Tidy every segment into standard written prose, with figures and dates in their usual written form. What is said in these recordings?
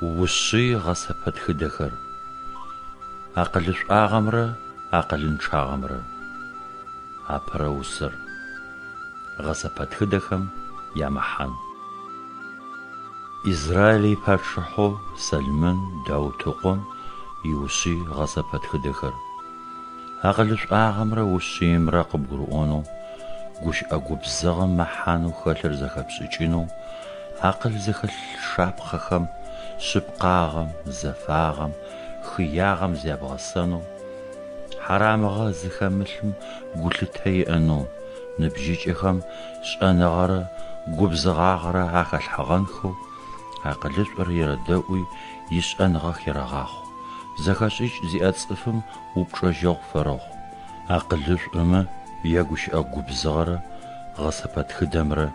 Ушъый гъэсэпэтхыдэхэр. Акъылышӏуагъэмрэ акъылынчъагъэмрэ. Апэрэ усэр. Гъэсэпэтхыдэхэм ямэхьан. Израиль ипачъыхьэу Сэлмэн Даут ыкъом иушъый гъэсэпэтхыдэхэр. Акъылышӏуагъэмрэ ушъыимрэ къыбгурыӏонэу, гущыӏэ губзыгъэм мэхьанэу хэлъыр зэхэпшӏыкӏынэу, акъыл зыхэлъ шапхъэхэм, шъыпкъагъэм, зэфагъэм, хыягъэм зябгъэсэнэу, хьарамыгъэ зыхэмылъым гулъытэ иӏэнэу, ныбжьыкӏэхэм шӏэныгъэрэ губзыгъагъэрэ ахэлъхьэгъэнхэу, акъылышӏор ерэдэӏуи ишӏэныгъэ херэгъахъу, зэхэшӏыкӏ зиӏэ цӏыфым упчӏэжьэгъу фэрэхъу, акъылышӏомэ ягущыӏэ губзыгъэрэ гъэсэпэтхыдэмрэ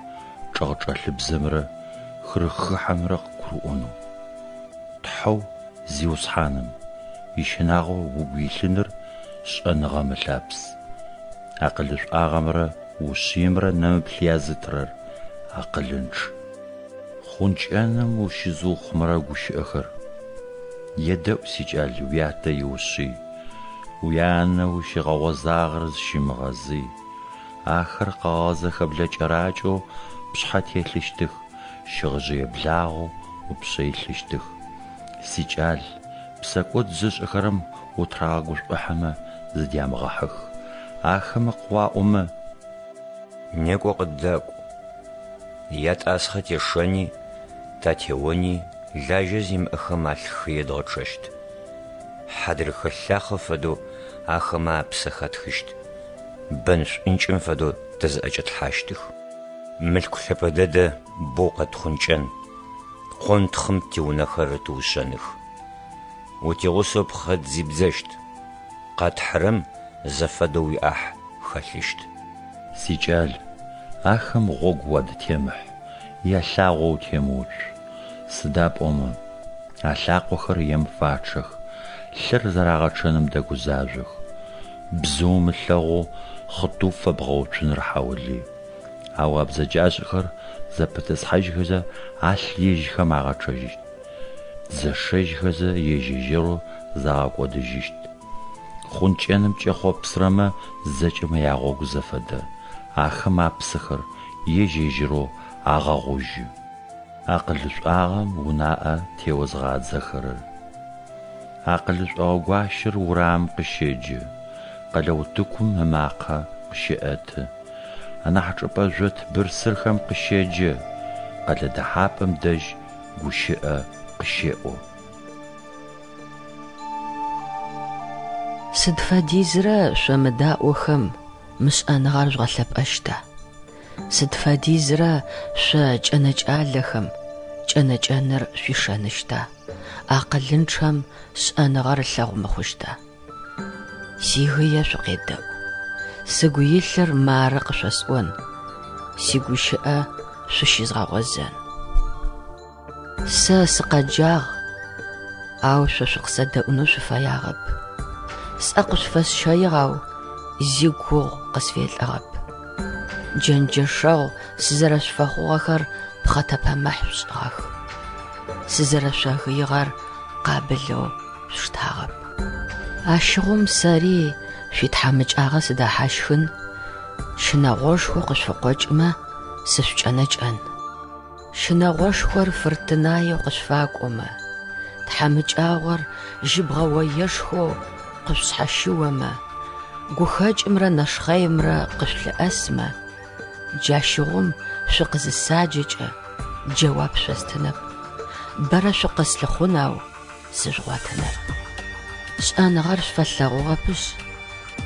чӏэгъчӏэлъыбзэмрэ хырыхыхьэмрэ къыгурыӏонэу. Тхьэу Зиусхьаным ищынагъо угу илъыныр шӏэныгъэм ылъапс. Акъылышӏуагъэмрэ ушъыимрэ нэмыплъ язытырэр акъылынчъ. Хъункӏэным ущызыухъумэрэ гущыӏэхэр. Едэӏу, сикӏал, уятэ иушъый, уянэ ущигъэгъозагъэр зыщымыгъэзый. Ахэр къэгъэгъэ зэхэблэ кӏэракӏэу пшъхьэ телъыщтых, щыгъыжъые благъэу упшъэ илъыщтых. Сикӏал, псэкӏод зышӏэхэрэм утырагъэгушӏухьэмэ зыдямыгъэхьых. Ахэмэ къыуаӏомэ. Некӏо къыддакӏу. Ятӏасхъэ тешэни, татеони, лажьэ зимыӏэхэм алъ хые дгъэчъэщт. Хьадрыхэ лъахъэ фэдэу ахэмэ апсэ хатхыщт, бэн шӏункӏым фэдэу тэ зыӏэкӏэтлъхьащтых. Мылъку лъэпӏэ дэдэ боу къэтхъункӏэн, къонтхъым тиунэхэр рытыушъэных. Утигъусэу пхъэ дзибдзэщт, къэтхьырэм зэфэдэу уиӏахь хэлъыщт. Сикӏал, ахэм гъогу уадытемыхь, ялъагъо утемыуцу, сыда пӏомэ, алъакъохэр ем фачъэх, лъыр зэрагъэчъэным дэгузажъох. Бзыум ылъэгъоу хъытыу фэбгъэуцуныр хьаулый. Ау а бзэджашӏэхэр зэпытӏысхьажьхэзэ алъ ежьхэм агъэчъэжьыщт, зэшэжьхэзэ ежь-ежьырэу загъэкӏодыжьыщт. Хъункӏэным кӏэхъопсырэмэ зэкӏэмэ ягъогу зэфэдэ, ахэм апсэхэр ежь-ежьырэу агъэгъужьы. Акъылышӏуагъэм унаӏэ теозгъадзэхэрэр. Акъылышӏогъэ гуащэр урамым къыщеджэ, къэлэ утыкум ымакъэ къыщеӏэты, анахь чӏыпӏэ жъот бырсырхэм къыщеджэ, къэлэ дэхьапӏэм дэжь гущыӏэ къыщеӏо. Сыд фэдизрэ шъо мыдаӏохэм мы шӏэныгъэр жъугъэлъэпӏэщта? Сыд фэдизрэ шъо кӏэнэкӏалэхэм кӏэнэкӏэныр шъуишэныщта, акъылынчъэм шӏэныгъэр ылъэгъу мыхъущта? Сигые шъукъедэӏу, сыгу илъыр мары къышъосӏон, сигущыӏэ шъущызгъэгъозэн. Сэ сыкъэджагъ, ау шъо шъукъысэдэӏунэу шъуфэягъэп. Сӏэ къышъуфэсщэигъ, ау зи гугъу къысфелӏыгъэп. Джэнджэшэгъу сызэрэшъуфэхъугъэхэр пхъэтэпэмыхь шъушӏыгъэх. Сызэрэшъогыигъэр къабылэу шъуштагъэп. Ащыгъум сэри шъуитхьамыкӏагъэ сыдэхьащхын, щынэгъошхо къышъуфыкъокӏымэ, сышъукӏэнэкӏэн. Щынэгъошхор фыртынаеу къышъуфакӏомэ, тхьамыкӏагъор жьыбгъэ оешхоу къышъушъхьэщыомэ, гухэкӏымрэ нэшхъэимрэ къышъулъыӏэсмэ, джащыгъум шъукъызысаджэкӏэ джэуап шъостынэп, бэрэ шъукъыслъыхъун ау сыжъугъотынэп. Шӏэныгъэр шъуфэлъэгъугъэпышъ,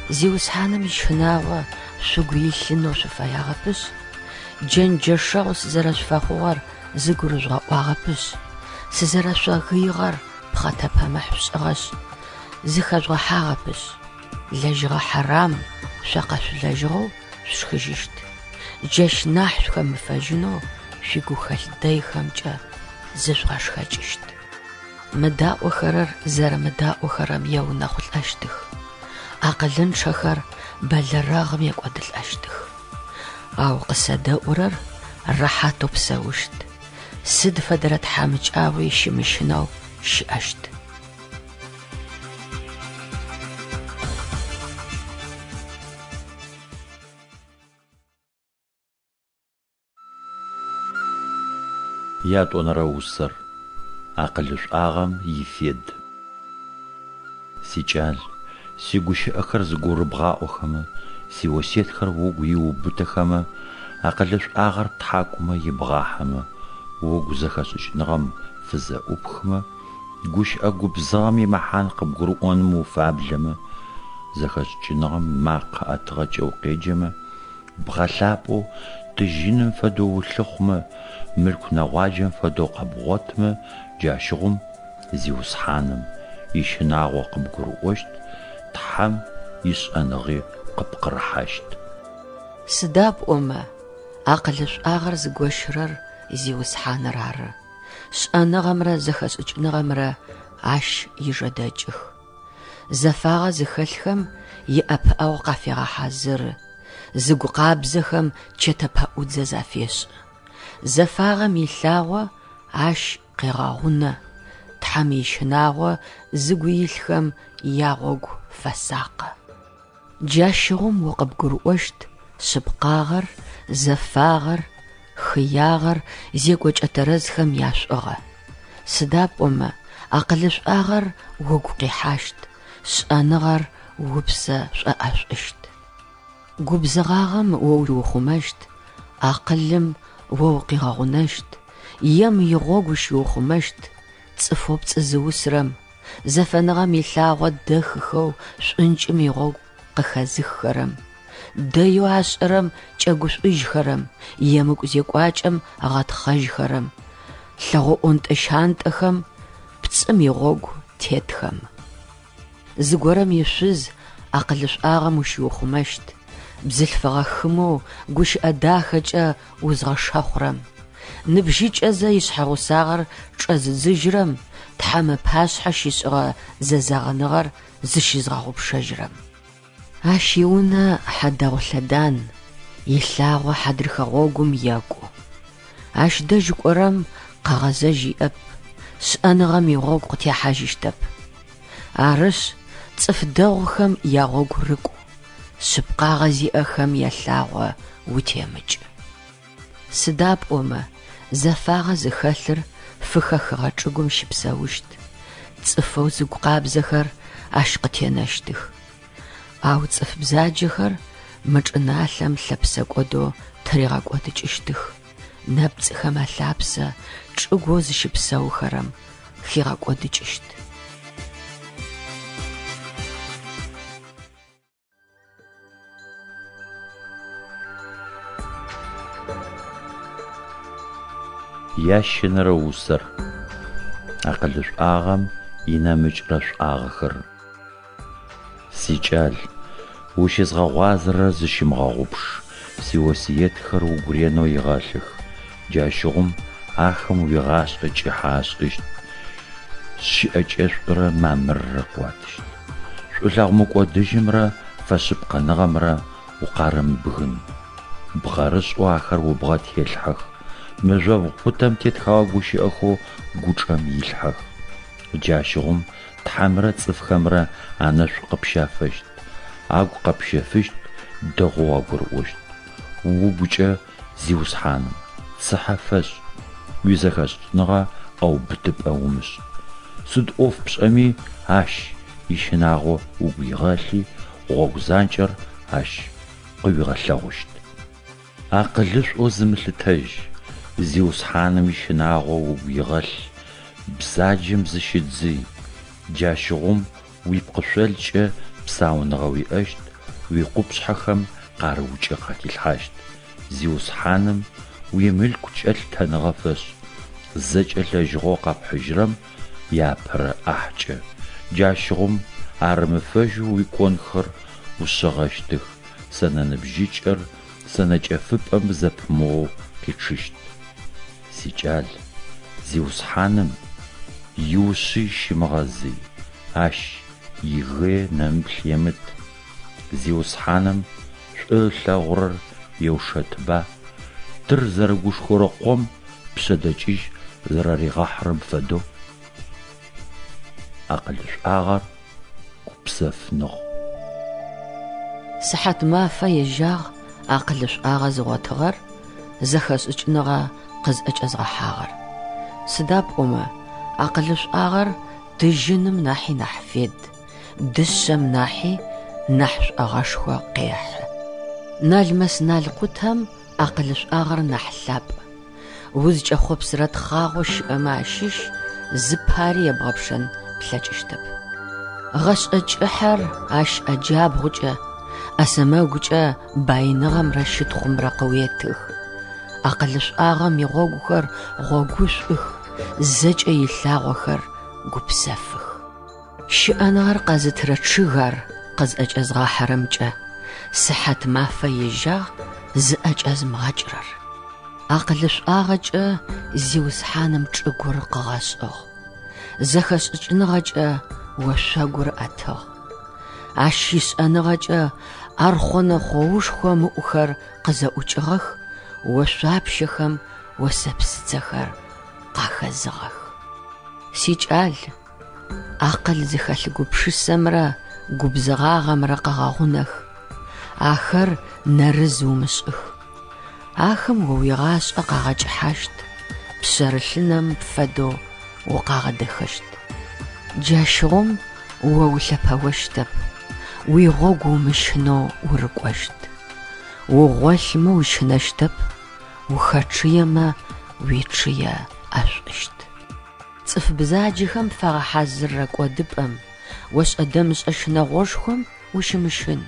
Зиусхьаным ищынагъо шъугу илъынэу шъуфэягъэпышъ, джэнджэшэгъу сызэрэшъуфэхъугъэр зыгурыжъугъэӏуагъэпышъ, сызэрэшъогыигъэр пхъэтэпэмыхь шъушӏыгъэшъ, зыхэжъугъэхьагъэпышъ, лэжьыгъэ хьэрам шъо къэшъулэжьыгъэу шъушхыжьыщт, джащ нахь шъухэмыфэжьынэу шъуигухэлъ дэйхэмкӏэ зыжъугъэшхэкӏыщт. Мыдаӏохэрэр зэрэмыдаӏохэрэм еунэхъулӏэщтых, акъылынчъэхэр бэлэрэгъым екӏодылӏэщтых. Ау къысэдэӏурэр рэхьатэу псэущт. сыд фэдэрэ тхьамыкӏагъуи щымыщынэу щыӏэщт. Ятӏонэрэ усэр, акъылышӏуагъэм ифед. Сикӏал, сигущыӏэхэр зыгурыбгъаӏохэмэ, сиосетхэр угу иуубытэхэмэ, акъылышӏуагъэр птхьакӏумэ ибгъахьэмэ, угу зэхэшӏыкӏыныгъэм фызэӏупхымэ, гущыӏэ губзыгъэм имэхьан къыбгурыӏоным уфаблэмэ, зэхэшӏыкӏыныгъэм макъэ ӏэтыгъэкӏэ укъеджэмэ, Бгъэлъапӏэу тыжьыным фэдэу улъыхъумэ, мылъку нэгъуаджэм фэдэу къэбгъотмэ, джащыгъум Зиусхьаным ищынагъо къыбгурыӏощт, Тхьэм ишӏэныгъи къыпкъырыхьащт. Сыда пӏомэ, акъылышӏуагъэр зыгощырэр Зиусхьаныр ары, шӏэныгъэмрэ зэхэшӏыкӏыныгъэмрэ Ащ ижэдэкӏых. Зэфагъэ зыхэлъхэм иӏэпыӏэгъу къафегъэхьазыры, зыгу къабзэхэм чэтэ пэӏудзэ зафешӏы. Зэфагъэм илъагъо ащ къегъэгъунэ, Тхьэм ищынагъо зыгу илъхэм ягъогу фэсакъы. Джащыгъум о къыбгурыӏощт шъыпкъагъэр, зэфагъэр, хыягъэр, зекӏокӏэ тэрэзхэм яшӏугъэ. Сыда пӏомэ акъылышӏуагъэр угу къихьащт, шӏэныгъэр упсэ шӏоӏэшӏущт. Губзыгъагъэм о уиухъумэщт, акъылым о укъигъэгъунэщт, ем игъогу ущиухъумэщт, цӏыфэу пцӏы зыусрэм, зэфэныгъэм илъагъо дэхыхэу шӏункӏым игъогу къыхэзыххэрэм, дэеу ашӏэрэм кӏэгушӏужьхэрэм, емыкӏу зекӏуакӏэм ыгъэтхъэжьхэрэм, лъэгъо ӏонтӏэ-щантӏэхэм, пцӏым игъогу тетхэм. Зыгорэм ишъуз акъылышӏуагъэм ущиухъумэщт, бзылъфыгъэ хымэу гущыӏэ дахэкӏэ узгъэшэхъурэм, ныбжьыкӏэзэ ишъхьэгъусагъэр чӏэзыдзыжьырэм Тхьэм ыпашъхьэ щишӏыгъэ зэзэгъыныгъэр зыщызгъэгъупшэжьырэм. Ащ иунэ хьадэгъу лъэдан, илъагъо хьадрыхэ гъогум екӏу. Ащ дэжь кӏорэм къэгъэзэжь иӏэп, шӏэныгъэм игъогу къытехьажьыщтэп. Арышъ, цӏыф дэгъухэм ягъогу рыкӏу, шъыпкъагъэ зиӏэхэм ялъагъо утемыкӏ. Сыда пӏомэ зэфагъэ зыхэлъыр фыхэхыгъэ чӏыгум щыпсэущт, цӏыфэу зыгу къабзэхэр ащ къытенэщтых. Ау цӏыф бзаджэхэр мы чӏыналъэм лъэпсэкӏодэу тыригъэкӏодыкӏыщтых, нэпцӏыхэм алъапсэ чӏыгоу зыщыпсэухэрэм хигъэкӏодыкӏыщт. Ящэнэрэ усэр, акъылышӏуагъэм инэмыкӏрэ шӏуагъэхэр. Сикӏал, ущызгъэгъуазэрэр зыщымыгъэгъупш, сиосыетхэр угу ренэу игъэлъых, джащыгъум ахэм уигъашӏэ кӏыхьэ ашӏыщт, щыӏэкӏэшӏурэ мамыррэ къыуатыщт. Шӏулъэгъу мыкӏодыжьымрэ фэшъыпкъэныгъэмрэ укъарэмыбгын. Бгъэрышӏэу ахэр убгъэ телъхьэх, мыжъобгъу пытэм тетхэгъэ гущыӏэхэу гучӏэм илъхьэх. Джащыгъум Тхьэмрэ цӏыфхэмрэ анэшӏу къыпщафэщт, агу къэпщэфыщт, дэгъоу уагурыӏощт. Угукӏэ Зиусхьаным цыхьэ фэшӏ, уизэхэшӏыкӏыныгъэ ӏэубытыпӏэ умышӏ. Сыд ӏоф пшӏэми, Ащ ищынагъо угу игъэлъи, гъогу занкӏэр Ащ къыуигъэлъэгъущт. Акъылышӏоу зымылъытэжь, Зиусхьаным ищынагъо угу игъэлъ, бзаджэм зыщыдзый, джащыгъум уипкъышъолкӏэ псауныгъэ уиӏэщт, уикъупшъхьэхэм къарыукӏэ къахилъхьащт. Зиусхьаным уимылъкукӏэ лъытэныгъэ фэшӏ, зэкӏэ лэжьыгъэу къэпхьыжьырэм иапэрэ ӏахькӏэ, джащыгъум арымыфэжьэу уиконхэр ушъэгъэщтых, сэнэ ныбжьыкӏэр сэнэ кӏэфыпӏэм зэпымыоу къичъыщт. Сикӏал, Зиусхьаным иушъый щымыгъэзый, Ащ игые нэмыплъ емыт. Зиусхьаным шӏу ылъэгъурэр еушэтыба, тыр зэрыгушхорэ къом пшъэдэкӏыжь зэрэригъэхьырэм фэдэу. Акъылышӏуагъэр гупсэфныгъ. Сыхьатмафэ ежьагъ акъылышӏуагъэ зыгъотыгъэр, зэхэшӏыкӏыныгъэ къызӏэкӏэзгъэхьагъэр. Сыда пӏомэ акъылышӏуагъэр тыжьыным нахьи нахь фед, дышъэм нахьи нахь шӏогъэшхо къехьы. Налмэс-налкъутэм акъылышӏуагъэр нахь лъапӏ. Узкӏэхъопсырэ тхъагъо щыӏэмэ ащыщ зыпари ебгъэпшэн плъэкӏыщтэп. Гъэшӏэ кӏыхьэр ащ ӏэджабгъукӏэ, ӏэсэмэгукӏэ баиныгъэмрэ щытхъумрэ къыуетых. Акъылышӏуагъэм игъогухэр гъогушӏух, зэкӏэ илъагъохэр гупсэфых. Щыӏэныгъэр къэзытырэ чъыг ар къызӏэкӏэзгъахьэрэмкӏэ, сыхьатмафэ ежьагъ зыӏэкӏэзымыгъэкӏырэр. Акъылышӏуагъэкӏэ Зиусхьаным чӏыгур къыгъэшӏыгъ, зэхэшӏыкӏыныгъэкӏэ ошъогур ыӏэтыгъ. Ащ ишӏэныгъэкӏэ архъонэ хъоушхом ыӏухэр къызэӏукӏыгъэх, ошъуапщэхэм осэпсыцэхэр къахэзыгъэх. Сикӏал, акъыл зыхэлъ гупшысэмрэ губзыгъагъэмрэ къэгъэгъунэх, ахэр нэрыз умышӏых. Ахэм о уигъашӏэ къагъэкӏыхьащт, пшъэрылъынэм фэдэу укъагъэдэхэщт. Джащыгъум о улъэпэощтэп, уигъогу умыщынэу урыкӏощт. Угъолъмэ ущынэщтэп, ухэчъыемэ уичъые ӏэшӏущт. Цӏыф бзаджэхэм фагъэхьазыррэ кӏодыпӏэм, ошӏэ-дэмышӏэ щынэгъошхом ущымыщын,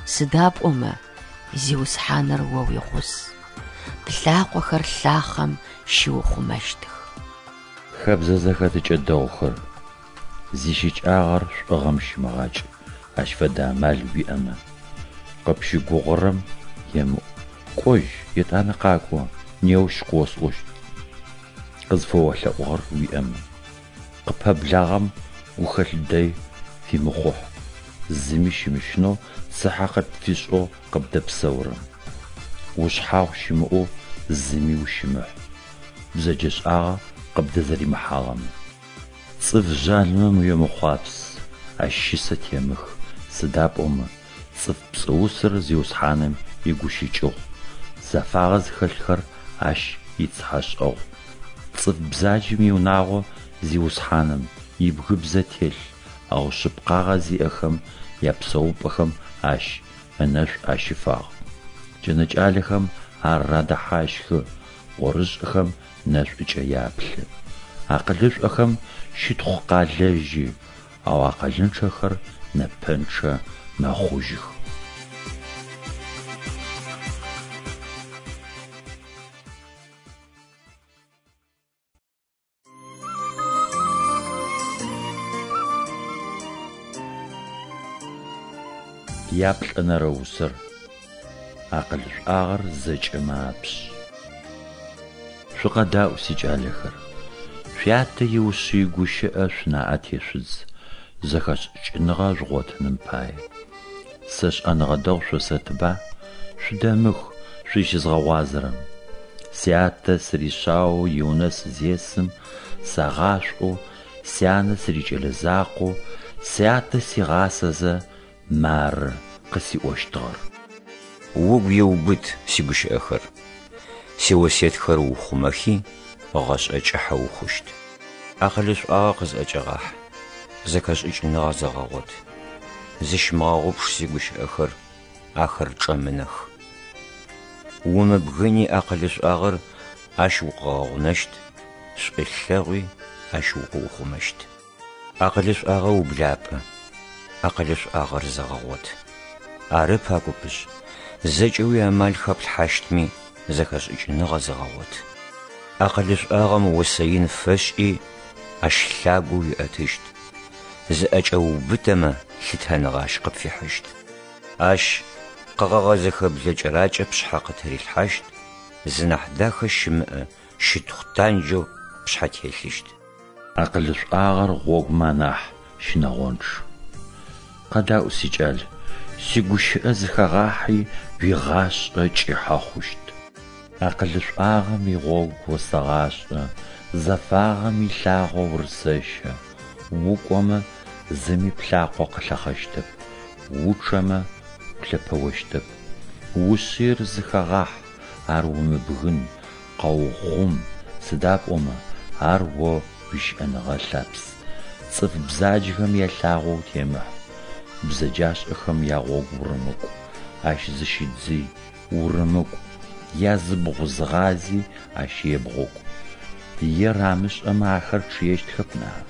сыда пӏомэ Зиусхьаныр о уигъус, плъакъохэр лъахъэм щиухъумэщтых. Хэбзэ зэхэтыкӏэ дэгъухэр, зищыкӏагъэр шӏугъэм щымыгъакӏ, ащ фэдэ амал уиӏэмэ. Къыпщыгугъырэм емыӏу, кӏожь, етӏанэ къакӏо, неущ къыосӏощт. Къызфэолъэӏугъэр уиӏэмэ. Къыпэблагъэм гухэлъ дэй фимыхъухь, зыми щымыщынэу цыхьэ къыпфишӏэу къыбдэпсэурэм. Ушъхьагъу щымыӏэу зыми ущымыхь, бзэджэшӏагъэ къыбдэзэримыхьагъэмэ. Цӏыф жъалымэм уемыхъуапс, ащ щысэ темых, сыда пӏомэ цӏыф пцӏыусыр Зиусхьаным игущыкӏыгъу, зэфагъэ зыхэлъхэр Ащ ицыхьэшӏэгъу. Цӏыф бзаджэм иунагъо Зиусхьаным ибгыбзэ телъ, ау шъыпкъагъэ зиӏэхэм япсэупӏэхэм Ащ ынэшӏу ащыфагъ. Кӏэнэкӏалэхэм ар радэхьащхы, ӏорышӏэхэм нэшӏукӏэ яплъы. Акъылышӏохэм щытхъу къалэжьы, ау акъылынчъэхэр нэпэнчъэ мэхъужьых. Яплӏэнэрэ усэр, Акъылышӏуагъэр зэкӏэмэ апшъ. Шъукъэдаӏу, сикӏалэхэр, шъуятэ иушъый гущыӏэ шъунаӏэ тешъудз, зэхэшӏыкӏыныгъэ жъугъотыным пае. Сэ шӏэныгъэ дэгъу шъосэтыба, шъудэмых, шъузщызгъэгъуазэрэм. Сятэ сыришъаоу иунэ сызесым, сагъашӏоу, сянэ сырикӏэлэ закъоу, сятэ сигъасэзэ, мары къысиӏощтыгъэр. Угу иубыт сигущыӏэхэр, сиосетхэр ыухъумэхи, гъэшӏэ кӏыхьэ ухъущт. Акъылышӏуагъэ къызӏэкӏэгъахь, зэхэшӏыкӏыныгъэ зэгъэгъот. Зыщымыгъэгъупш сигущыӏэхэр, ахэр чӏэмынэх. Умыбгыни акъылышӏуагъэр ащ укъыгъэгъунэщт, шӏулъэгъуи ащ укъыухъумэщт. Акъылышӏуагъэ ублапӏэ, акъылышӏуагъэр зэгъэгъот. Ары пакӏопышъ, зэкӏэ уиамал хэплъхьащтми, зэхэшӏыкӏыныгъэ зэгъэгъот. Акъылышӏуагъэм осэ ин фэшӏи, ащ лъагэу уиӏэтыщт. Зыӏэкӏэуубытэмэ, лъытэныгъэ ащ къыпфихьыщт. Ащ къэгъэгъэ зэхэблэ кӏэракӏэ пшъхьэ къытырилъхьащт, зынахь дахэ щымыӏэ щытхъу танджэу пшъхьэ телъыщт. Акъылышӏуагъэр гъогумэ анахь щынэгъончъ. Къэдаӏу, сикӏал, сигущыӏэ зыхэгъахьи, уигъашӏэ кӏыхьэ хъущт. Акъылышӏуагъэм игъогу осэгъашӏэ, Зэфагъэм илъагъо урысэщэ, укӏомэ, зыми плъакъо къылъэхъэщтэп, учъэмэ, улъэпэощтэп. Ушъыир зыхэгъахь, ар умыбгын, къэухъум, сыда пӏомэ ар о уищыӏэныгъэ лъапс. Цӏыф бзаджэхэм ялъагъо утемыхь, бзэджашӏэхэм ягъогу урымыкӏу, ащ зыщыдзый, урымыкӏу, языбгъу зыгъази ащ ебгъукӏу. Ер амышӏэмэ ахэр чъыещтхэп ныӏа?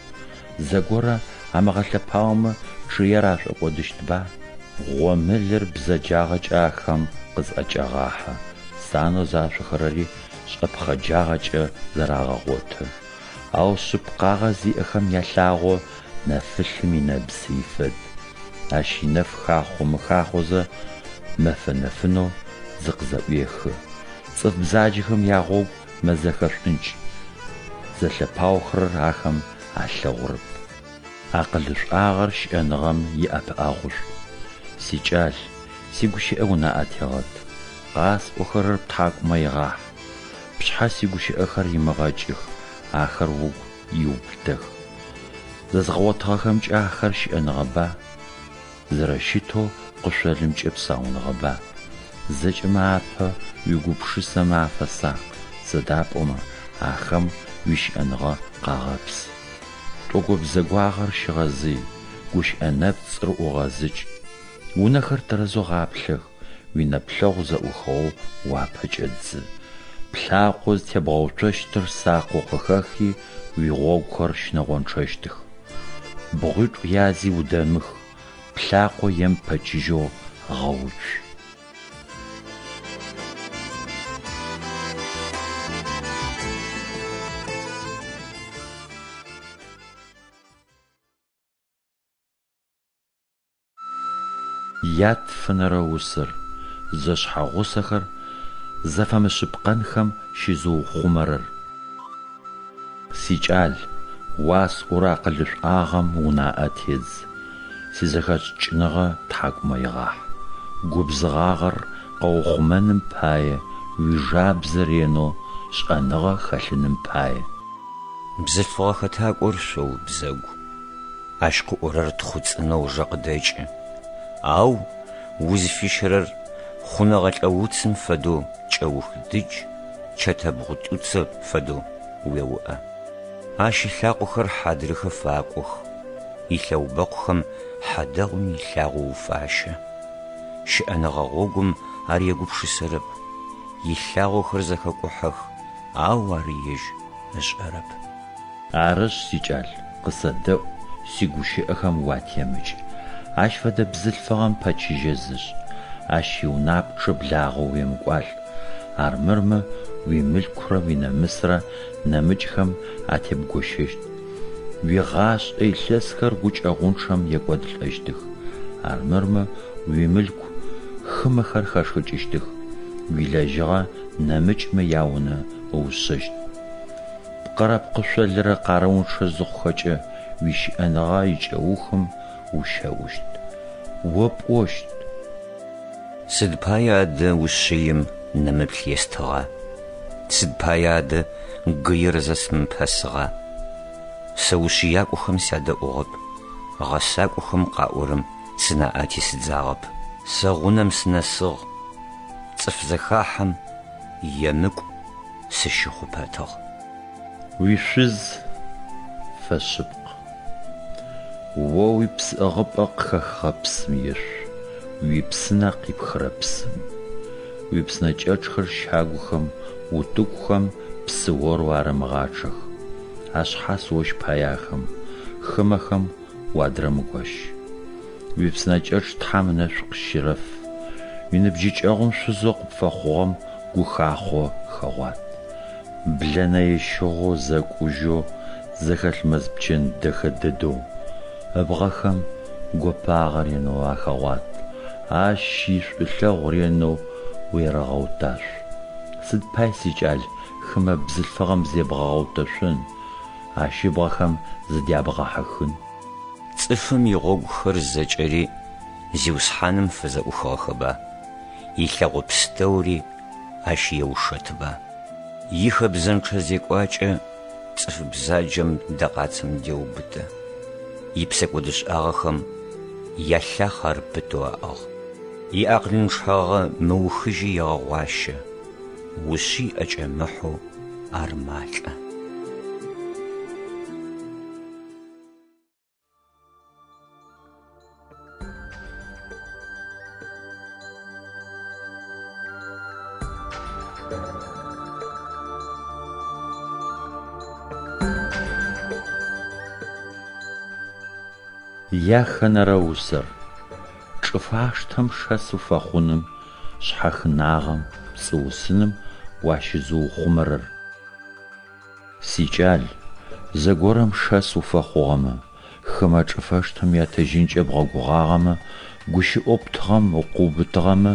Зэгорэ амыгъэлъэпаомэ чъыер ашӏокӏодыщтба? Гъомылэр бзэджагъэкӏэ ахэм къызӏэкӏагъахьэ, санэу зашъохэрэри шӏэпхъэджагъэкӏэ зэрагъэгъоты. Ау шъыпкъагъэ зиӏэхэм ялъагъо нэфылъым инэбзый фэд. Ащ инэф хахъо-мыхахъозэ мэфэ нэфынэу зыкъызэӏуехы. Цӏыф бзаджэхэм ягъогу мэзэхэ шӏункӏ, зэлъэпаохэрэр ахэм алъэгъурэп. Акъылышӏуагъэр щыӏэныгъэм иӏэпыӏэгъушӏу. Сикӏал, сигущыӏэ унаӏэ тегъэт, къасӏохэрэр птхьакӏумэ игъахь. Пшъхьэ сигущыӏэхэр имыгъэкӏых, ахэр угу иубытэх. Зэзгъэгъотыгъэхэмкӏэ ахэр щыӏэныгъэба? Зэрэщытэу пкъышъолымкӏэ псауныгъэба? Зэкӏэмэ апэ уигупшысэмэ афэсакъ, сыда пӏомэ ахэм уищыӏэныгъэ къагъэпсы. Тӏого-бзэгуагъэр щыгъэзый, гущыӏэ нэпцӏыр ӏугъэзыкӏ. Унэхэр тэрэзэу гъаплъэх, уинэплъэгъу зэӏухыгъэу уапэкӏэ дзы. Плъакъо зытебгъэуцощтыр сакъэу къыхэхи, уигъогухэр щынэгъончъэщтых. Бгъуитӏу язи удэмых, плъакъо ем пэчыжьэу гъэуцу. Ятфэнэрэ усэр, зэшъхьэгъусэхэр зэфэмышъыпкъэнхэм щызыухъумэрэр. Сикӏал, уасӏорэ акъылышӏуагъэм унаӏэ тедз, сизэхэшӏыкӏыныгъэ птхьакӏумэ игъахь. Губзыгъагъэр къэухъумэным пае уижабзэ ренэу шӏэныгъэ хэлъыным пае. Бзылъфыгъэ хэтакӏор шъоу бзэгу. Ащ къыӏорэр тхъуцӏынэу жэ къыдэкӏы. Ау узыфищэрэр хъунэгъэлӏэ уцым фэдэу кӏэух дыдж, чэтэбгъу тӏуцэ фэдэу уеуӏэ. Ащ ылъакъохэр хьадрыхэ факӏох, илъэубэкъухэм хьадэгъум илъагъо уфащэ. Щыӏэныгъэ гъогум ар егупшысэрэп, илъагъохэр зэхэкӏухьэх, ау ар ежь ышӏэрэп. Арышъ, сикӏал, къысэдэӏу, сигущыӏэхэм уатемыкӏ. Ащ фэдэ бзылъфыгъэм пэчыжьэ зышӏ, ащ иунапчъэ благъэу уемыкӏуалӏ, армырмэ уимылъкурэ уинамысрэ нэмыкӏхэм атебгощэщт. Уигъашӏэ илъэсхэр гукӏэгъунчъэм екӏодылӏэщтых, армырмэ уимылъку хымэхэр хэшхыкӏыщтых, уилэжьыгъэ нэмыкӏмэ яунэ ыушъэщт. Пкъырэ пкъышъолырэ къарыунчъэ зыхъухэкӏэ уищыӏэныгъэ икӏэухым ущэӏущт. О пӏощт. Сыд пае адэ ушъыим нэмыплъ естыгъа? Сыд пае адэ гыир зэсымыпэсыгъа? Сэ ушъыякӏохэм сядэӏугъэп, гъэсакӏохэм къаӏорэм сынаӏэ тесыдзагъэп. Сэ гъунэм сынэсыгъ, цӏыф зэхахьэм емыкӏу сыщыхъупэтыгъ. Уишъуз фэшъыпкъ. О уипсыӏыгъыпӏэ къыхэхыгъэ псым ешъу, уипсынэ къипхырэ псым. Уипсынэкӏэчъхэр щагухэм, утыгухэм псыорэу арэмыгъачъэх. Ашъхьас ощ пае ахэм, хымэхэм уадырэмыгощ. Уипсынэкӏэчъ Тхьэм ынэшӏу къыщерэф. Уиныбджыкӏэгъум шъузэу къыпфэхъугъэм гухахъо хэгъуат. Блэнэ ещыгъэу зэкӏужьэу зэхэлъ мэз пчэн дэхэ дэдэу ыбгъэхэм гопагъэ ренэу ахэгъуат, ащ ишӏулъэгъу ренэу уерэгъэуташъу. Сыд пай, сикӏал, хымэ бзылъфыгъэм зебгъэгъэутэшъон, ащ ыбгъэхэм зыдябгъэхьыхын? Цӏыфым игъогухэр зэкӏэри Зиусхьаным фызэӏухыгъэхэба, илъэгъо пстэури ащ еушэтыба. Ихэбзэнчъэ зекӏуакӏэ Цӏыф бзаджэм дэкъацэм деубытэ. Ипсэкӏодышӏагъэхэм ялъахъ ар пытэу аӏыгъ. Иакъылынчъагъэ мыухыжьи егъэгъуащэ. Ушъый ӏэкӏэмыхьэу ар малӏэ. Яхэнэрэ усэр. Чӏыфаштэм шэс уфэхъуным, шъхьахынагъэм, пцӏыусыным уащызыухъумэрэр. Сикӏал, зэгорэм шэс уфэхъугъэмэ, хымэ чӏыфэштэм ятэжьынкӏэ бгъэгугъагъэмэ, гущыӏэу птыгъэм укъыубытыгъэмэ,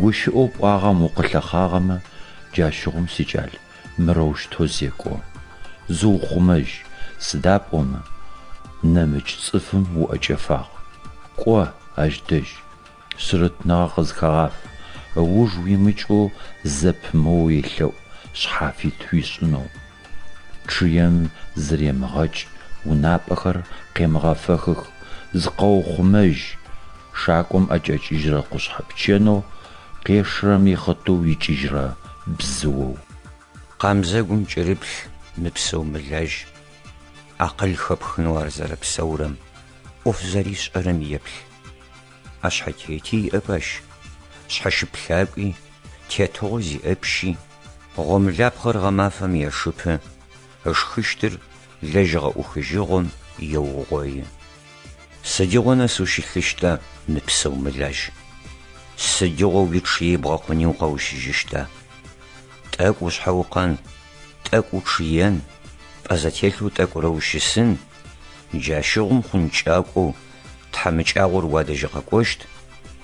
гущыӏэу пӏуагъэм укъылъэхъагъэмэ, джащыгъум, сикӏал, мырэущтэу зекӏо. Зыухъумэжь, сыда пӏомэ, нэмыкӏ цӏыфым уӏэкӏэфагъ. Кӏо ащ дэжь, шъырытныгъэ къызхэгъаф, ыуж уимыкӏэу зэпымыоу елъэӏу шъхьафит уишӏынэу. Чъыем зыремыгъэкӏ, унапӏэхэр къемыгъэфэхых, зыкъэухъумэжь, шакӏом ӏэкӏэкӏыжьырэ къушъхьэ пчэнэу, къешырэм ихъытыу икӏыжьырэ бзыоу. Къамзэгум кӏырыплъ, мыпсэу-мылажь, акъыл хэпхынэу ар зэрэпсэурэм, ӏоф зэришӏэрэм еплъ. ӏэшъхьэтети иӏэп ащ, шъхьэщыплъакӏуи, тетыгъо зиӏэ пщи, гъомылапхъэр гъэмафэм ешыпы, ышхыщтыр лэжьыгъэ ӏухыжьыгъом еугъои. Сыдигъо нэс ущылъыщта, мыпсэу-мылажь? Сыдигъо уичъые бгъэкъуни укъэущыжьыщта? Тӏэкӏу ушъхьэукъэн, тӏэкӏу учъыен, пӏэ зэтелъэу тӏэкӏурэ ущысын, джащыгъум хъункӏакӏоу тхьамыкӏагъор уадэжь къэкӏощт,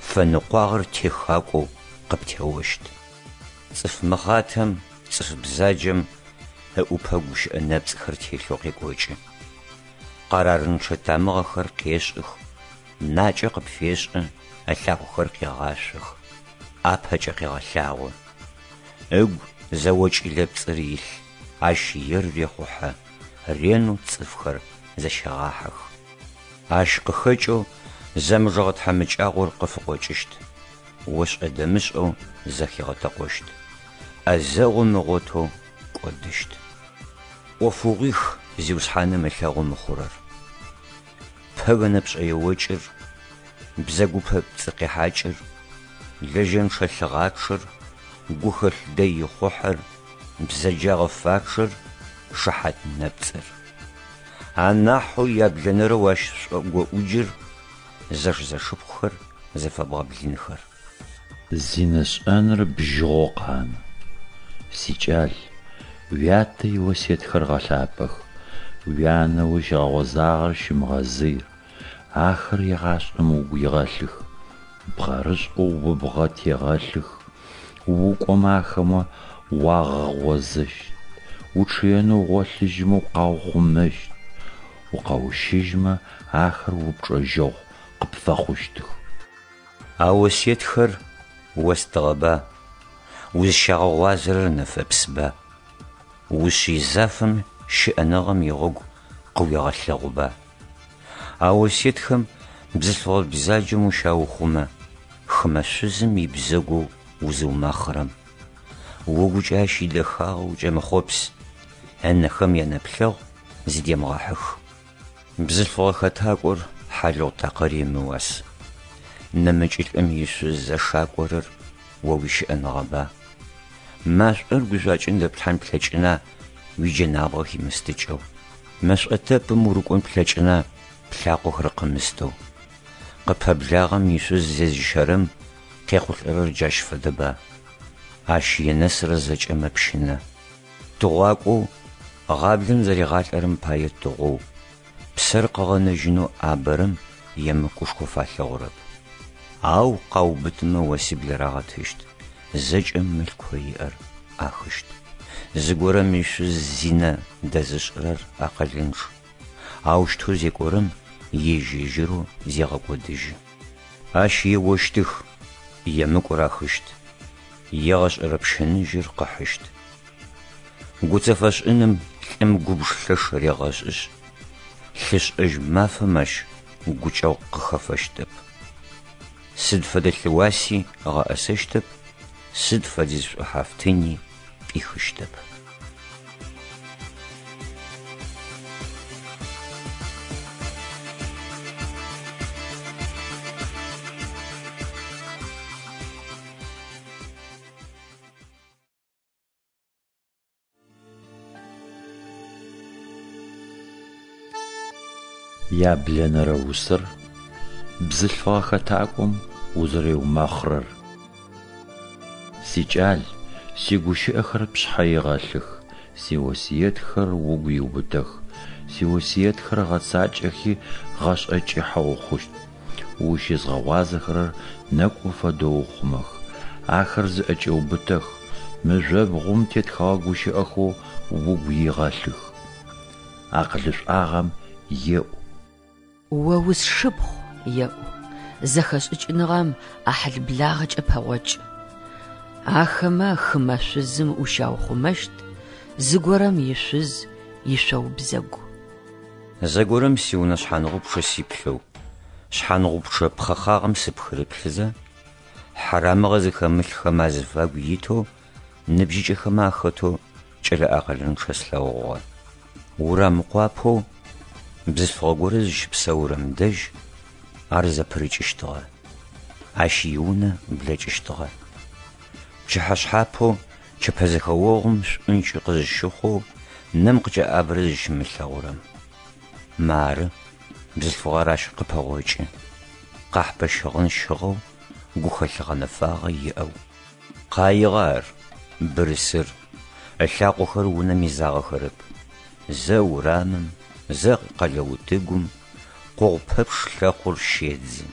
фэныкъуагъэр техакӏоу къыптеощт. Цӏыф мыхъатэм, цӏыф бзаджэм ыӏупэ гущыӏэ нэпцӏхэр телъэу къекӏокӏы. Къэрарынчъэ тамыгъэхэр къешӏых, накӏэ къыпфешӏы, ылъакъохэр къегъашъох, ӏапэкӏэ къегъэлъагъо. Ыгу зэокӏылэ пцӏыр илъ, ащ ер рехъухьэ, ренэу цӏыфхэр зэщегъахьэх. Ащ къыхэкӏэу зэмыжэгъэ тхьамыкӏагъор къыфыкъокӏыщт, ошӏэ-дэмышӏэу зэхигъэтэкъощт, ӏэзэгъу ымыгъотэу кӏодыщт. ӏофыгъуих Зиусхьаным ылъэгъу мыхъурэр. Пэгэ нэпшӏэеокӏыр, бзэгупэ пцӏыкъехьакӏыр, лэжьэнчъэ лъыгъачъэр, гухэлъ дэй ихъухьэр, бзэджагъэ фачъэр, шыхьат нэпцӏыр. Анахьэу яблэнэрэу ащ шӏогоӏуджыр зэш-зэшыпхъухэр зэфэбгъэблынхэр. Зинэ шӏэныр бжьыгъэу къанэ. Сикӏал, уятэ иосетхэр гъэлъапӏэх, уянэ узщигъэгъозагъэр щымыгъэзый, ахэр егъашӏэм угу игъэлъых, бгъэрышӏэу убгъэ тегъэлъых, укӏомэ ахэмэ уагъэгъозэщт, учъыенэу угъолъыжьымэ укъаухъумэщт, укъэущыжьымэ ахэр упчӏэжьэгъу къыпфэхъущтых. А осетхэр остыгъэба, узщагъэгъуазэрэр нэфэпсба, ушъый зафэм щыӏэныгъэм игъогу къыуегъэлъэгъуба. А осетхэм бзылъфыгъэ бзаджэм ущаухъумэ, хымэ шъузым ибзэгоу узыумэхъырэм. Угукӏэ ащ идэхагъэ укӏэмыхъопс, ынэхэм янэплъэгъу зыдемыгъэхьых. Бзылъфыгъэ хэтакӏор хьалыгъу такъыр ымыуас. Нэмыкӏылӏым ишъуз зэшакӏорэр о уищыӏэныгъэба? Машӏор гужъуакӏэм дэплъхьан плъэкӏына уиджэнабгъэ химыстыкӏэу? Мэшӏотэпым урыкӏон плъэкӏына плъакъохэр къымыстэу? Къыпэблагъэм ишъуз зезыщэрэм къехъулӏэрэр джащ фэдэба? Ащ енэсырэ зэкӏэ мэпщынэ. Тыгъуакӏоу гъаблэм зэригъалӏэрэм пае тыгъоу, псэр къыгъэнэжьынэу ӏабэрэм емыкӏушхо фалъэгъурэп. Ау къаубытымэ осибл рагъэтыщт, зэкӏэ мылъкоу иӏэр ӏахыщт. Зыгорэм ишъуз зинэ дэзышӏырэр акъылынчъ. Аущтэу зекӏорэм ежь-ежьырэу зегъэкӏодыжьы. Ащ еощтых, емыкӏу рахыщт, егъэшӏэрэ пщыныжьыр къыхьыщт. Гуцэфэшӏыным Лӏым губж лъэш регъэшӏышъ, лъышӏэжь мафэм ащ гукӏэгъу къыхэфэщтэп. Сыд фэдэ лъыуаси ыгъэӏэсэщтэп, сыд фэдиз шӏухьафтыни пӏихыщтэп. Яблэнэрэ усэр бзылъфыгъэ хэтакӏом узэреумэхъырэр. Сикӏал, сигущыӏэхэр пшъхьэ игъэлъых, сиосыетхэр угу иубытэх, сиосыетхэр гъэцакӏэхи гъэшӏэ кӏыхьэ ухъущт. Ущызгъэгъуазэхэрэр нэкӏум фэдэу ухъумэх, ахэр зыӏэкӏэубытэх, мыжъобгъум тетхэгъэ гущыӏэхэу угу игъэлъых. Акъылышӏуагъэм еӏу. О усшыпхъу, еӏу, зэхэшӏыкӏыныгъэм ӏахьыл-благъэкӏэ пэгъокӏ. Ахэмэ хымэ шъузым ущаухъумэщт, зыгорэм ишъуз ишъоубзэгу. Зэгорэм сиунэ шъхьаныгъупчъэ сиплъэу, шъхьаныгъупчъэ пхъэхагъэм сыпхырыплъызэ, хьарамыгъэ зыхэмылъхэм азыфагу итэу ныбжьыкӏэхэмэ ахэтэу кӏэлэ акъылынчъэ слъэгъугъэ. Урам къуапэу бзылъфыгъэ горэ зыщыпсэурэм дэжь ар зэпырыкӏыщтыгъэ, ащ иунэ блэкӏыщтыгъэ. Пчыхьэшъхьапэу чэпэзэхэогъум шӏункӏ къызыщыхъоу нэм къыкӏэӏабэрэ зыщимылъэгъурэм. Мары, бзылъфыгъэр ащ къыпэгъокӏы, къахьпэ щыгъын щыгъэу, гухэлъ гъэнэфагъэ иӏэу. Къаигъэ ар, бырысыр, ылъакъохэр унэм изагъэхэрэп. Зэ урамым, зэ къэлэ утыгум, къогъу пэпчъ лъэхъур щедзы.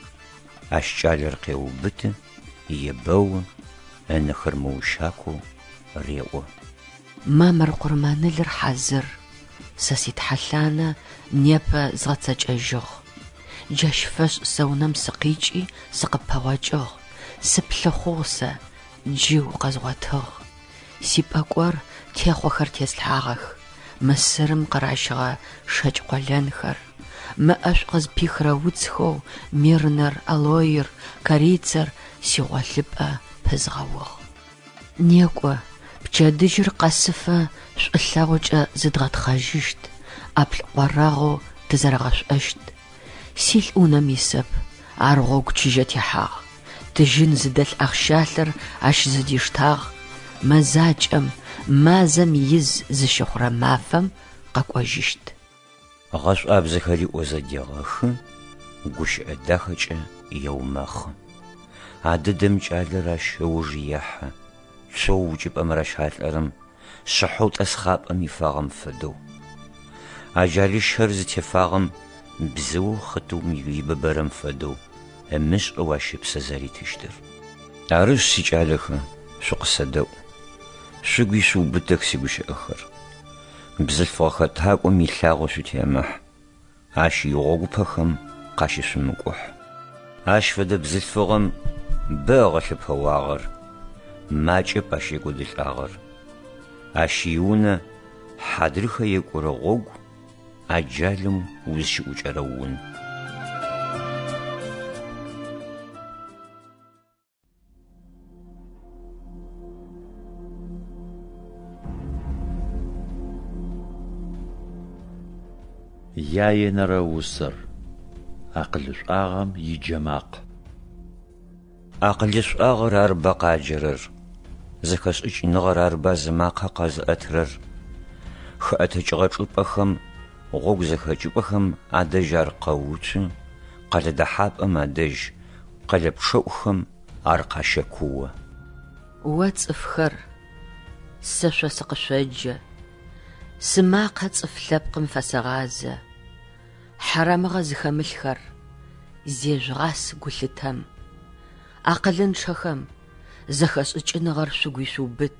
Ащ кӏалэр къеубыты, ебэу, ынэхэр мыущакоу реӏо. Мамыр къурмэнылыр хьазыр, сэ ситхьэлъанэ непэ згъэцэкӏэжьыгъ. Джащ фэшӏ сэ унэм сыкъикӏи сыкъыппэгъокӏыгъ, сыплъыхъугъ сэ, джы укъэзгъотыгъ. Сипӏэкӏор техъохэр теслъхьагъэх, Мысырым къыращыгъэ шэкӏ къолэнхэр, мэ ӏэшӏу къызпихырэ уцхэу мирнэр, алоир, корицэр сигъолъыпӏэ пызгъэугъ. Некӏо, пчэдыжьыр къэсыфэ шӏулъэгъукӏэ зыдгъэтхъэжьыщт, ӏаплӏкъорэгъэу тызэрэгъэшӏощт. Силӏ унэм исэп, ар гъогу чыжьэ техьагъ. Тыжьын зыдэлъ ахъщалъэр ащ зыдиштагъ, мэзакӏэм, мазэм из зыщыхъурэ мафэм къэкӏожьыщт. Гъэшӏуабзэхэри ӏозэ дегъэхы, гущыӏэ дахэкӏэ еумэхъы. А дэдэм кӏалэр ащ ыуж ехьы, цоу укӏыпӏэм ращалӏэрэм, шъыхьэу тӏэсхъапӏэм ифагъэм фэдэу. Аджалыщэр зытефагъэм бзыоу хъытыум ибыбэрэм фэдэу ымышӏэу ащ ыпсэ зэритыщтыр. Арышъ, сикӏалэхэ, шъукъысэдэӏу, шъугу ишъуубытэх сигущыӏэхэр. Бзылъфыгъэ хэтакӏом илъагъо шъутемыхь, ащ игъогупэхэм къащышъумыкӏухь. Ащ фэдэ бзылъфыгъэм бэ ыгъэлъэпэуагъэр, макӏэп ащ екӏодылӏагъэр. Ащ иунэ хьадрыхэ екӏурэ гъогу аджалым узщыӏукӏэрэ ун. Яенэрэ усэр акъылышӏуагъэм иджэмакъ. Акъылышӏуагъэр арыба къаджэрэр, зэхэшӏыкӏыныгъэр арыба зымакъэ къэзыӏэтырэр. Хэӏэтыкӏыгъэ чӏыпӏэхэм, гъогу зэхэкӏыпӏэхэм адэжь ар къэуцу, къэлэ дэхьапӏэм адэжь, къэлэ пчъэӏухэм ар къащэкуо. О цӏыфхэр, сэ шъо сыкъышъоджэ, сымакъэ цӏыф лъэпкъым фэсэгъазэ. Хьарамыгъэ зыхэмылъхэр, зежъугъас гулъытэм. Акъылынчъэхэм, зэхэшӏыкӏыныгъэр шъугу ишъуубыт.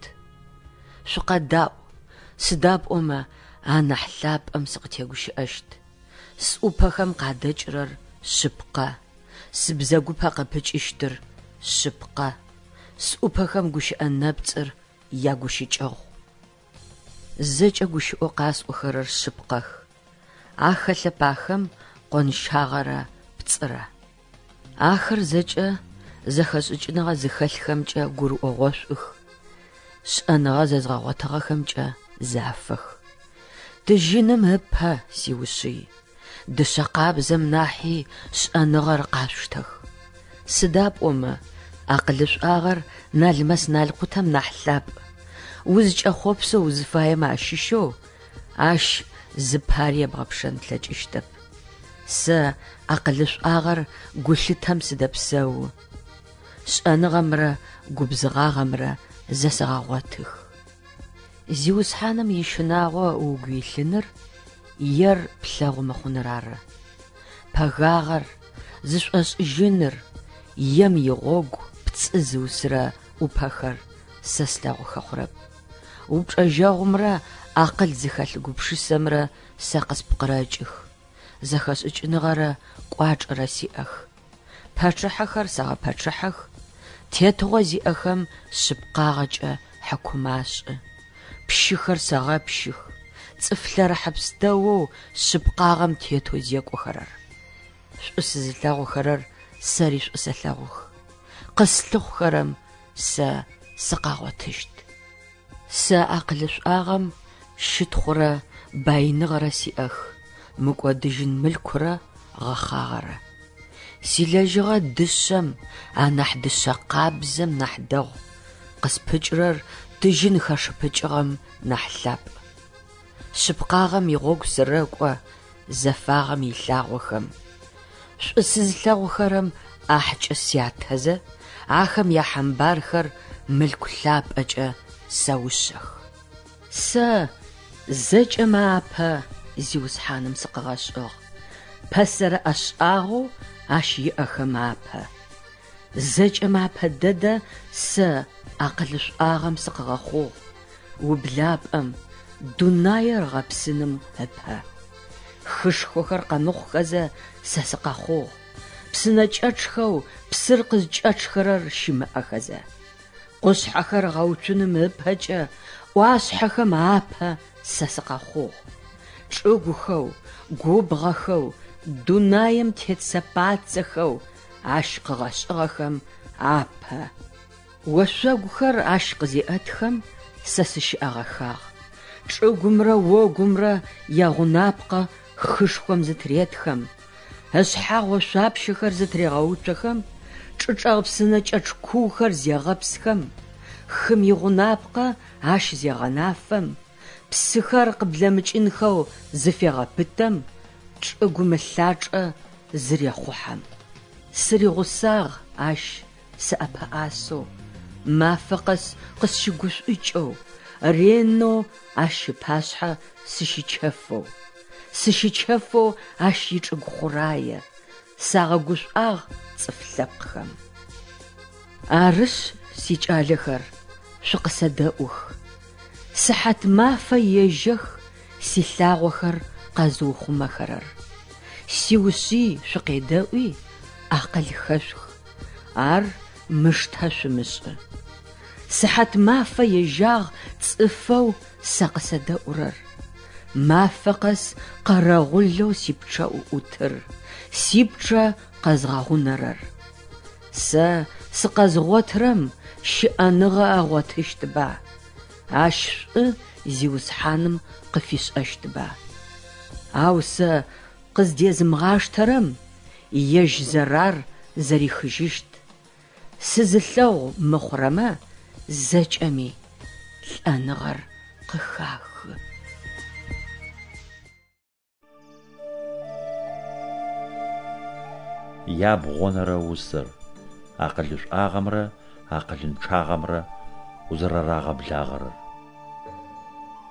Шъукъэдаӏу, сыда пӏомэ анахь лъапӏэм сыкъытегущыӏэщт. Сӏупэхэм къадэкӏырэр шъыпкъэ, сыбзэгупэ къыпыкӏыщтыр шъыпкъэ, сӏупэхэм гущыӏэ нэпцӏыр ягущыкӏэгъу. Зэкӏэ гущыӏэу къасӏохэрэр шъыпкъэх, ахэлъэп ахэм къонщагъэрэ пцӏырэ. Ахэр зэкӏэ зэхэшӏыкӏыныгъэ зыхэлъхэмкӏэ гурыӏогъошӏух, шӏэныгъэ зэзгъэгъотыгъэхэмкӏэ зафэх. Тыжьыным ыпэ, сиушъый, дышъэ къабзэм нахьи шӏэныгъэр къашъуштэх. Сыда пӏомэ, акъылышӏуагъэр налмэс-налкъутэм нахь лъапӏ, узкӏэхъопсэу узыфаемэ ащыщэу ащ зыпари ебгъэпшэн плъэкӏыщтэп. Сэ акъылышӏуагъэр гулъытэм сыдэпсэу, шӏэныгъэмрэ губзыгъагъэмрэ зэсэгъэгъотых. Зиусхьаным ищынагъо угу илъыныр ер плъэгъу мыхъуныр ары. Пэгагъэр, зышӏошӏыжьыныр, ем игъогу пцӏы зыусырэ ӏупэхэр сэ слъэгъухэ хъурэп. Упчӏэжьэгъумрэ акъыл зыхэлъ гупшысэмрэ сэ къыспкъырэкӏых, зэхэшӏыкӏыныгъэрэ кӏуачӏэрэ сиӏэх. Пачъыхьэхэр сэгъэпачъыхьэх, тетыгъо зиӏэхэм шъыпкъагъэкӏэ хьыкум ашӏы, пщыхэр сэгъэпщых, цӏыф лъэрыхьэ пстэоу шъыпкъагъэм тетэу зекӏохэрэр. Шӏу сызылъэгъухэрэр сэри шӏу сэлъэгъух, къыслъыхъухэрэм сэ сыкъагъотыщт. Сэ акъылышӏуагъэм щытхъурэ баиныгъэрэ сиӏэх, мыкӏодыжьын мылъкурэ гъэхъагъэрэ. Силэжьыгъэ дышъэм, анахь дышъэ къабзэм нахь дэгъу, къыспыкӏырэр тыжьын хэшыпыкӏыгъэм нахь лъапӏ. Шъыпкъагъэм игъогу сырэкӏо, зэфагъэм илъагъохэм. Шӏу сызылъэгъухэрэм ӏахькӏэ сятэзэ, ахэм яхьамбархэр мылъку лъапӏэкӏэ сэушъэх. Сэ зэкӏэмэ апэ Зиусхьаным сыкъыгъэшӏыгъ, пэсэрэ ӏэшӏагъэу Ащ иӏэхэм апэ. Зэкӏэмэ апэ дэдэ сэ акъылышӏуагъэм сыкъыгъэхъугъ, ублапӏэм, дунаир ыгъэпсыным ыпэ. Хышхохэр къэмыхъухэзэ сэ сыкъэхъугъ, псынэкӏэчъхэу псыр къызкӏэчъхэрэр щымыӏэхэзэ. Къушъхьэхэр ыгъэуцуным ыпэкӏэ ӏуашъхьэхэм апэ сэ сыкъэхъугъ. Чӏыгухэу, губгъэхэу, дунаим тет сэпацэхэу ащ къыгъэшӏыгъэхэм апэ. Ошъогухэр ащ къызеӏэтхэм сэ сыщыӏэгъэхагъ, чӏыгумрэ огумрэ ягъунапкъэ хышхом зытыретхэм, ышъхьагъ ошъуапщэхэр зытырегъэуцохэм, чӏычӏэгъ псынэкӏэчъ куухэр зегъэпсхэм, хым игъунапкъэ ащ зегъэнафэм, псыхэр къыблэмыкӏынхэу зыфегъэпытэм, чӏыгум ылъачӏэ зырехъухьэм. Сыригъусагъ ащ сыӏэпэӏасэу, мафэ къэс къысщыгушӏукӏэу, ренэу ащ ыпашъхьэ сыщычэфэу. Сыщычэфэу ащ ичӏыгу хъурае, сагъэгушӏуагъ цӏыф лъэпкъхэм. Арышъ, сикӏалэхэр, шъукъысэдэӏух. Сыхьат мафэ ежьэх силъагъохэр къэзыухъумэхэрэр. Сиушъый шъукъедэӏуи, акъыл хэшъух, ар мыштэ шъумышӏы. Сыхьат мафэ ежьагъ цӏыфэу сэ къысэдэӏурэр. Мафэ къэс къэрэгъулэу сипчъэӏу ӏутыр, сипчъэ къэзгъэгъунэрэр. Сэ сыкъэзгъотырэм щыӏэныгъэ ыгъотыщтба, ащ шӏу Зиусхьаным къыфишӏэщтба? Ау сэ къыздезымыгъаштэрэм ежь зэрар зэрихыжьыщт, сызылъэгъу мыхъурэмэ зэкӏэми лӏэныгъэр къыхахы. Ябгъонэрэ усэр, акъылышӏуагъэмрэ акъылынчъагъэмрэ узэрэрагъэблагъэрэр.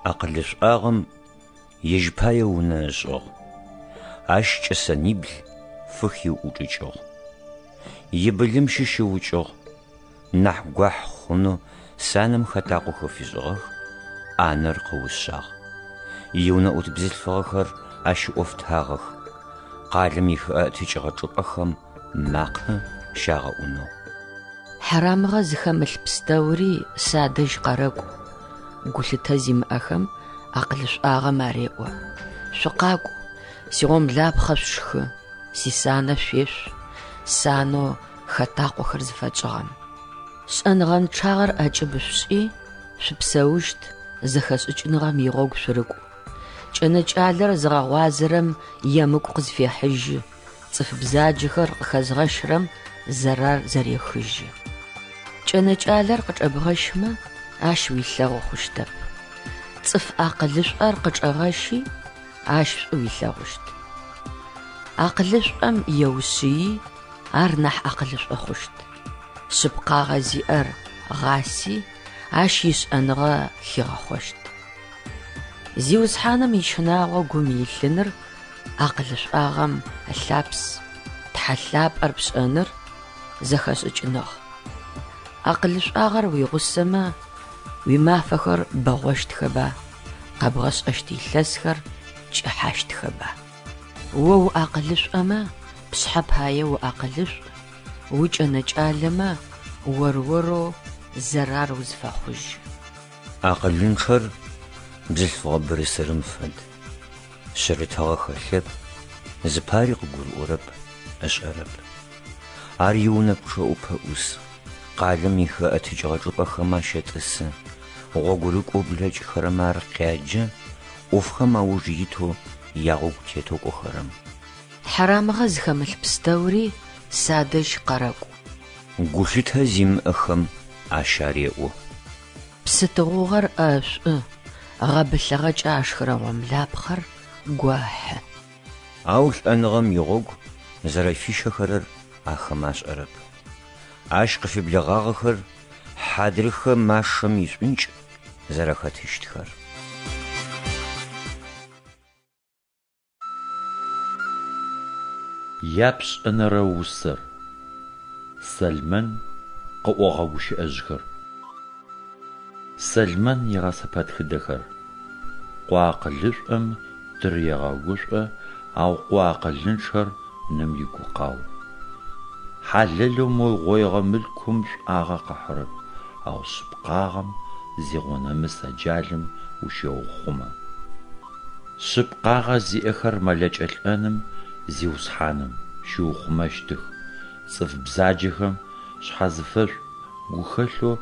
Акъылышӏуагъэм ежь пае унэ ышӏыгъ, ащ кӏэсэнибл фыхиӏучӏыкӏыгъ. Ибылым щыщ ыукӏыгъ, нахь гуахь хъунэу санэм хэтакъохэр фишӏыгъэх, ӏанэр къыушъагъ. Иунэӏут бзылъфыгъэхэр ащ ыӏофтагъэх, къалэм ихэӏэтыкӏыгъэ чӏыпӏэхэм макъэ щагъэӏунэу. Хьарамыгъэ зыхэмылъ пстэури садэжь къэрэкӏу, гулъытэ зимыӏэхэм Акъылышӏуагъэм ареӏо, Шъукъакӏу, сигъомлапхъэ шъушхы, сисанэ шъуешъу, санэу хэтакъохэр зыфэкӏыгъэм. Шӏэныгъэнчъагъэр ӏэкӏыб шъушӏи, шъупсэущт, зэхэшӏыкӏыныгъэм игъогу шъурыкӏу. Кӏэнэкӏалэр зыгъэгъуазэрэм емыкӏу къызфехьыжьы, цӏыф бзаджэхэр къыхэзгъэщырэм зэрар зэрехыжьы. Кӏэнэкӏалэр къычӏэбгъэщмэ, ащ уилъэгъу хъущтэп. Цӏыф акъылышӏор къычӏэгъэщи, ащ шӏу уилъэгъущт. Акъылышӏом еушъыи, ар нахь акъылышӏо хъущт. Шъыпкъагъэ зиӏэр гъаси, ащ ишӏэныгъэ хигъэхъощт. Зиусхьаным ищынагъо гум илъыныр акъылышӏуагъэм ылъапс, Тхьэ лъапӏэр пшӏэныр зэхэшӏыкӏыныгъ. Акъылышӏуагъэр уигъусэмэ, уимафэхэр бэгъощтхэба, къэбгъэшӏэщт илъэсхэр кӏыхьащтхэба. О уакъылышӏомэ, пшъхьэ пае уакъылышӏу, укӏэнэкӏалэмэ, ор-орэу зэрар узфэхъужьы. Акъылынчъэр бзылъфыгъэ бырысырым фэд. Шъырытыгъэ хэлъэп, зыпари къыгурыӏорэп, ышӏэрэп. Ар иунэ пчъэӏупэ ӏус, къалэм ихэӏэтыкӏыгъэ чӏыпӏэхэм ащэтӏысы, гъогурыкӏоу блэкӏхэрэм ар къяджэ, ӏофхэм ауж итэу ягъогу тетэу кӏохэрэм. Хьарамыгъэ зыхэмылъ пстэури садэжь къэрэкӏу. Гулъытэ зимыӏэхэм ащ ареӏо. Псы тыгъугъэр ӏэшӏу, гъэбылъыгъэкӏэ ашхырэ гъомлапхъэр гохьы. Ау лӏэныгъэм игъогу зэрэфищэхэрэр ахэм ашӏэрэп. Ащ къыфеблэгъагъэхэр хьадрыхэ машэм ишӏункӏ зэрэхэтыщтхэр. Япшӏэнэрэ усэр. Сэлмэн къыӏогъэ гущыӏэжъхэр. Сэлмэн игъэсэпэтхыдэхэр. Къо акъылышӏом тыр егъэгушӏо, ау къо акъылынчъэр ным игукъау. Хьалэлэу мыугъоигъэ мылъкум шӏуагъэ къыхьырэп, ау шъыпкъагъэм зигъонэмыс аджалым ущеухъумэ. Шъыпкъагъэ зиӏэхэр мэлэкӏэ лӏэным Зиусхьаным щиухъумэщтых, цӏыф бзаджэхэм шъхьэзыфэшӏу гухэлъэу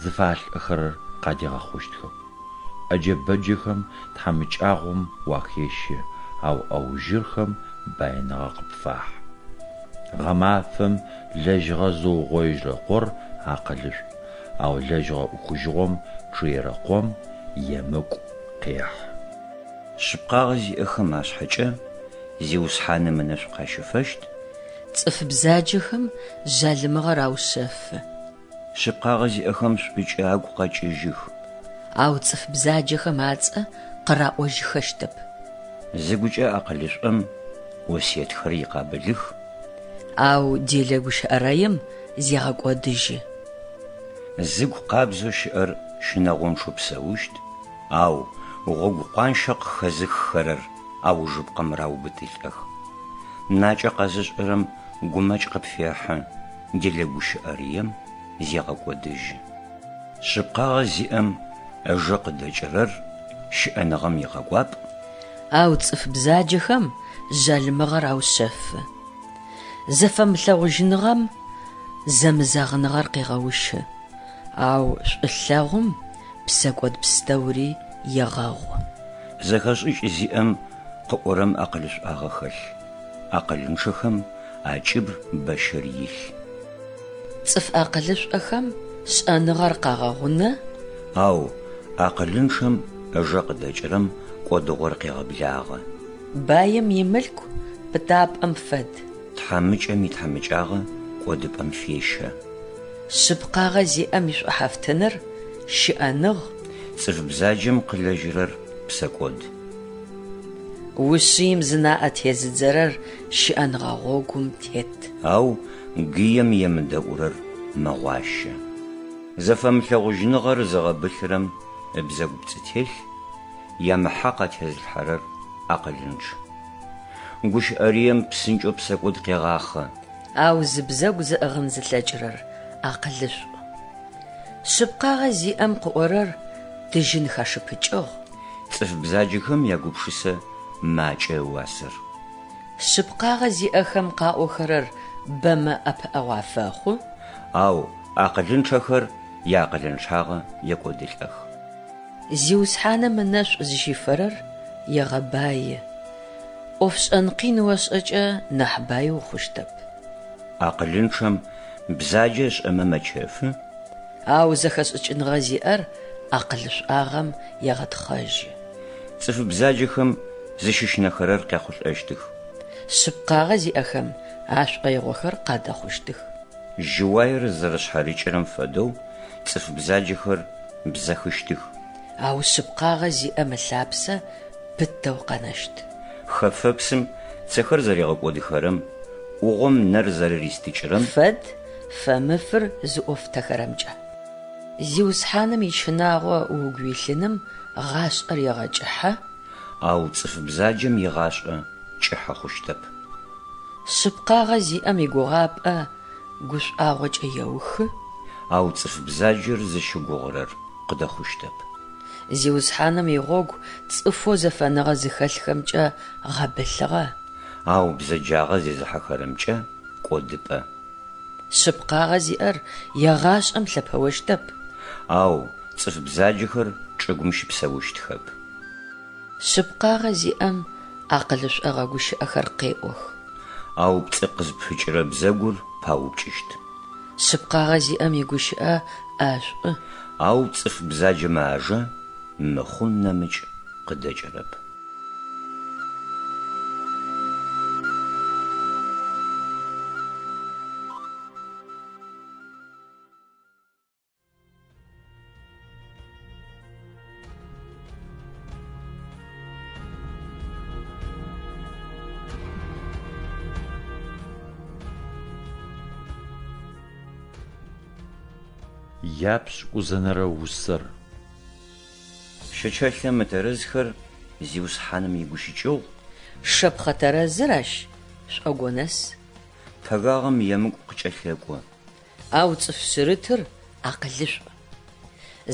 зыфалӏэхэрэр къадигъэхъущтхэп. ӏэджэ-бэджэхэм тхьамыкӏагъом уахещэ, ау ӏэужьырхэм баиныгъэ къыпфахьы. Гъэмафэм лэжьыгъэ зыугъоижьырэ къор акъылышӏу, ау лэжьыгъэ ӏухыжьыгъом чъыерэ къом емыкӏу къехьы. Шъыпкъагъэ зиӏэхэм ашъхьэкӏэ Зиусхьаным ынэшӏу къащыфэщт. Цӏыф бзаджэхэм жъалымыгъэр аушъэфы. Шъыпкъагъэ зиӏэхэм шӏукӏэ агу къэкӏыжьых. Ау цӏыф бзаджэхэм ацӏэ къыраӏожьыхэщтэп. Зыгукӏэ акъылышӏом осыетхэр икъабылых. Ау делэ гущыӏэрэем зегъэкӏодыжьы. Зыгу къабзэу щыӏэр щынэгъончъэу псэущт, ау гъогу къуанщэ къыхэзыххэрэр аужыпкъэм раубытылӏэх. Накӏэ къэзышӏырэм гумэкӏ къыпфехьы, делэ гущыӏэрыем зегъэкӏодыжьы. Шъыпкъагъэ зиӏэм ыжэ къыдэкӏырэр щыӏэныгъэм икъэкӏуапӏ. Ау цӏыф бзаджэхэм жъалымыгъэр аушъэфы. Зэфэмылъэгъужьыныгъэм зэмызэгъыныгъэр къегъэущы, ау шӏулъэгъум псэкӏод пстэури егъэгъу. Зэхэшӏыкӏ зиӏэм къыӏорэм акъылышӏуагъэ хэлъ, акъылынчъэхэм акӏыб бэщыр илъ. Цӏыф акъылышӏохэм шӏэныгъэр къагъэгъунэ. Ау акъылынчъэм ыжэ къыдэкӏырэм кӏодыгъор къегъэблагъэ. Баим имылъку пытапӏэм фэд. Тхьамыкӏэм итхьамыкӏагъэ кӏодыпӏэм фещэ. Шъыпкъагъэ зиӏэм ишӏухьафтыныр щыӏэныгъ. Цӏыф бзаджэм къылэжьырэр псэкӏод. Ушъыим зынаӏэ тезыдзэрэр щыӏэныгъэ гъогум тет. Ау гыем емыдэӏурэр мэгъуащэ. Зэфэмылъэгъужьыныгъэр зыгъэбылъырэм ыбзэгу пцӏы телъ, ямыхьакъ атезылъхьэрэр акъылынчъ. Гущыӏэрыем псынкӏэу псэкӏод къегъахъэ. Ау зыбзэгу зыӏыгъын зылъэкӏырэр акъылышӏу. Шъыпкъагъэ зиӏэм къыӏорэр тыжьын хэшыпыкӏыгъ. Цӏыф бзаджэхэм ягупшысэ макӏэ ыуасэр. Шъыпкъагъэ зиӏэхэм къаӏохэрэр бэмэ ӏэпыӏэгъу афэхъу. Ау акъылынчъэхэр яакъылынчъагъэ екӏодылӏэх. Зиусхьаным ынэшӏу зыщифэрэр егъэбаи. ӏофшӏэн къин ошӏэкӏэ нахь баи ухъущтэп. Акъылынчъэм бзаджэ ышӏэмэ мэчэфы. Ау зэхэшӏыкӏыныгъэ зиӏэр акъылышӏуагъэм егъэтхъэжьы. Цӏыф бзаджэхэм зыщыщынэхэрэр къяхъулӏэщтых. Шъыпкъагъэ зиӏэхэм ашӏоигъохэр къадэхъущтых. Жьыуаер зэрэшъхьарыкӏырэм фэдэу цӏыф бзаджэхэр бзэхыщтых. Ау шъыпкъагъэ зиӏэм ылъапсэ пытэу къэнэщт. Хэфэпсым цэхэр зэригъэкӏодыхэрэм, ӏугъом нэр зэрэристыкӏырэм. Фэд фэмыфыр зыӏофтэхэрэмкӏэ. Зиусхьаным ищынагъо угу илъыным гъашӏэр егъэкӏыхьэ. Ау цӏыф бзаджэм игъашӏэ кӏыхьэ хъущтэп. Шъыпкъагъэ зиӏэм игугъапӏэ гушӏуагъокӏэ еухы. Ау цӏыф бзаджэр зыщыгугъырэр къыдэхъущтэп. Зиусхьаным игъогу цӏыфэу зэфэныгъэ зыхэлъхэмкӏэ гъэбылъыгъэ. Ау бзэджагъэ зезыхьэхэрэмкӏэ кӏодыпӏэ. Шъыпкъагъэ зиӏэр егъашӏэм лъэпэощтэп. Ау цӏыф бзаджэхэр чӏыгум щыпсэущтхэп. Шъыпкъагъэ зиӏэм акъылышӏогъэ гущыӏэхэр къеӏох. Ау пцӏы къызпыкӏырэ бзэгур паупкӏыщт. Шъыпкъагъэ зиӏэм игущыӏэ ӏэшӏу. Ау цӏыф бзаджэмэ ажэ мыхъун нэмыкӏ къыдэкӏырэп. Япшӏыкӏузэнэрэ усэр. Щэчэлъэ мытэрэзхэр Зиусхьаным игущыкӏыгъу. Шэпхъэ тэрэзыр ащ шӏогонэс. Пэгагъэм емыкӏу къыкӏэлъэкӏо. Ау цӏыф шъырытыр акъылышӏу.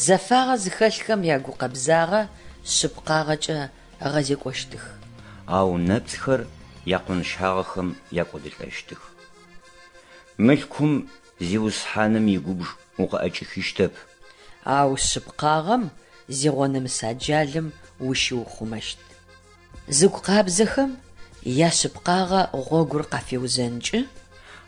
Зэфагъэ зыхэлъхэм ягукъэбзагъэ шъыпкъагъэкӏэ ыгъэзекӏощтых. Ау нэпцӏхэр якъонщагъэхэм якӏодылӏэщтых. Мылъкум Зиусхьаным игубж укъыӏэкӏихыщтэп. Ау шъыпкъагъэм зигъонэмыс аджалым ущиухъумэщт. Зыгу къабзэхэм яшъыпкъагъэ гъогур къафеузэнкӏы.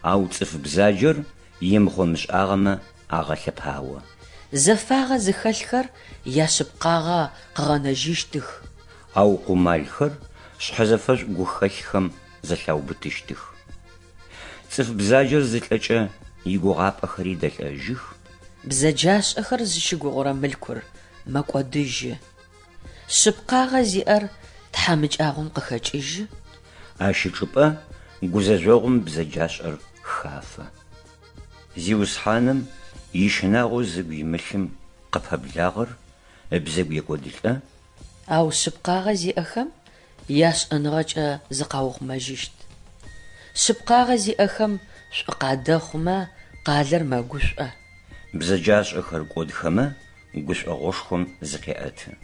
Ау цӏыф бзаджэр имыхъо-мышӏагъэмэ агъэлъэпао. Зэфагъэ зыхэлъхэр яшъыпкъагъэ къыгъэнэжьыщтых. Ау къумалхэр шъхьэзэфэшӏу гухэлъхэм зэлъаубытыщтых. Цӏыф бзаджэр зылӏэкӏэ игугъапӏэхэри дэлӏэжьых. Бзэджашӏэхэр зыщыгугъырэ мылъкур мэкӏодыжьы. Шъыпкъагъэ зиӏэр тхьамыкӏагъом къыхэкӏыжьы. Ащ ычӏыпӏэ гузэжъогъум бзэджашӏэр хафэ. Зиусхьаным ищынагъо зыгу имылъым къыпэблагъэр ыбзэгу екӏодылӏэ. Ау шъыпкъагъэ зиӏэхэм яшӏэныгъэкӏэ зыкъаухъумэжьыщт. Шъыпкъагъэ зиӏэхэм шӏу къадэхъумэ, къалэр мэгушӏо. Бзэджашӏэхэр кӏодхэмэ, гушӏогъошхом зыкъеӏэты.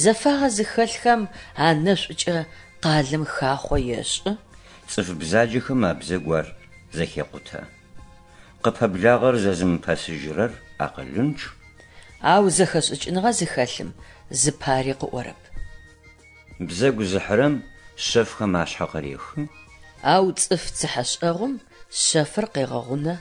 Зэфагъэ зыхэлъхэм анэшӏукӏэ къалэм хахъо ешӏы. Цӏыф бзаджэхэм абзэгу ар зэхекъутэ. Къыпэблагъэр зэзымыпэсыжьырэр акъылынчъ. Ау зэхэшӏыкӏыныгъэ зыхэлъым зыпари къыӏорэп. Бзэгу зыхьырэм шъэфхэм ашъхьэ къырехы. Ау цӏыф цыхьэшӏэгъум шъэфыр къегъэгъунэ.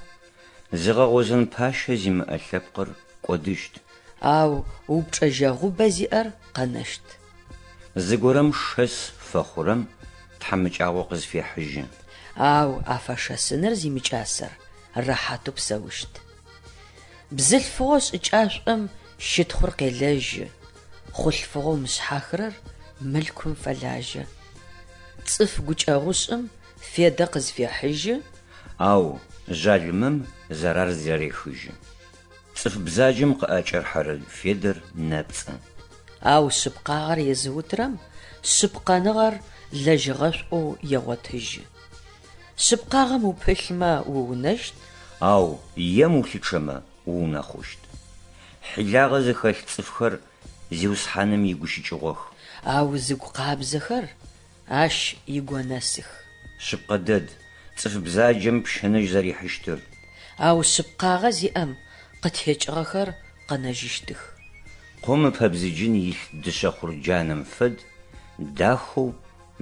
Зыгъэгъозэн пащэ зимыӏэ лъэпкъыр кӏодыщт. Ау упчӏэжьэгъубэ зиӏэр къэнэщт. Зыгорэм шэс фэхъурэм тхьамыкӏагъо къызфехьыжьы. Ау афэшэсыныр зимыкӏасэр рэхьатэу псэущт. Бзылъфыгъэу шӏыкӏашӏом щытхъур къелэжьы, хъулъфыгъэу мышъхьахырэр мылъкум фэлажьэ. Цӏыф гукӏэгъушӏым федэ къызфехьыжьы. Ау жъалымэм зэрар зэрехыжьы. Цӏыф бзаджэм къыӏэкӏэрыхьэрэ федэр нэпцӏы. Ау шъыпкъагъэр езыутырэм шъыпкъэныгъэр лэжьыгъэшӏоу егъотыжьы. Шъыпкъагъэм упылъмэ уунэщт. Ау ем улъычъэмэ уунэхъущт. Хьилагъэ зыхэлъ цӏыфхэр Зиусхьаным игущыкӏыгъох. Ау зыгу къабзэхэр Ащ игонэсых. Шъыпкъэ дэд, цӏыф бзаджэм пщыныжь зэрихьыщтыр. Ау шъыпкъагъэ зиӏэм къытекӏыгъэхэр къэнэжьыщтых. Къом ыпэбзыджын илъ дышъэ хъурджанэм фэд, дахэу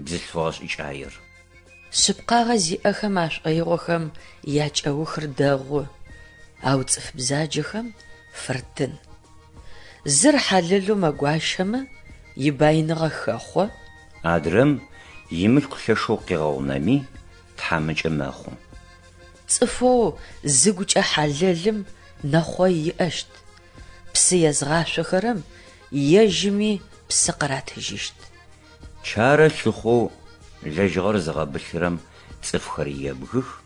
бзылъфыгъэ шӏыкӏаер. Шъыпкъагъэ зиӏэхэм ашӏоигъохэм якӏэухыр дэгъу, ау цӏыф бзаджэхэм фыртын. Зыр хьалэлэу мэгуащэмэ, ибаиныгъэ хэхъо. Адрэм имылъку лъэшэу къегъэгъунэми, тхьамыкӏэ мэхъу. Цӏыфэу зыгукӏэ хьалэлым нэхъой иӏэщт, псы езгъашъохэрэм ежьыми псы къыратыжьыщт. Чарэ лъыхъоу лэжьыгъэр зыгъэбылъырэм цӏыфхэр ебгых,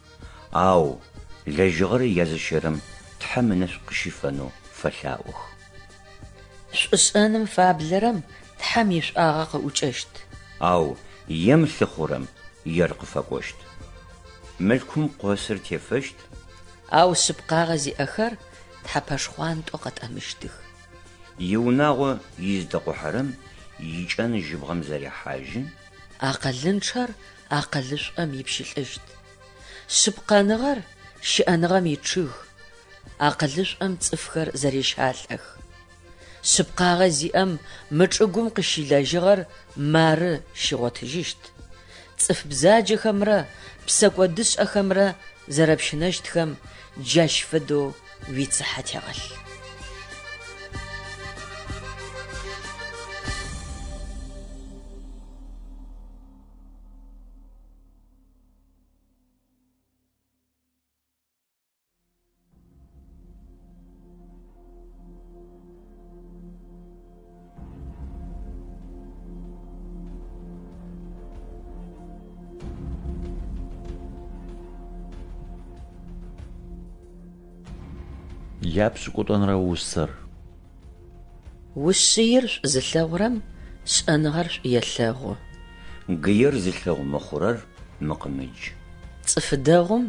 ау лэжьыгъэр языщэрэм Тхьэм ынэшӏу къыщифэнэу фэлъаӏох. Шӏушӏэным фаблэрэм Тхьэм ишӏуагъэ къыӏукӏэщт. Ау ем лъыхъурэм ер къыфэкӏощт. Мылъкум къосыр тефэщт. Ау шъыпкъагъэ зиӏэхэр тхьэпэ шхъуантӏэу къэтӏэмыщтых. Иунагъо изытэкъухьэрэм икӏэн жьыбгъэм зэрехьажьы. Акъылынчъэр акъылышӏом ипщылӏыщт. Шъыпкъэныгъэр щыӏэныгъэм ичъыг, акъылышӏом цӏыфхэр зэрещалӏэх. Шъыпкъагъэ зиӏэм мы чӏыгум къыщилэжьыгъэр мары щигъотыжьыщт. Цӏыф бзаджэхэмрэ псэкӏодышӏэхэмрэ зэрэпщынэщтхэм джащ фэдэу уицыхьэ тегъэлъ. Япшӏыкӏутӏонэрэ усэр. Ушъыир шӏу зылъэгъурэм шӏэныгъэр шӏу елъэгъу. Гыер зылъэгъу мыхъурэр мыкъымыдж. Цӏыф дэгъум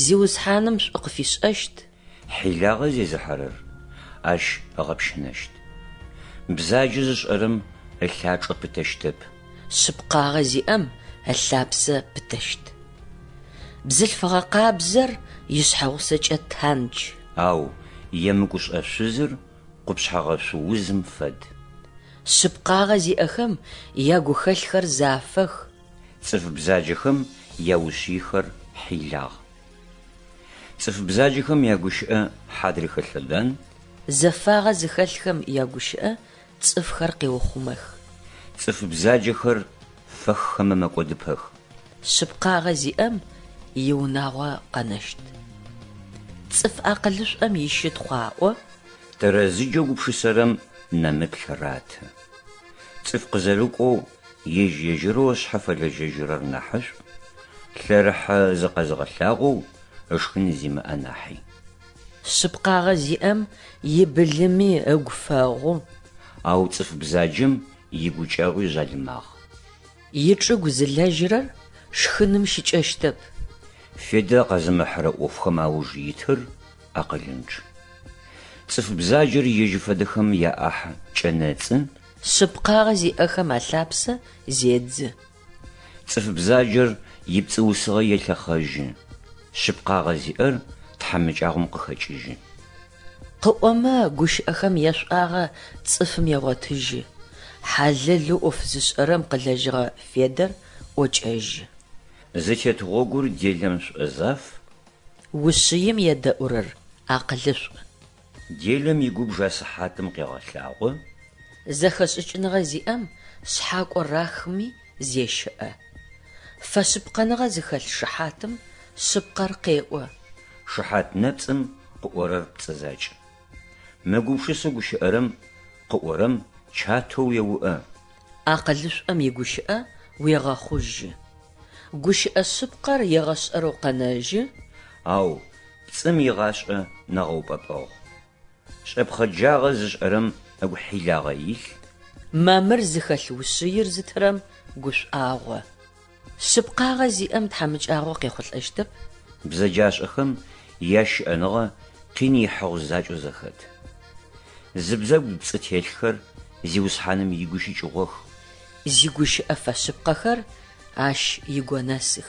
Зиусхьаным шӏу къыфишӏэщт. Хьилагъэ зезыхьэрэр ащ ыгъэпщынэщт. Бзаджэ зышӏэрэм ылъачӏэ пытэщтэп. Шъыпкъагъэ зиӏэм ылъапсэ пытэщт. Бзылъфыгъэ къабзэр ишъхьэгъусэкӏэ тандж. Ау емыкӏушӏэ шъузыр къупшъхьэгъэшъу узым фэд. Шъыпкъагъэ зиӏэхэм ягухэлъхэр зафэх. Цӏыф бзаджэхэм яушъыйхэр хьилагъ. Цӏыф бзаджэхэм ягущыӏэ хьадрыхэ лъэдан. Зэфагъэ зыхэлъхэм ягущыӏэ цӏыфхэр къеухъумэх. Цӏыф бзаджэхэр фэххэмэ мэкӏодыпэх. Шъыпкъагъэ зиӏэм иунагъо къэнэщт. Цӏыф акъылышӏом ищытхъу аӏо. Тэрэзыджэ гупшысэрэм нэмыплъ раты. Цӏыф къызэрыкӏоу ежь-ежьырэу ышъхьэ фэлэжьэжьырэр нахьышӏу, лъэрыхьэ зыкъэзыгъэлъагъоу ышхын зимыӏэ нахьи. Шъыпкъагъэ зиӏэм ибылыми ыгу фэгъу. Ау цӏыф бзаджэм игукӏэгъуи жъалымагъ. Ичӏыгу зылэжьырэр шхыным щыкӏэщтэп. Федэ къэзымыхьырэ ӏофхэм ауж итыр акъылынчъ. Цӏыф бзаджэр ежь фэдэхэм яӏахь кӏэнэцӏы. Шъыпкъагъэ зиӏэхэм алъапсэ зедзы. Цӏыф бзаджэр ипцӏыусыгъэ елъэхъэжьы, шъыпкъагъэ зиӏэр тхьамыкӏагъом къыхэкӏыжьы. Къыӏомэ, гущыӏэхэм яшӏуагъэ цӏыфым егъотыжьы, хьалэлэу ӏоф зышӏэрэм къылэжьыгъэ федэр ӏокӏэжьы. Зытет гъогур делэм шӏозаф. Ушъыим едэӏурэр акъылышӏу. Делэм игубж асыхьатым къегъэлъагъо. Зэхэшӏыкӏыныгъэ зиӏэм шъхьакӏо рахми зещыӏэ. Фэшъыпкъэныгъэ зыхэлъ шыхьатым шъыпкъэр къеӏо. Шыхьат нэпцӏым къыӏорэр пцӏы закӏ. Мыгупшысэу гущыӏэрэм къыӏорэм чатэу уеуӏэ. Акъылышӏом игущыӏэ уегъэхъужьы. Гущыӏэ шъыпкъэр егъэшӏэрэу къэнэжьы. Ау пцӏым игъашӏэ нэгъэупӏэпӏэгъу. Шӏэпхъэджагъэ зышӏэрэм ыгу хьилагъэ илъ. Мамыр зыхэлъ ушъыир зытырэм гушӏуагъо. Шъыпкъагъэ зиӏэм тхьамыкӏагъо къехъулӏэщтэп. Бзэджашӏэхэм ящыӏэныгъэ къин ихьыгъу закӏэу зэхэт. Зыбзэгу пцӏы телъхэр Зиусхьаным игущыкӏыгъох. Зигущыӏэ фэшъыпкъэхэр ащ игонэсых.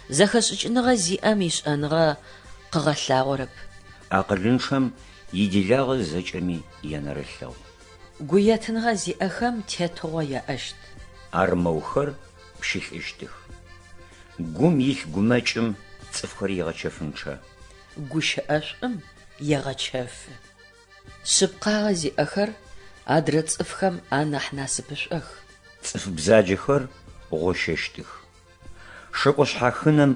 Зэхэшӏыкӏыныгъэ зиӏэм ишӏэныгъэ къыгъэлъагъорэп. Акъылынчъэм иделагъэ зэкӏэми янэрылъэгъу. Гуетыныгъэ зиӏэхэм тетыгъо яӏэщт. Армэухэр пщылӏыщтых. Гум илъ гумэкӏым цӏыфхэр егъэчэфынчъэ. Гущыӏэшӏум егъэчэфы. Шъыпкъагъэ зиӏэхэр адрэ цӏыфхэм анахь насыпышӏох. Цӏыф бзаджэхэр гъощэщтых. Шэкӏо шъхьахынэм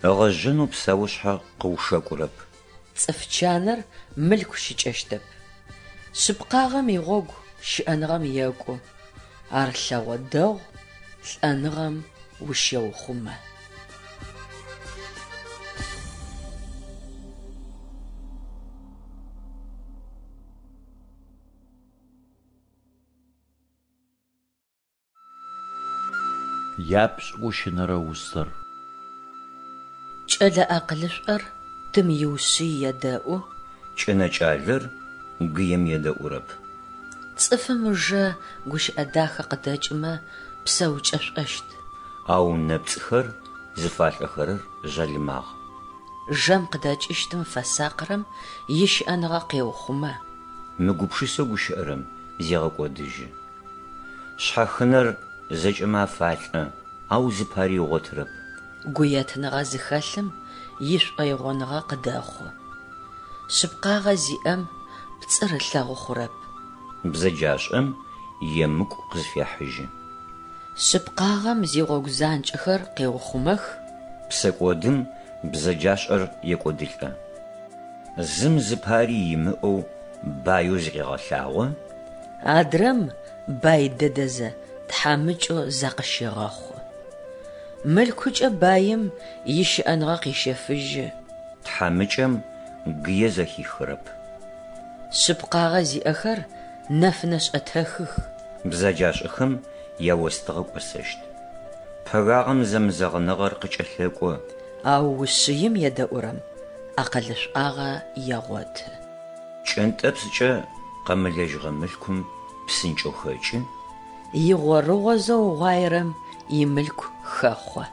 ыгъэжьэнэу псэушъхьэ къыушэкӏурэп. Цӏыф чаныр мылъку щыкӏэщтэп. Шъыпкъагъэм игъогу щыӏэныгъэм екӏу, ар лъэгъо дэгъу, лӏэныгъэм ущеухъумэ. Япшӏыкӏущынэрэ усэр. Кӏэлэ акъылышӏор тым иушъый едэӏу. Кӏэнэкӏалэр гыем едэӏурэп. Цӏыфым ыжэ гущыӏэ дахэ къыдэкӏымэ, псэукӏэшӏощт. Ау нэпцӏхэр зыфалӏэхэрэр жъалымагъ. Жэм къыдэкӏыщтым фэсакъырэм ищыӏэныгъэ къеухъумэ. Мыгупшысэу гущыӏэрэм зегъэкӏодыжьы. Шъхьахынэр зэкӏэмэ афалӏэ, ау зыпари ыгъотырэп. Гуетыныгъэ зыхэлъым ишӏоигъоныгъэ къыдэхъу. Шъыпкъагъэ зиӏэм пцӏыр ылъэгъу хъурэп. Бзэджашӏэм емыкӏу къызфехьыжьы. Шъыпкъагъэм зигъогу занкӏэхэр къеухъумэх. Псэкӏодым бзэджашӏэр екӏодылӏэ. Зым зыпари имыӏэу баеу зыкъегъэлъагъо. Адрэм бай дэдэзэ тхьамыкӏэу закъыщегъэхъу. Мылъкукӏэ баим ищыӏэныгъэ къещэфыжьы. Тхьамыкӏэм гые зэхихырэп. Шъыпкъагъэ зиӏэхэр нэфынэ шӏэтэхых. Бзэджашӏэхэм яостыгъэ кӏосэщт. Пэгагъэм зэмызэгъыныгъэр къыкӏэлъэкӏо. Ау ушъыим едэӏурэм акъылышӏуагъэ егъоты. Пкӏэнтӏэпскӏэ къэмылэжьыгъэ мылъкум псынкӏэу хэкӏы. Игъорыгъозэ угъуаерэм имылъку хэхъо.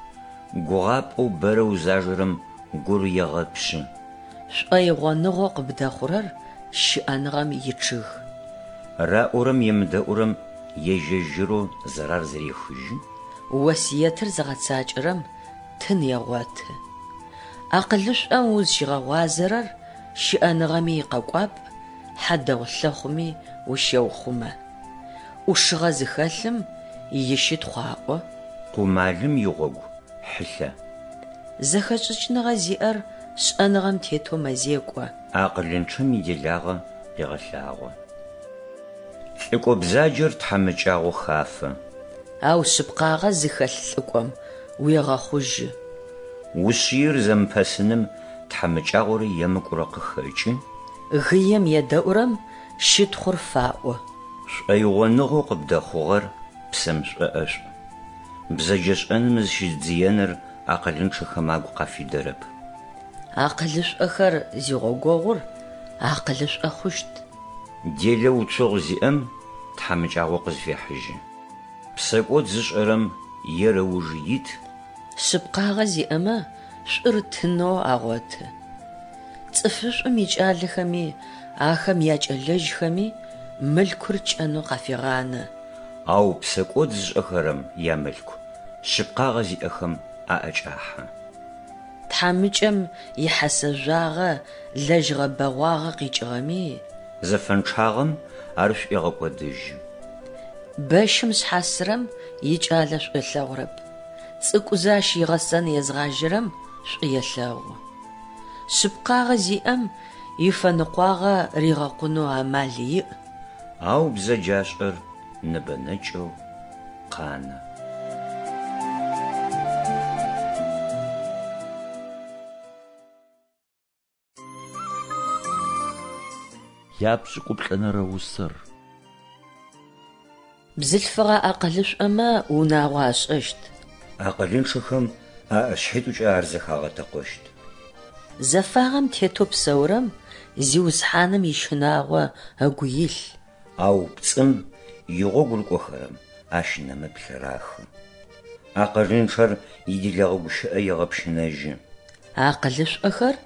Гугъапӏэу бэрэ узажэрэм гур егъэпшъы. Шӏоигъоныгъэу къыбдэхъурэр щыӏэныгъэм ичъыг. Раӏорэм емыдэӏурэм ежь-ежьырэу зэрар зэрехыжьы. Осыетыр зыгъэцакӏэрэм тын егъоты. Акъылышӏом узщигъэгъуазэрэр щыӏэныгъэми икъэкӏуапӏ, хьадэгъу лъэхъуми ущеухъумэ. ӏушыгъэ зыхэлъым ищытхъу аӏо. Къумалым игъогу хьылъэ. Зэхэшӏыкӏыныгъэ зиӏэр шӏэныгъэм тетэу мэзекӏо. Акъылынчъэм иделагъэ къегъэлъагъо. Лӏыкӏо бзаджэр тхьамыкӏагъо хафэ. Ау шъыпкъагъэ зыхэлъ лӏыкӏом уегъэхъужьы. Ушъыир зэмыпэсыным тхьамыкӏагъорэ емыкӏурэ къыхэкӏы. Гыем едэӏурэм щытхъур фаӏо. Шӏоигъоныгъэу къыбдэхъугъэр псэм шӏоӏэшӏу. Бзэджэшӏэным зыщидзыеныр акъылынчъэхэм агу къафидэрэп. Акъылышӏохэр зигъогогъур акъылышӏо хъущт. Делэ уцогъу зиӏэм тхьамыкӏагъо къызфехьыжьы. Псэкӏод зышӏэрэм ер ыуж ит. Шъыпкъагъэ зиӏэмэ шӏур тынэу агъоты. Цӏыфышӏум икӏалэхэми ахэм якӏэлэжьхэми мылъкур кӏэнэу къафегъанэ. Ау псэкӏод зышӏэхэрэм ямылъку шъыпкъагъэ зиӏэхэм аӏэкӏахьэ. Тхьамыкӏэм ихьэсэ жъуагъэ лэжьыгъэ бэгъуагъэ къикӏыгъэми. Зэфэнчъагъэм ар шӏуегъэкӏодыжьы. Бэщым шъхьасырэм икӏалэ шӏу ылъэгъурэп, цӏыкӏузэ ащ игъэсэн езгъажьэрэм шӏу елъэгъу. Шъыпкъагъэ зиӏэм ифэныкъуагъэ ригъэкъунэу амал иӏ. Ау бзэджашӏэр ныбэнэкӏэу къанэ. Япшӏыкӏуплӏэнэрэ усэр. Бзылъфыгъэ акъылышӏомэ унагъо ашӏэщт. Акъылынчъэхэм аӏэшъхьитӏукӏэ ар зэхагъэтэкъощт. Зэфагъэм тетэу псэурэм Зиусхьаным ищынагъо ыгу илъ. Ау пцӏым игъогу рыкӏохэрэм ащ нэмыплъ рахы. Акъылынчъэр иделэгъэ гущыӏэ егъэпщынэжьы. Акъылышӏохэр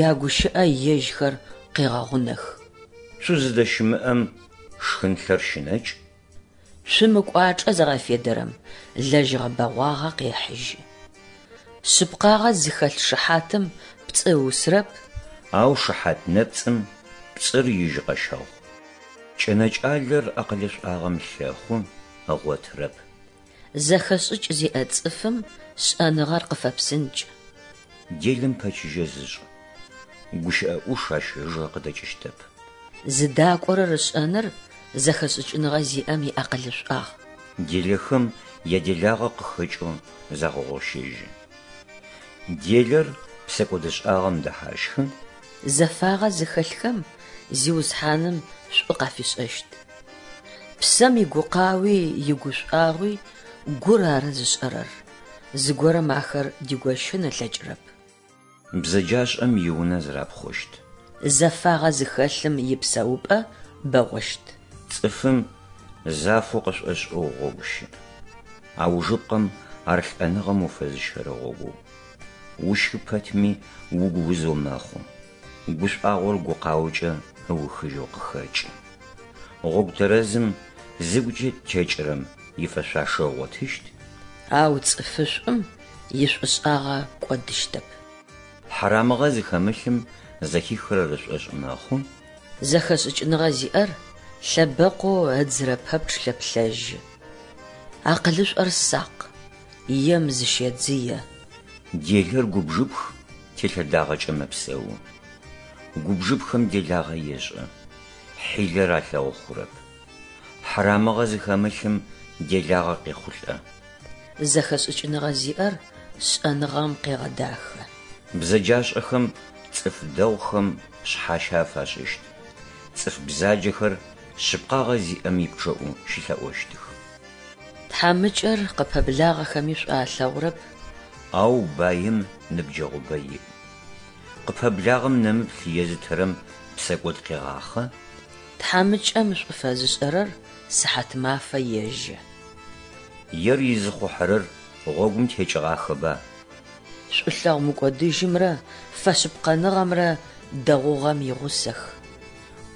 ягущыӏэ ежьхэр къегъэгъунэх. Цу зыдэщымыӏэм шхынлъэр щынэкӏ. Цум ыкӏуачӏэ зыгъэфедэрэм лэжьыгъэ бэгъуагъэ къехьыжьы. Шъыпкъагъэ зыхэлъ шыхьатым пцӏы ыусырэп. Ау шыхьат нэпцӏым пцӏыр ижьыкъэщэгъу. Кӏэнэкӏалэр акъылышӏуагъэм лъэхъу, ыгъотырэп. Зэхэшӏыкӏ зиӏэ цӏыфым шӏэныгъэр къыфэпсынкӏ. Делэм пэчыжьэ зышӏ, гущыӏэ ӏуш ащ ыжэ къыдэкӏыщтэп. Зыдакӏорэр ышӏэныр зэхэшӏыкӏыныгъэ зиӏэм иакъылышӏуагъ. Делэхэм яделагъэ къыхэкӏэу загъэгъощэжьы. Делэр псэкӏодышӏагъэм дэхьащхы. Зэфагъэ зыхэлъхэм Зиусхьаным шӏу къафишӏэщт. Псэм игукъауи игушӏуагъуи гур ары зышӏэрэр, зыгорэм ахэр дигощын ылъэкӏырэп. Бзэджашӏэм иунэ зэрапхъощт. Зэфагъэ зыхэлъым ипсэупӏэ бэгъощт. Цӏыфым зафэу къышӏошӏэу гъогу щыӏ. Аужыпкъэм ар лӏэныгъэм уфэзыщэрэ гъогоу. Ущхы пэтми угу узэу мэхъу. Гушӏуагъор гукъаокӏэ ыухыжьэу къыхэкӏы. Гъогу тэрэзым зыгукӏэ текӏырэм ифэшъуашэ ыгъотыщт. Ау цӏыфышӏум ишӏушӏагъэ кӏодыщтэп. Хьарамыгъэ зыхэмылъым зэхихырэр ышӏошъ мэхъу. Зэхэшӏыкӏыныгъэ зиӏэр лъэбэкъоу ыдзырэ пэпчъ лъэплъэжьы. Акъылышӏор сакъ, ем зыщедзые. Делэр губжыпх, телъэдагъэкӏэ мэпсэу. Губжыпхэм делагъэ ешӏэ, хьилэр алъэгъу хъурэп. Хьарамыгъэ зыхэмылъым делагъэ къехъулӏэ. Зэхэшӏыкӏыныгъэ зиӏэр шӏэныгъэм къегъэдахэ. Бзэджашӏэхэм цӏыф дэгъухэм шъхьащэ афашӏыщт, цӏыф бзаджэхэр шъыпкъагъэ зиӏэм ипчъэӏу щылъэӏощтых. Тхьамыкӏэр къыпэблагъэхэми шӏу алъэгъурэп. Ау баим ныбджэгъубэ иӏ. Къыпэблагъэм нэмыплъ езытырэм псэкӏод къегъахъэ. Тхьамыкӏэм шӏу фэзышӏэрэр сыхьатмафэ ежэ. Ер изыхъухьэрэр гъогум текӏыгъахэба? Шӏулъэгъу мыкӏодыжьымрэ фэшъыпкъэныгъэмрэ дэгъугъэм игъусэх.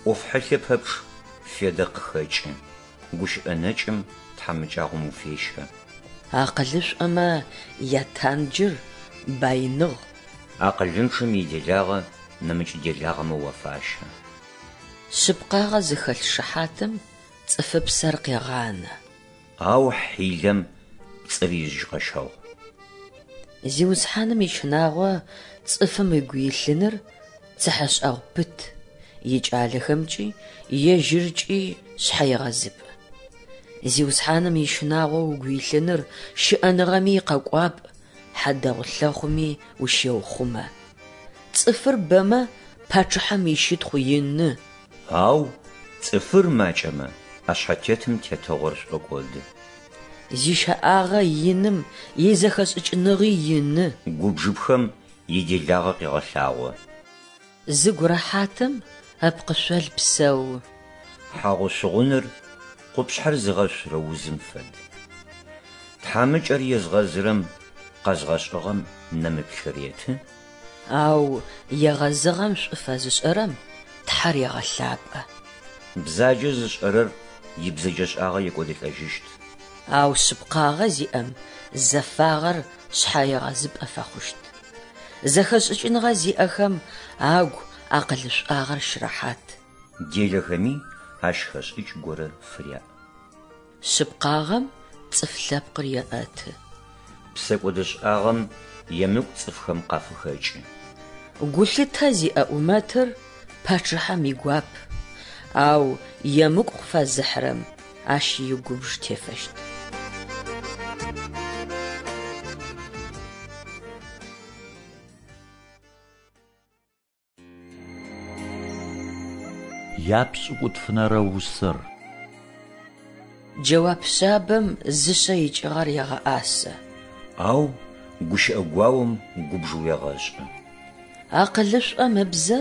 ӏоф хьылъэ пэпчъ федэ къыхэкӏы, гущыӏэ нэкӏым тхьамыкӏагъом уфещэ. Акъылышӏомэ ятанджыр баиныгъ. Акъылынчъэм иделагъэ нэмыкӏ делагъэмэ уафащэ. Шъыпкъагъэ зыхэлъ шыхьатым цӏыфыпсэр къегъанэ. Ау хьилэм пцӏыр ижьыкъэщэгъу. Зиусхьаным ищынагъо цӏыфым ыгу илъыныр цыхьэшӏэгъу пыт, икӏалэхэмкӏи ежьыркӏи шъхьэегъэзыпӏ. Зиусхьаным ищынагъо угу илъыныр щыӏэныгъэми икъэкӏуапӏ, хьадэгъу лъэхъуми ущеухъумэ. Цӏыфыр бэмэ, пачъыхьэм ищытхъу ины. Ау цӏыфыр макӏэмэ, ӏэшъхьэтетым тетыгъор шӏокӏоды. Зищэӏагъэ иным изэхэшӏыкӏыныгъи ины. Губжыпхэм иделагъэ къегъэлъагъо. Зыгу рэхьатым ыпкъышъол псэу. Хьагъу-шъугъуныр къупшъхьэр зыгъэшъурэ узым фэд. Тхьамыкӏэр езгъэзырэм къэзгъэшӏыгъэм нэмыплъ реты. Ау егъэзыгъэм шӏу фэзышӏэрэм Тхьэр егъэлъапӏэ. Бзаджэ зышӏэрэр ибзэджэшӏагъэ екӏодылӏэжьыщт. Ау шъыпкъагъэ зиӏэм зэфагъэр шъхьэегъэзыпӏэ фэхъущт. Зэхэшӏыкӏыныгъэ зиӏэхэм агу акъылышӏуагъэр щырэхьат. Делэхэми ащ хэшӏыкӏ горэ фыряӏ. Шъыпкъагъэм цӏыф лъэпкъыр еӏэты. Псэкӏодышӏагъэм емыкӏу цӏыфхэм къафыхэкӏы. Гулъытэ зиӏэ ӏумэтыр пачъыхьэм игуап, ау емыкӏу къыфэзыхьырэм ащ игубж тефэщт. Япшӏыкӏутфынэрэ усэр. Джэуап шъабэм зышъэ икӏыгъэр егъэӏасэ. Ау гущыӏэ гуаом губж уегъэшӏы. Акъылышӏом ыбзэ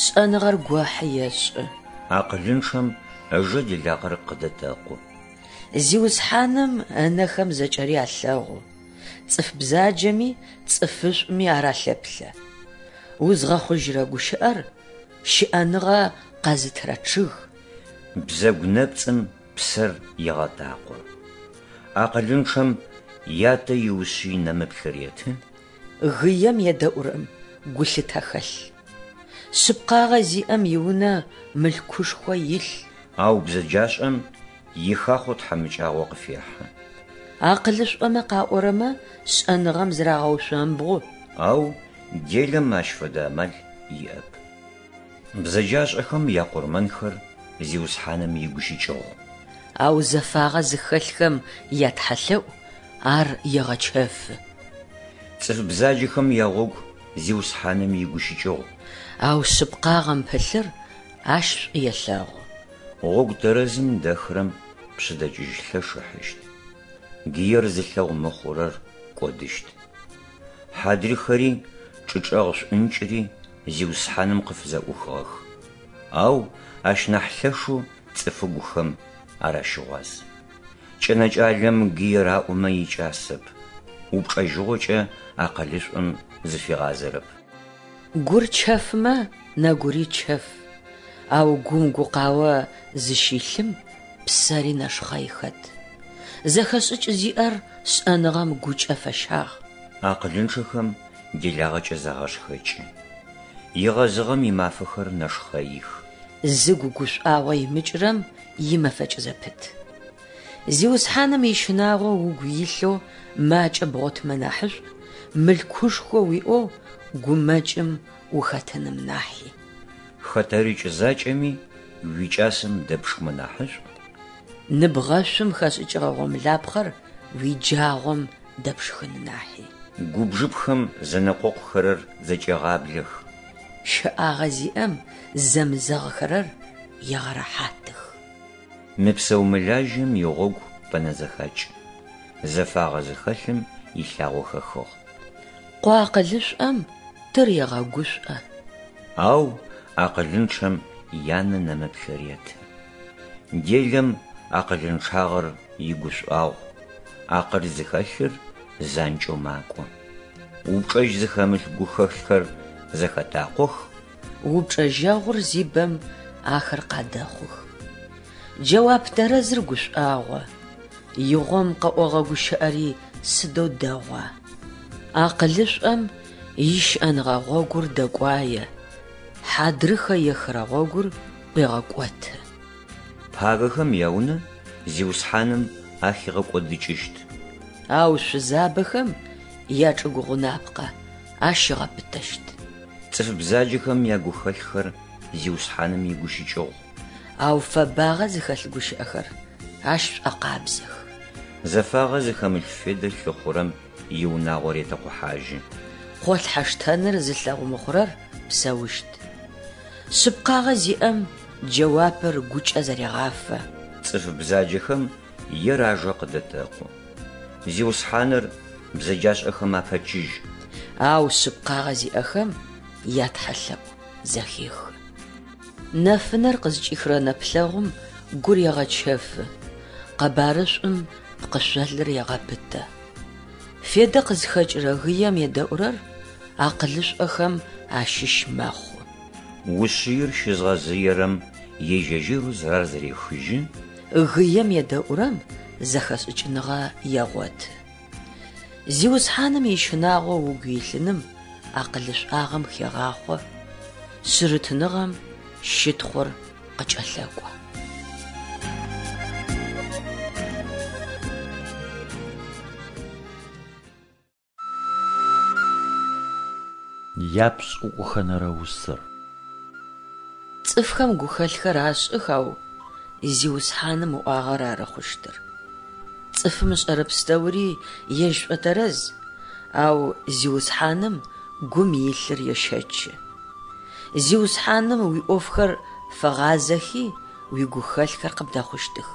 шӏэныгъэр гохьы ешӏы. Акъылынчъэм ыжэ делагъэр къыдэтэкъу. Зиусхьаным ынэхэм зэкӏэри алъэгъу, цӏыф бзаджэми цӏыфышӏуми ар алъэплъэ. Узгъэхъужьырэ гущыӏэр щыӏэныгъэ къэзытырэ чъыг. Бзэгу нэпцӏым псэр егъэтакъо. Акъылынчъэм ятэ иушъый нэмыплъ реты. Гыем едэӏурэм гулъытэ хэлъ. Шъыпкъагъэ зиӏэм иунэ мылъкушхо илъ. Ау бзэджашӏэм ихахъо тхьамыкӏагъо къыфехьы. Акъылышӏомэ къаӏорэмэ шӏэныгъэм зырагъэушъомбгъу. Ау делэм ащ фэдэ амал иӏэп. Бзэджашӏэхэм якъурмэнхэр Зиусхьаным игущыкӏыгъу. Ау зэфагъэ зыхэлъхэм ятхьэлъэӏу ар егъэчэфы. Цӏыф бзаджэхэм ягъогу Зиусхьаным игущыкӏыгъу. Ау шъыпкъагъэм пылъыр ащ шӏу елъэгъу. Гъогу тэрэзым дэхырэм пшъэдэкӏыжь лъэш ыхьыщт. Гыер зылъэгъу мыхъурэр кӏодыщт. Хьадрыхэри чӏычӏэгъ шӏункӏыри Зиусхьаным къыфызэӏухыгъэх. Ау ащ нахь лъэшэу цӏыфыгухэм ар ащыгъуаз. Кӏэнэкӏалэм гые раӏомэ икӏасэп, упчӏэжьыгъокӏэ акъылышӏом зыфигъазэрэп. Гур чэфмэ, нэгури чэф, ау гум гукъао зыщилъым псэри нэшхъэй хэт. Зэхэшӏыкӏ зиӏэр шӏэныгъэм гукӏэ фэщагъ. Акъылынчъэхэм делагъэкӏэ загъэшхэкӏы. Егъэзыгъэм имафэхэр нэшхъэих. Зыгу гушӏуагъо имыкӏырэм имэфэкӏ зэпыт. Зиусхьаным ищынагъо угу илъэу макӏэ бгъотымэ нахьышӏу, мылъкушхо уиӏэу гумэкӏым ухэтыным нахьи. Хэтэрыкӏ закӏэми уикӏасэм дэпшхымэ нахьышӏу. Ныбгъэшъум хэшӏыкӏыгъэ гъомылапхъэр уиджагъом дэпшхын нахьи. Губжыпхэм зэнэкъокъухэрэр зэкӏегъаблэх. Щэӏагъэ зиӏэм зэмызэгъхэрэр егъэрэхьатых. Мыпсэу-мылажьэм игъогу пэнэзэхакӏ, зэфагъэ зыхэлъым илъагъо хэхыгъ. Къо акъылышӏом тыр егъэгушӏо. Ау акъылынчъэм янэ нэмыплъ реты. Делэм акъылынчъагъэр игушӏуагъу, акъыл зыхэлъыр занкӏэу макӏо. Упчӏэжь зыхэмылъ гухэлъхэр зэхэтакъох. Упчӏэжьэгъур зибэм ахэр къадэхъух. Джэуап тэрэзыр гушӏуагъо, игъом къэӏогъэ гущыӏэри сыдэу дэгъуа. Акъылышӏом ищыӏэныгъэ гъогур дэкӏуае, хьадрыхэ ехырэ гъогур ӏуегъэкӏоты. Пагэхэм яунэ Зиусхьаным ахигъэкӏодыкӏыщт. Ау шъузабэхэм ячӏыгу гъунапкъэ ащ ыгъэпытэщт. Цӏыф бзаджэхэм ягухэлъхэр Зиусхьаным игущыкӏыгъу. Ау фэбагъэ зыхэлъ гущыӏэхэр ащ шӏокъабзэх. Зэфагъэ зыхэмылъ федэ лъыхъурэм иунагъо ретэкъухьажьы. Къолъхьэ штэныр зылъэгъу мыхъурэр псэущт. Шъыпкъагъэ зиӏэм джэуапыр гукӏэ зэрегъафэ. Цӏыф бзаджэхэм ер ажэ къыдэтэкъу. Зиусхьаныр бзэджашӏэхэм апэчыжь. Ау шъыпкъагъэ зиӏэхэм ятхьэлъэӏу зэхехы. Нэфынэр къызкӏихырэ нэплъэгъум гур егъэчэфы, къэбарышӏум пкъышъолыр егъэпытэ. Федэ къызхэкӏырэ гыем едэӏурэр акъылышӏохэм ащыщ мэхъу. Ушъыир щызгъэзыерэм ежь-ежьырэу зэрар зэрехыжьы. Гыем едэӏурэм зэхэшӏыкӏыныгъэ егъоты. Зиусхьаным ищынагъо угу илъыным акъылышӏуагъэм хегъахъо, шъырытыныгъэм щытхъур къыкӏэлъэкӏо. Япшӏыкӏухэнэрэ усэр. Цӏыфхэм гухэлъхэр ашӏых, ау Зиусхьаным ыӏуагъэр ары хъущтыр. Цӏыфым ышӏэрэ пстэури ежь шӏотэрэз, ау Зиусхьаным гум илъыр ещэчы. Зиусхьаным уиӏофхэр фэгъазэхи, уигухэлъхэр къыбдэхъущтых.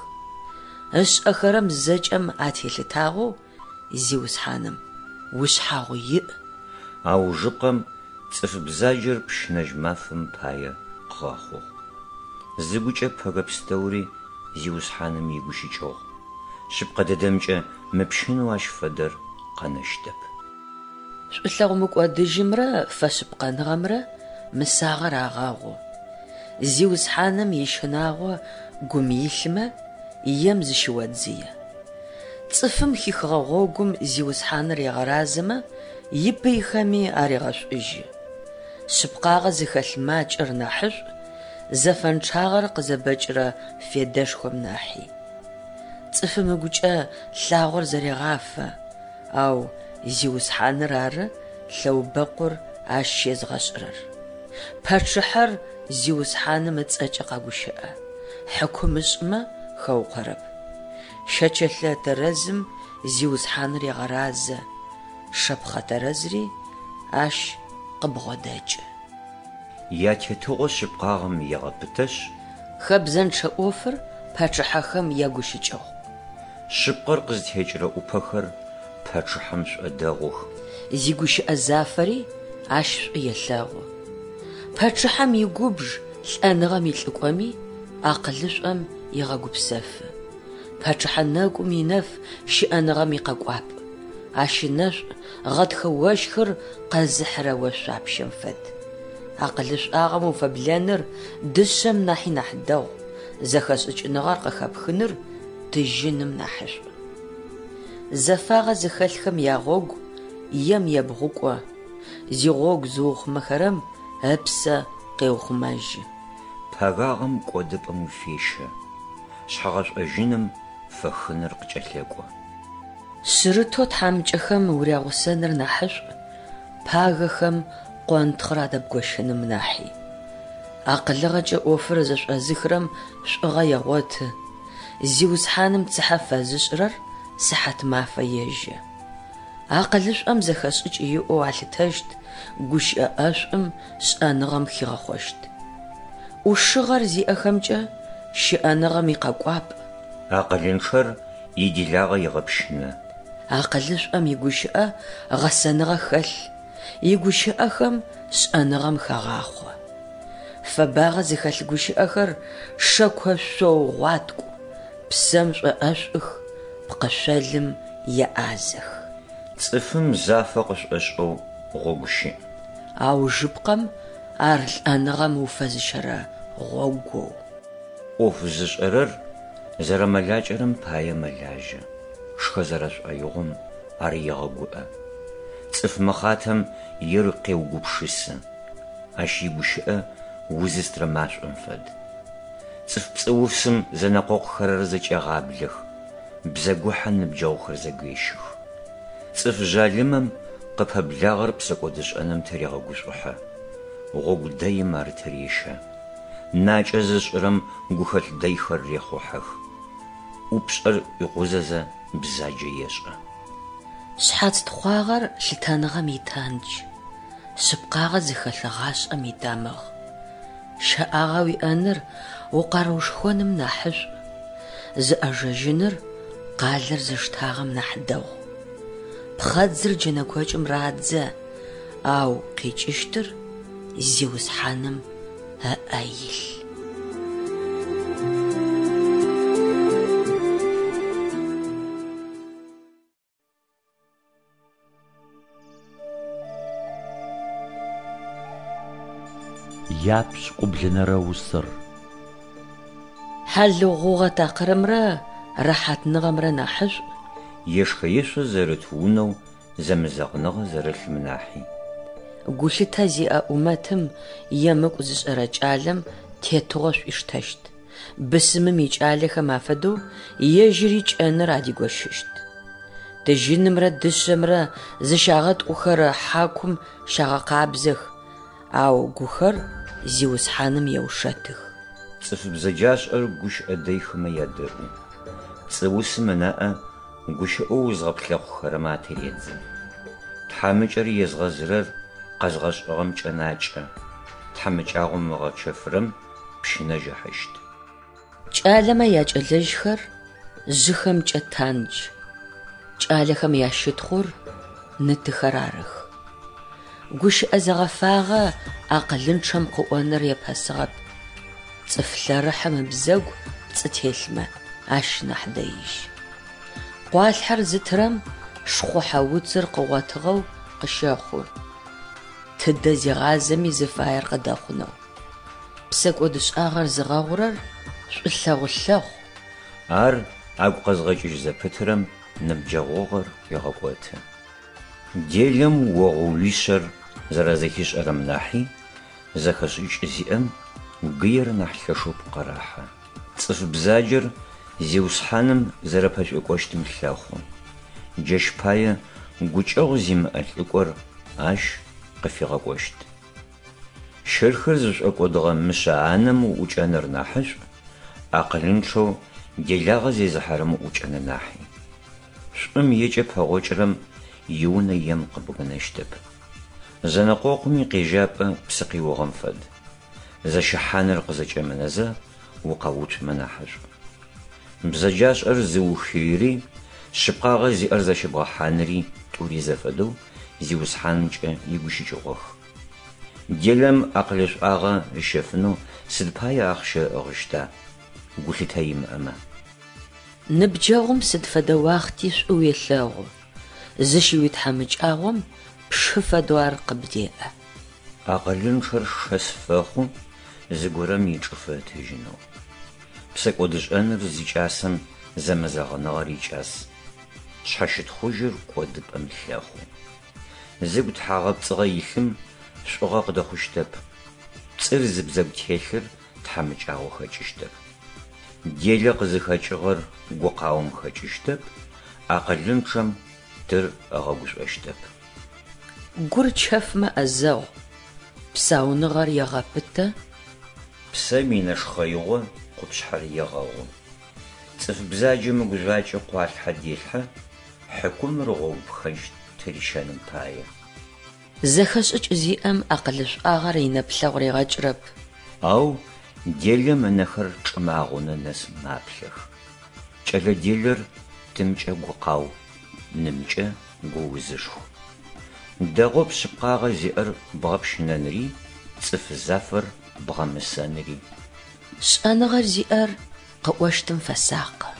Ышӏэхэрэм зэкӏэм ателъытагъэу Зиусхьаным ушъхьагъу иӏ. Аужыпкъэм цӏыф бзаджэр пщынэжь мафэм пае къыгъэхъугъ. Зыгукӏэ пэгэ пстэури Зиусхьаным игущыкӏыгъу. Шъыпкъэ дэдэмкӏэ, мыпщынэу ащ фэдэр къэнэщтэп. Шӏулъэгъу мыкӏодыжьымрэ фэшъыпкъэныгъэмрэ мысагъэр агъэгъу. Зиусхьаным ищынагъо гум илъмэ, ем зыщыодзые. Цӏыфым хихыгъэ гъогум Зиусхьаныр егъэразэмэ, ипыйхэми арегъэшӏужьы. Шъыпкъагъэ зыхэлъ макӏэр нахьышӏу, зэфэнчъагъэр къызэбэкӏырэ федэшхом нахьи. Цӏыфым ыгукӏэ лъагъор зэрегъафэ, ау Зиусхьаныр ары лъэубэкъур ащ щезгъэшӏырэр. Пачъыхьэр Зиусхьаным ыцӏэкӏэ къэгущыӏэ, хьыкум ышӏымэ, хэукъорэп. Щэчэлъэ тэрэзым Зиусхьаныр егъэразэ, шэпхъэ тэрэзри ащ къыбгъодэкӏы. Ятетыгъо шъыпкъагъэм егъэпытэшъ. Хэбзэнчъэ ӏофыр пачъыхьэхэм ягущыкӏыгъ. Шъыпкъэр къызтекӏырэ ӏупэхэр пачъыхьэм шӏодэгъух. Зигущыӏэ зафэри ащ шӏу елъэгъу. Пачъыхьэм игубж лӏэныгъэм илӏыкӏоми, акъылышӏом егъэгупсэфы. Пачъыхьэ нэгум инэф щыӏэныгъэм икъэкӏуапӏ, ащ ынэшӏу гъэтхэ ощхыр къэзыхьырэ ошъуапщэм фэд. Акъылышӏуагъэм уфэблэныр дышъэм нахьи нахь дэгъу, зэхэшӏыкӏыныгъэр къыхэпхыныр тыжьыным нахьышӏу. Зэфагъэ зыхэлъхэм ягъогу ем ебгъукӏо, зигъогу зыухъумэхэрэм ыпсэ къеухъумэжьы. Пэгагъэм кӏодыпӏэм уфещэ, шъхьэгъэшӏожьыным фэхыныр къыкӏэлъэкӏо. Шъырытэу тхьамыкӏэхэм урягъусэныр нахьышӏу, пагэхэм къонтхъыр адэбгощыным нахьи. Акъылыгъэкӏэ ӏофыр зэшӏозыхырэм шӏугъэ егъоты, Зиусхьаным цыхьэ фэзышӏырэр сыхьат мафэ ежэ. Акъылышӏом зэхэшӏыкӏ иӏэу алъытэщт, гущыӏэ ӏэшӏум шӏэныгъэм хигъэхъощт. ӏушыгъэр зиӏэхэмкӏэ щыӏэныгъэм икъэкӏуапӏ. Акъылынчъэр иделагъэ егъэпщынэ. Акъылышӏом игущыӏэ гъэсэныгъэ хэлъ, игущыӏэхэм шӏэныгъэм хагъахъо. Фэбагъэ зыхэлъ гущыӏэхэр шэко шъоу гъуаткӏу, псэм шӏоӏэшӏух, пкъышъолым еӏазэх. Цӏыфым зафэ къышӏошӏэу гъогу щыӏ. Аужыпкъэм ар лӏэныгъэм уфэзыщэрэ гъогоу. ӏоф зышӏэрэр зэрэмэлакӏэрэм пае мэлажьэ, шхэ зэрэшӏоигъом ар егъэгуӏэ. Цӏыф мыхъатэм ер къеугупшысы, ащ игущыӏэ узыстрэ машӏом фэд. Цӏыф пцӏыусым зэнэкъокъухэрэр зэкӏегъаблэх, бзэгухьэ ныбджэгъухэр зэгуещых. Цӏыф жъалымэм къыпэблагъэр псэкӏодышӏэным тырегъэгушӏухьэ, гъогу дэим ар тырещэ. Накӏэ зышӏырэм гухэлъ дэйхэр рехъухьэх. ӏупшӏэр ӏуикъузэзэ бзаджэ ешӏэ. Шъхьац тхъуагъэр лъытэныгъэм итандж, шъыпкъагъэ зыхэлъ гъашӏэм итамыгъ. Щэӏагъэ уиӏэныр укъаруушхоным нахьышӏу, зыӏэжэжьыныр къалэр зыштагъэм нахь дэгъу. Пхъэдзыр джэнэкокӏым радзэ, ау къикӏыщтыр Зиусхьаным ыӏэ илъ. Япшӏыкӏублэнэрэ усэр. Хьалыгъу гъугъэ такъырымрэ рэхьатныгъэмрэ нахьышӏу. Ешхэ-ешъо зэрыт унэу зэмызэгъыныгъэ зэрылъым нахьи. Гулъытэ зиӏэ ӏумэтым емыкӏу зышӏэрэ кӏалэм тетыгъо шӏуиштэщт, бысымым икӏалэхэм афэдэу ежьыри кӏэныр адигощыщт. Тыжьынымрэ дышъэмрэ зыщагъэткӏухэрэ хьакум щагъэкъабзэх, ау гухэр Зиусхьаным еушэтых. Цӏыф бзэджашӏэр гущыӏэ дэйхэмэ ядэӏу. Пцӏыусым ынаӏэ гущыӏэу узгъэплъэхъухэрэмэ атыредзэ. Тхьамыкӏэр езгъэзырэр къэзгъэшӏыгъэм кӏэнакӏэ, тхьамыкӏагъом ыгъэчэфырэм пщынэжь ыхьыщт. Кӏалэмэ якӏэлэжьхэр жъыхэмкӏэ тандж, кӏалэхэм ящытхъур ны-тыхэр арых. Гущыӏэ зэгъэфагъэ акъылынчъэм къыӏоныр епэсыгъэп. Цӏыф лъэрыхьым ыбзэгу пцӏы телъмэ, ащ нахь дэижь. Къуалъхьэр зытырэм шхъухьэ уцыр къыгъотыгъэу къыщэхъу, тыдэ зегъазэми зыфаер къыдэхъунэу. Псэкӏодышӏагъэр зыгъэгъурэр шӏулъэгъу лъэхъу. Ар агу къэзгъэкӏыжь зэпытырэм ныбджэгъугъэр ӏуегъэкӏоты. Делэм огъу-уишъэр зэрэзэхишӏэрэм нахьи, зэхэшӏыкӏ зиӏэм гыер нахь лъэшэу пкъырэхьэ. Цӏыф бзаджэр Зиусхьаным зэрэпэшӏуекӏощтым лъэхъу. Джащ пае гукӏэгъу зимыӏэ лӏыкӏор ащ къыфигъэкӏощт. Щырхэр зышӏокӏодыгъэ мышъэ анэм уӏукӏэныр нахьышӏу, акъылынчъэу делагъэ зезыхьэрэм уӏукӏэны нахьи. Шӏум екӏэ пэгъокӏырэм иунэ ем къыбгынэщтэп. Зэнэкъокъум икъежьапӏэ псы къиугъэм фэд. Зэщыхьаныр къызэкӏэмынэзэ укъэуцумэ нахьышӏу. Бзэджашӏэр зыухыйри, шъыпкъагъэ зиӏэр зэщыбгъэхьаныри тӏури зэфэдэу Зиусхьанымкӏэ игущыкӏыгъох. Делэм акъылышӏуагъэ ыщэфынэу сыд пае ахъщэ ыӏыгъыщта, гулъытэ имыӏэмэ? Ныбджэгъум сыд фэдэ уахъти шӏу уелъэгъу, зыщыуитхьамыкӏагъом пшы фэдэу ар къыбдеӏэ. Акъылынчъэр шэс фэхъу зыгорэм ичӏыфэ ытыжьынэу. Псэкӏодышӏэныр зикӏасэм зэмызэгъыныгъэр икӏас, шъхьэщытхъужьыр кӏодыпӏэм лъэхъу. Зыгу тхьагъэпцӏыгъэ илъым шӏугъэ къыдэхъущтэп, пцӏыр зыбзэгу телъыр тхьамыкӏагъо хэкӏыщтэп. Делэ къызыхэкӏыгъэр гукъаом хэкӏыщтэп, акъылынчъэм тыр ыгъэгушӏощтэп. Гур чэфмэ ӏэзэгъу, псауныгъэр егъэпытэ. Псэм инэшхъэигъо къупшъхьэр егъэгъу. Цӏыф бзаджэм ыгужъуакӏэ къуалъхьэ делъхьэ, хьыкумыр гъогу пхэндж тырищэным пае. Зэхэшӏыкӏ зиӏэм акъылышӏуагъэр инэплъэгъу ригъэкӏырэп. Ау делэм ынэхэр чӏым агъунэ нэс маплъэх. Кӏэлэ делэр тымкӏэ гукъау, нымкӏэ гуузышху. Дэгъоп шъыпкъагъэ зиӏэр бгъэпщынэныри, цӏыф зафэр бгъэмысэныри. Шӏэныгъэр зиӏэр къыӏощтым фэсакъы,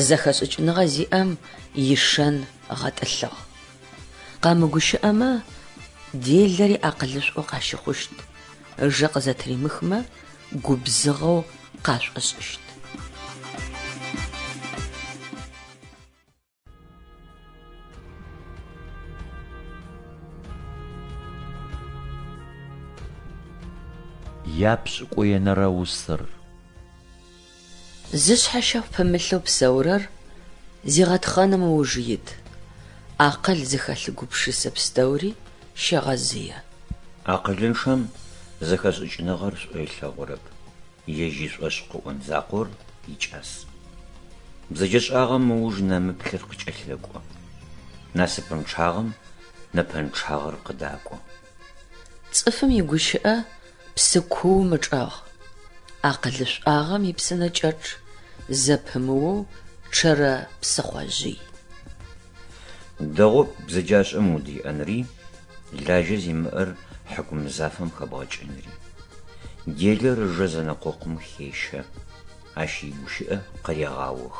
зэхэшӏыкӏыныгъэ зиӏэм ишэн гъэтӏылъыгъ. Къэмыгущыӏэмэ, делэри акъылышӏоу къащыхъущт, ыжэ къызэтыримыхмэ, губзыгъэу къашӏошӏыщт. Япшӏыкӏуенэрэ усэр. Зышъхьэ щэхъу пымылъэу псэурэр зигъэтхъэным ыуж ит, акъыл зыхэлъ гупшысэ пстэури щегъэзые. Акъылынчъэм зэхэшӏыкӏыныгъэр шӏу ылъэгъурэп, ежь ишӏошӏ къыӏон закъор икӏас. Бзэджэшӏагъэм ыуж нэмыплъыр къыкӏэлъэкӏо, насыпынчъагъэм нэпэнчъагъэр къыдакӏо. Цӏыфым игущыӏэ псы куум ычӏэгъ, акъылышӏуагъэм ипсынэкӏэчъ зэпымыоу чъэрэ псыхъожъый. Дэгъоп бзэджашӏэм удеӏэнри, лажьэ зимыӏэр хьыкум зафэм хэбгъэкӏынри. Делэр ыжэ зэнэкъокъум хещэ, ащ игущыӏэ къырегъаох.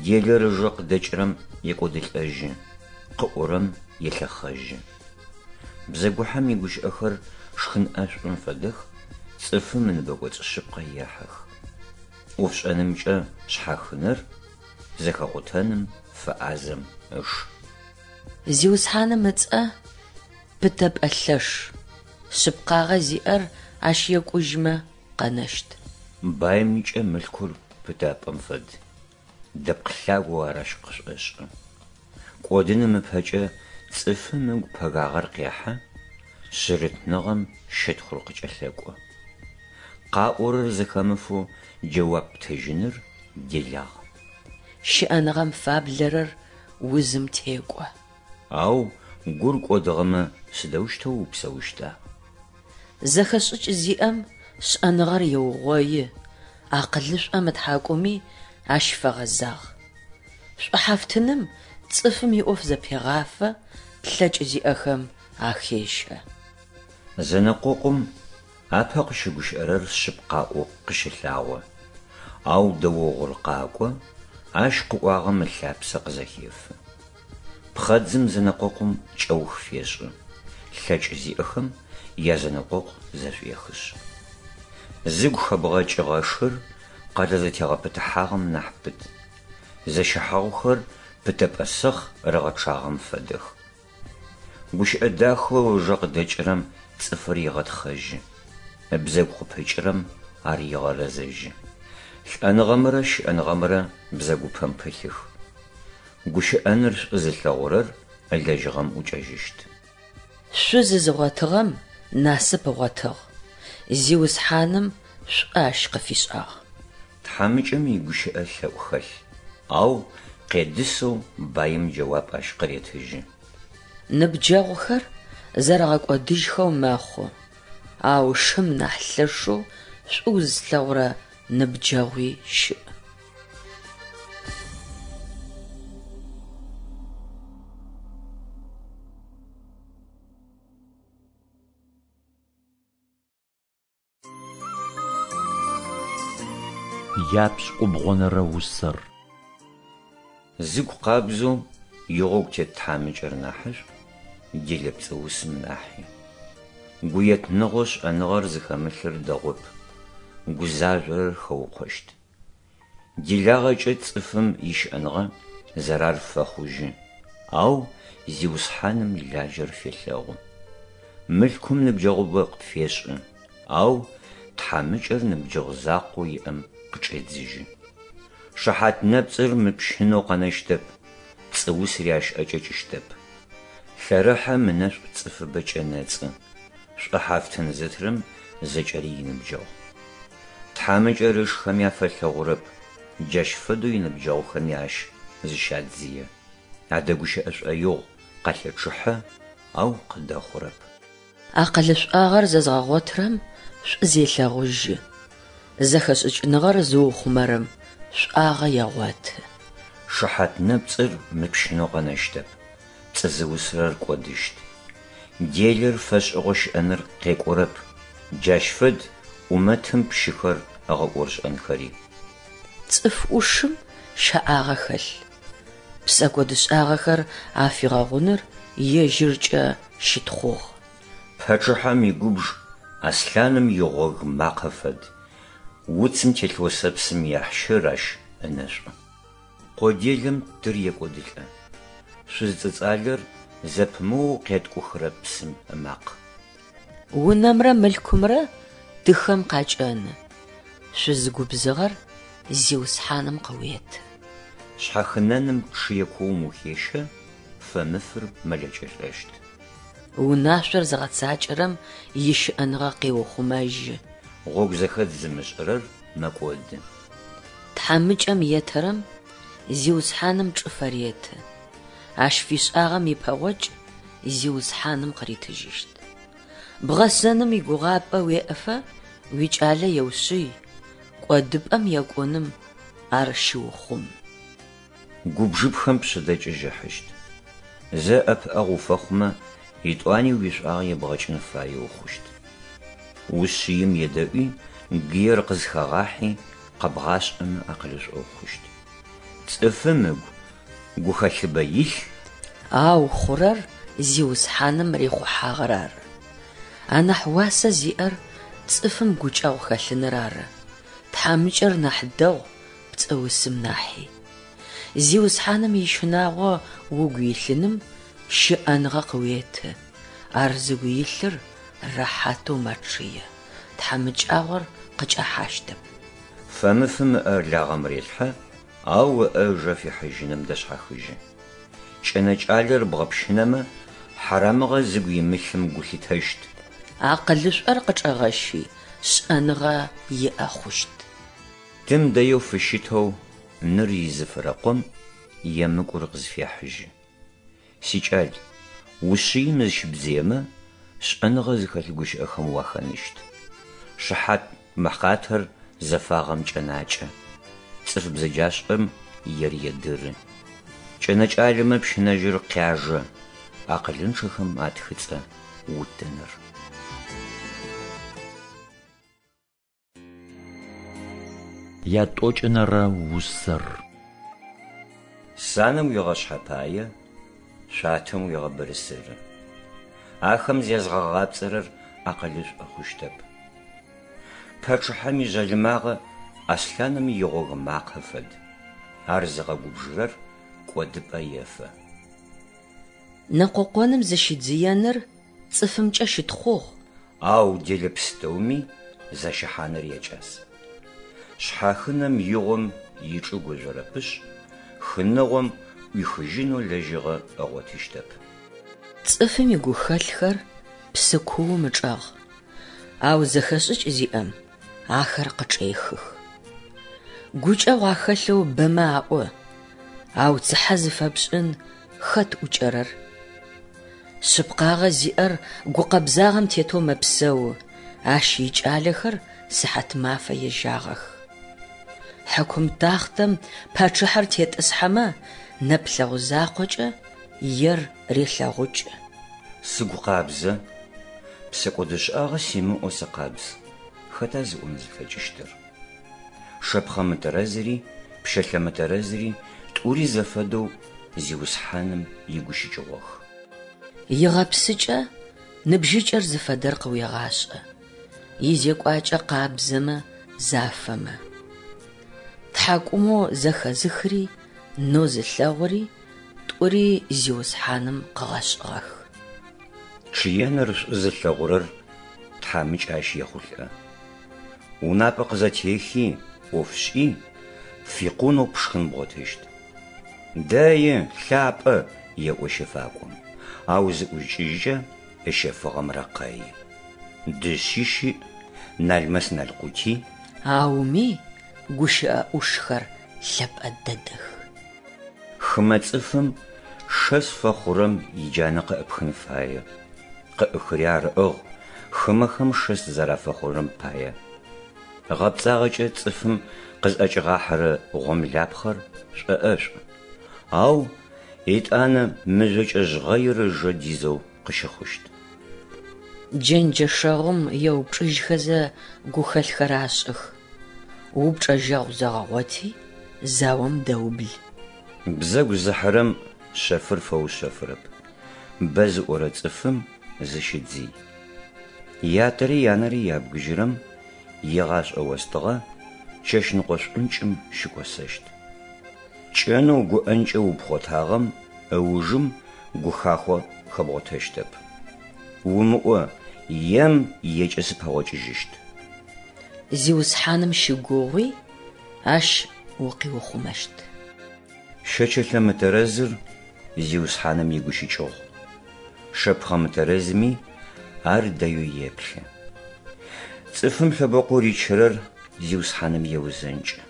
Делэр ыжэ къыдэкӏырэм екӏодылӏэжьы, къыӏорэм елъэхъэжьы. Бзэгухьэм игущыӏэхэр шхын ӏэшӏум фэдэх, цӏыфым ыныбэкӏоцӏ шъыпкъэ ехьэх. ӏофшӏэнымкӏэ шъхьахынэр зэхэкъутэным фэӏазэм ыш. Зиусхьаным ыцӏэ пытэпӏэ лъэш, шъыпкъагъэ зиӏэр ащ екӏужьмэ, къэнэщт. Баимкӏэ мылъкур пытапӏэм фэд, дэпкъ лъагэу ар ащ къышӏошӏы. Кӏодыным ыпэкӏэ цӏыфым ыгу пэгагъэр къехьэ, шъырытныгъэм щытхъур къыкӏэлъэкӏо. Къаӏорэр зэхэмыфэу джэуап птыжьыныр делагъ. Щыӏэныгъэм фаблэрэр узым текӏо. Ау гур кӏодыгъэмэ сыдэущтэу упсэущта? Зэхэшӏыкӏ зиӏэм шӏэныгъэр еугъои, акъылышӏом ытхьакӏуми ащ фэгъэзагъ. Шӏухьафтыным цӏыфым иӏоф зэпегъафэ, лъэкӏ зиӏэхэм ахещэ. Зэнэкъокъум апэ къыщыгущыӏэрэр шъыпкъаӏоу къыщэлъагъо, ау дэогъур къакӏо, Ащ къыӏуагъэм ылъапсэ къызэхефы. Пхъэдзым зэнэкъокъум кӏэух фешӏы, лъэкӏ зиӏэхэм язэнэкъокъу зэшӏуехышъ. Зыгу хэбгъэкӏыгъэ шыр къэлэ зэтегъэпытыхьагъэм нахь пыт. Зэщыхьагъухэр пытэпӏэ сэхъ рыгъэчъагъэм фэдэх. Гущыӏэ дахэу ыжэ къыдэкӏырэм цӏыфыр егъэтхъэжьы, ыбзэгу къыпыкӏырэм ар егъэрэзэжьы. Лӏэныгъэмрэ щыӏэныгъэмрэ бзэгупэм пылъых. Гущыӏэныр шӏу зылъэгъурэр ылэжьыгъэм ӏукӏэжьыщт. Шъуз зыгъотыгъэм насып ыгъотыгъ, Зиусхьаным шӏу ащ къыфишӏагъ. Тхьамыкӏэм игущыӏэ лъэӏу хэлъ, ау къедысэу баим джэуап ащ къыретыжьы. Ныбджэгъухэр зэрэгъэкӏодыжьхэу мэхъу, ау шым нахь лъэшэу шӏу узылъэгъурэ ныбджэгъуи щыӏ. Япшӏыкӏубгъонэрэ усэр. Зыгу къабзэу игъогу тет тхьамыкӏэр нахьышӏу, делэ пцӏыусым нахьи. Гуетныгъэу шӏэныгъэр зыхэмылъыр дэгъоп, гузажъорэр хэукъощт. Делагъэкӏэ цӏыфым ищыӏэныгъэ зэрар фэхъужьы, ау Зиусхьаным лажьэр фелъэгъу. Мылъкум ныбджэгъубэ къыпфешӏы, ау тхьамыкӏэр ныбджэгъу закъоу иӏэм къычӏедзыжьы. Шыхьат нэпцӏыр мыпщынэу къэнэщтэп, пцӏыусри ащ ӏэкӏэкӏыщтэп. Лъэрыхьэм ынэшӏу цӏыфыбэ кӏэнэцӏы, шӏухьафтын зытырэм зэкӏэри иныбджэгъу. Тхьамыкӏэр ышхэми афэлъэгъурэп, джащ фэдэу иныбджэгъухэми ащ зыщадзые. Адэгущыӏэ шӏоигъу, къалъэчъыхьэ, ау къыдэхъурэп. Акъылышӏуагъэр зэзгъэгъотырэм шӏу зелъэгъужьы, зэхэшӏыкӏыныгъэр зыухъумэрэм шӏуагъэ егъоты. Шыхьат нэпцӏыр мыпщынэу къэнэщтэп, пцӏы зыусырэр кӏодыщт. Делэр фэшӏыгъэу щыӏэныр къекӏурэп, джащ фэд ӏумэтым пщыхэр ыгъэӏорышӏэнхэри. Цӏыф ӏушым щэӏагъэ хэлъ, псэкӏодышӏагъэхэр афигъэгъуныр ежьыркӏэ щытхъугъ. Пачъыхьэм игубж аслъаным игъог макъэ фэд, уцым телъ осэпсым яхьщыр ащ ынэшӏу. Къо делэм тыр екӏодылӏэ. Шъуз цӏыцӏалэр зэпымыоу къеткӏухырэ псым ымакъ. Унэмрэ мылъкумрэ тыхэм къакӏэны, шъуз губзыгъэр Зиусхьаным къыуеты. Шъхьахынэным чъые куум ухещэ, фэмыфыр мэлэкӏэ лӏэщт. Унашъор зыгъэцакӏэрэм ищыӏэныгъэ къеухъумэжьы. Гъогу зэхэдз зымышӏырэр мэкӏоды. Тхьамыкӏэм етэрэм Зиусхьаным чӏыфэ реты, ащ фишӏагъэм ипэгъокӏ Зиусхьаным къыритыжьыщт. Бгъэсэным игугъапӏэ уеӏэфэ уикӏалэ еушъый, кӏодыпӏэм екӏуным ар щыухъум. Губжыпхэм пшъэдэкӏыжь ыхьыщт. Зэ ӏэпыӏэгъу уфэхъумэ, етӏуани уишӏуагъэ ебгъэкӏын фаеу хъущт. Ушъыим едэӏуи, гыер къызхэгъахьи, къэбгъашӏэмэ акъылышӏо ухъущт. Цӏыфым ыгу гухэлъыбэ илъ. Ау хъурэр Зиусхьаным рихъухьагъэр ары. Анахь уасэ зиӏэр цӏыфым гукӏэгъу хэлъыныр ары, тхьамыкӏэр нахь дэгъу пцӏыусым нахьи. Зиусхьаным ищынагъо угу илъыным щыӏэныгъэ къыуеты, ар зыгу илъыр рэхьатэу мэчъые, тхьамыкӏагъор къыкӏэхьащтэп. Фэмыфым ыӏэ лагъэм релъхьэ, ау ыӏэ ыжэ фихьыжьыным дэшъхьахыжьы. Кӏэнэкӏалэр бгъэпщынэмэ, хьарамыгъэ зыгу имылъым гу лъитэщт. Акъылышӏор къычӏэгъэщи, шӏэныгъэ иӏэ хъущт. Тым дэеу фыщытэу ныр изыфырэ къом емыкӏур къызфехьыжьы. Сикӏал, ушъыим зыщыбдзыемэ, шӏэныгъэ зыхэлъ гущыӏэхэм уахэныщт. Шыхьат мэхъатэр зэфагъэм кӏэнакӏэ, цӏыф бзэджашӏэм ер едыры. Кӏэнэкӏалэмэ пщынэжьыр къяжэ, акъылынчъэхэм атхыцӏэ утыныр. Ятӏокӏэнэрэ усэр. Санэм уегъэшъхьэпае, шъуатэм уегъэбырысыры. Ахэм зязгъэгъапцӏэрэр акъылышӏо хъущтэп. Пачъыхьэм ижъалымагъэ аслъаным игъог макъэ фэд. Ар зыгъэгубжырэр кӏодыпӏэ ефэ. Нэкъокъоным зыщидзыеныр цӏыфымкӏэ щытхъугъ. Ау делэ пстэуми зэщыхьаныр якӏас. Шъхьахынэм игъом ичӏыгу ыжъорэпышъ, хыныгъом ӏуихыжьынэу лэжьыгъэ ыгъотыщтэп. Цӏыфым игухэлъхэр псы куум ычӏэгъ, ау зэхэшӏыкӏ зиӏэм ахэр къычӏехых. Гукӏэгъу ахэлъэу бэмэ аӏо, ау цыхьэ зыфэпшӏын хэт ӏукӏэрэр? Шъыпкъагъэ зиӏэр гукъэбзагъэм тетэу мэпсэу, ащ икӏалэхэр сыхьатмафэ ежьагъэх. Хьыкум тахътэм пачъыхьэр тетӏысхьэмэ, нэплъэгъу закъокӏэ ер релъэгъукӏы. Сыгу къабзэ, псэкӏодышӏагъэ симыӏэу сыкъабз, хэта зыӏон зылъэкӏыщтыр? Шэпхъэ мытэрэзри пщэлъэ мытэрэзри тӏури зэфэдэу Зиусхьаным игущыкӏыгъох. Игъэпсыкӏэ ныбжьыкӏэр зыфэдэр къыуегъашӏэ, изекӏуакӏэ къабзэмэ, зафэмэ. Тхьакӏумэу зэхэзыхри нэу зылъэгъури тӏури Зиусхьаным къыгъэшӏыгъэх. Чъыеныр шӏу зылъэгъурэр тхьамыкӏэ ащ ехъулӏэ. Унапӏэ къызэтехи, ӏоф шӏи, пфикъунэу пшхын бгъотыщт. Дэи, лъапӏэ, еӏо щэфакӏом, ау зыӏукӏыжькӏэ ыщэфыгъэм рэкъэи. Дышъи щыӏ, налмэс-налкъути. Ауми гущыӏэ ӏушхэр лъэпӏэ дэдэх. Хымэ цӏыфым шэс фэхъурэм иджанэ къыӏыпхын фае. Къыӏыхыри ар ыӏыгъ, хымэхэм шэс зэрафэхъурэм пае. Гъэпцӏагъэкӏэ цӏыфым къызӏэкӏигъахьэрэ гъомлапхъэр шӏоӏэшӏу, ау етӏанэ мыжъокӏэ жъгъэир ыжэ дизэу къыщыхъущт. Джэнджэшэгъум еупчӏыжьхэзэ гухэлъхэр ашӏых, упчӏэжьэгъу зэгъэгъоти, заом дэубл. Бзэгу зыхьырэм шъэфыр фэушъэфырэп, бэ зыӏорэ цӏыфым зыщыдзый. Ятэри янэри ябгыжьырэм игъашӏэ остыгъэ чэщныкъо шӏункӏым щыкӏосэщт. Кӏэнэу гуӏэнкӏэ упхъотагъэм ыужым гухахъо хэбгъотэщтэп. Умыӏо, ем екӏэ сыпэгъокӏыжьыщт. Зиусхьаным щыгугъуи, Ащ укъиухъумэщт. Щэчэлъэ мытэрэзыр Зиусхьаным игущыкӏыгъу. Шэпхъэ мытэрэзми ар дэеу еплъы. Цӏыфым лъэбэкъоу ричырэр Зиусхьаным еузэнкӏы.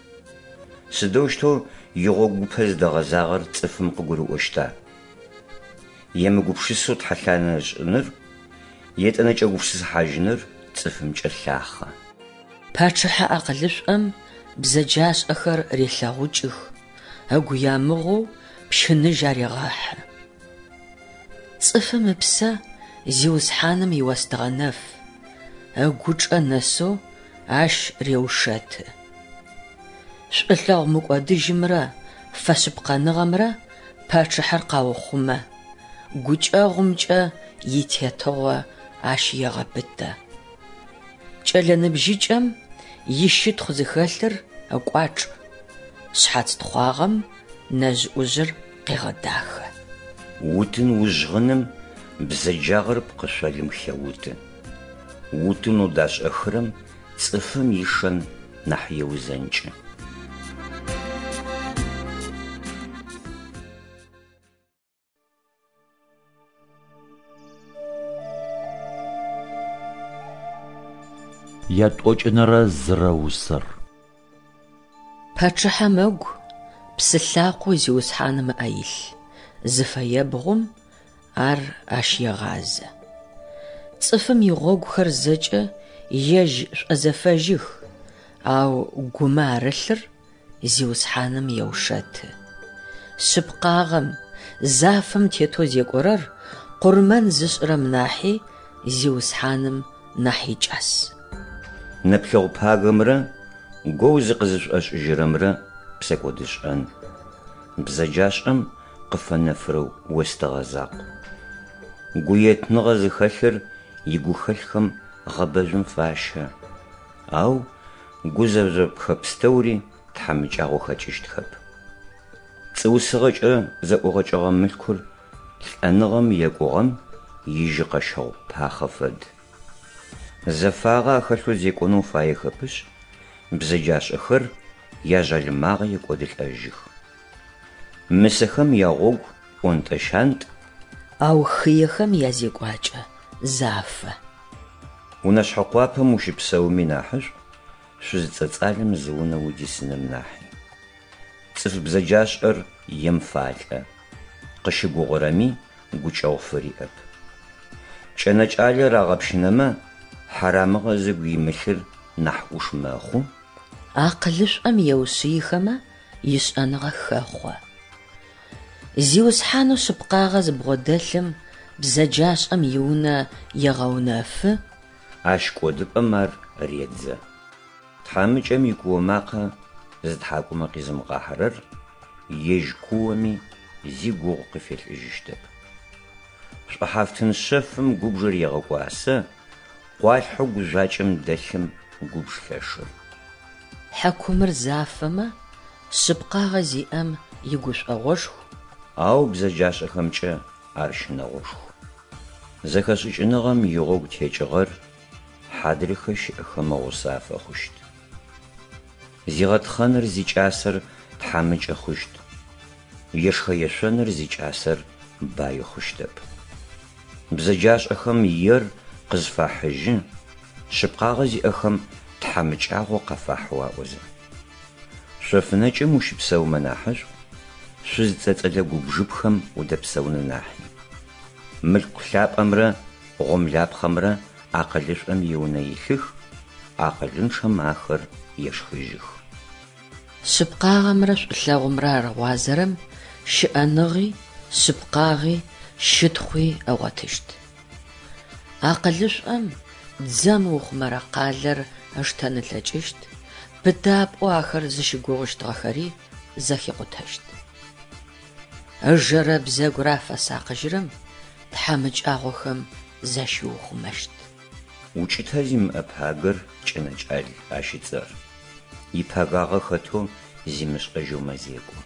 Сыдэущтэу игъогупэ зыдэгъэзагъэр цӏыфым къыгурыӏощта? Емыгупшысэу тхьэлъанэ ышӏыныр, етӏэнэ кӏэгупшысыхьажьыныр цӏыфымкӏэ лъахъэ. Пачъыхьэ акъылышӏом бзэджашӏэхэр релъэгъукӏых, ыгу ямыгъоу пщыныжь арегъэхьы. Цӏыфым ыпсэ Зиусхьаным иостыгъэ нэф, ыгучӏэ нэсэу ащ реушэты. Шӏулъэгъу мыкӏодыжьымрэ фэшъыпкъэныгъэмрэ пачъыхьэр къаухъумэ, гукӏэгъумкӏэ итетыгъо ащ егъэпытэ. Кӏэлэ ныбжьыкӏэм ищытхъу зыхэлъыр ыкӏуачӏ, шъхьац тхъуагъэм нэжъ-ӏужъыр къегъэдахэ. Утын ужъгъыным бзэджагъэр пкъышъолым хеуты. Утынэу дашӏэхырэм цӏыфым ишэн нахь еузэнкӏы. Ятӏокӏынэрэ зырэ усэр. Пачъыхьэм ыгу псы лъакъоу Зиусхьаным ыӏэ илъ, зыфэебгъум ар ащ егъазэ. Цӏыфым игъогухэр зэкӏэ ежь шӏозэфэжьых, ау гумэ арылъыр Зиусхьаным еушэты. Шъыпкъагъэм, зафэм тетэу зекӏорэр къурмэн зышӏырэм нахьи Зиусхьаным нахь икӏас. Нэплъэгъу пагэмрэ гоу зыкъызышӏошӏыжьырэмрэ псэкӏодышӏэн. бзэджашӏэм къыфэнэфырэ остыгъэ закъу. Гуетныгъэ зыхэлъыр игухэлъхэм гъэбэжъум фащэ, ау гузэжъопхэ пстэури тхьамыкӏагъо хэкӏыщтхэп. Пцӏыусыгъэкӏэ зэӏугъэкӏэгъэ мылъкур лӏэныгъэм екӏугъэм ижьыкъэщэгъу пахъэ фэд. Зэфагъэ ахэлъэу зекӏонэу фаехэпышъ, бзэджашӏэхэр яжъалымагъэ екӏодылӏэжьых. Мысэхэм ягъогу ӏонтӏэ-щантӏ. Ау хыехэм язекӏуакӏэ зафэ. Унэшъхьэ къуапэм ущыпсэуми нахьышӏу, шъуз цӏэцӏалэм зы унэ удисыным нахьи. Цӏыф бзэджашӏэр ем фалӏэ, къыщыгугъырэми гукӏэгъу фыриӏэп. Кӏэнэкӏалэр агъэпщынэмэ, хьарамыгъэ зыгу имылъыр нахь ӏуш мэхъу. Акъылышӏом еушъыихэмэ, ишӏэныгъэ хэхъо. Зиусхьанэу шъыпкъагъэ зыбгъодэлъым бзэджашӏэм иунэ егъэунэфы. Ащ кӏодыпӏэм ар редзэ. Тхьамыкӏэм икуо макъэ зытхьакӏумэ къизымыгъахьэрэр ежь куоми зи гугъу къыфелӏыжьыщтэп. Шӏухьафтын шъэфым губжыр егъэкӏуасэ, къуалъхьэу гужъуакӏэм дэлъым губж лъэшыр. Хьакумыр зафэмэ, шъыпкъагъэ зиӏэм игушӏогъошху. Ау бзэджашӏэхэмкӏэ ар щынэгъошху. Зэхэшӏыкӏыныгъэм игъогу текӏыгъэр хьадрыхэ щыӏэхэм гъусэ афэхъущт. Зигъэтхъэныр зикӏасэр тхьамыкӏэ хъущт, ешхэ-ешъоныр зикӏасэр баи хъущтэп. Бзэджашӏэхэм ер къызфахьыжьы, шъыпкъагъэ зиӏэхэм тхьамыкӏагъо къафахьэу аӏозэ. Шъофынэкӏым ущыпсэумэ нахьышӏу, шъуз цӏэцӏэлэ губжыпхэм удэпсэуным нахьи. Мылъку лъапӏэмрэ гъомлапхъэмрэ акъылышӏом иунэ илъых, акъылынчъэм ахэр ешхыжьых. Шъыпкъагъэмрэ шӏулъэгъумрэ арыгъуазэрэм щыӏэныгъи, шъыпкъагъи, щытхъуи ыгъотыщт. Акъылышӏом дзэм ыухъумэрэ къалэр ыштэн ылъэкӏыщт, пытапӏэу ахэр зыщыгугъыщтыгъэхэри зэхикъутэщт. Ыжэрэ бзэгурэ афэсакъыжьырэм тхьамыкӏагъохэм защиухъумэщт. Укӏытэ зимыӏэ пагэр кӏэнэкӏал ащ ыцӏэр. Ипэгагъэ хэтэу зимышӏэжьэу мэзекӏо.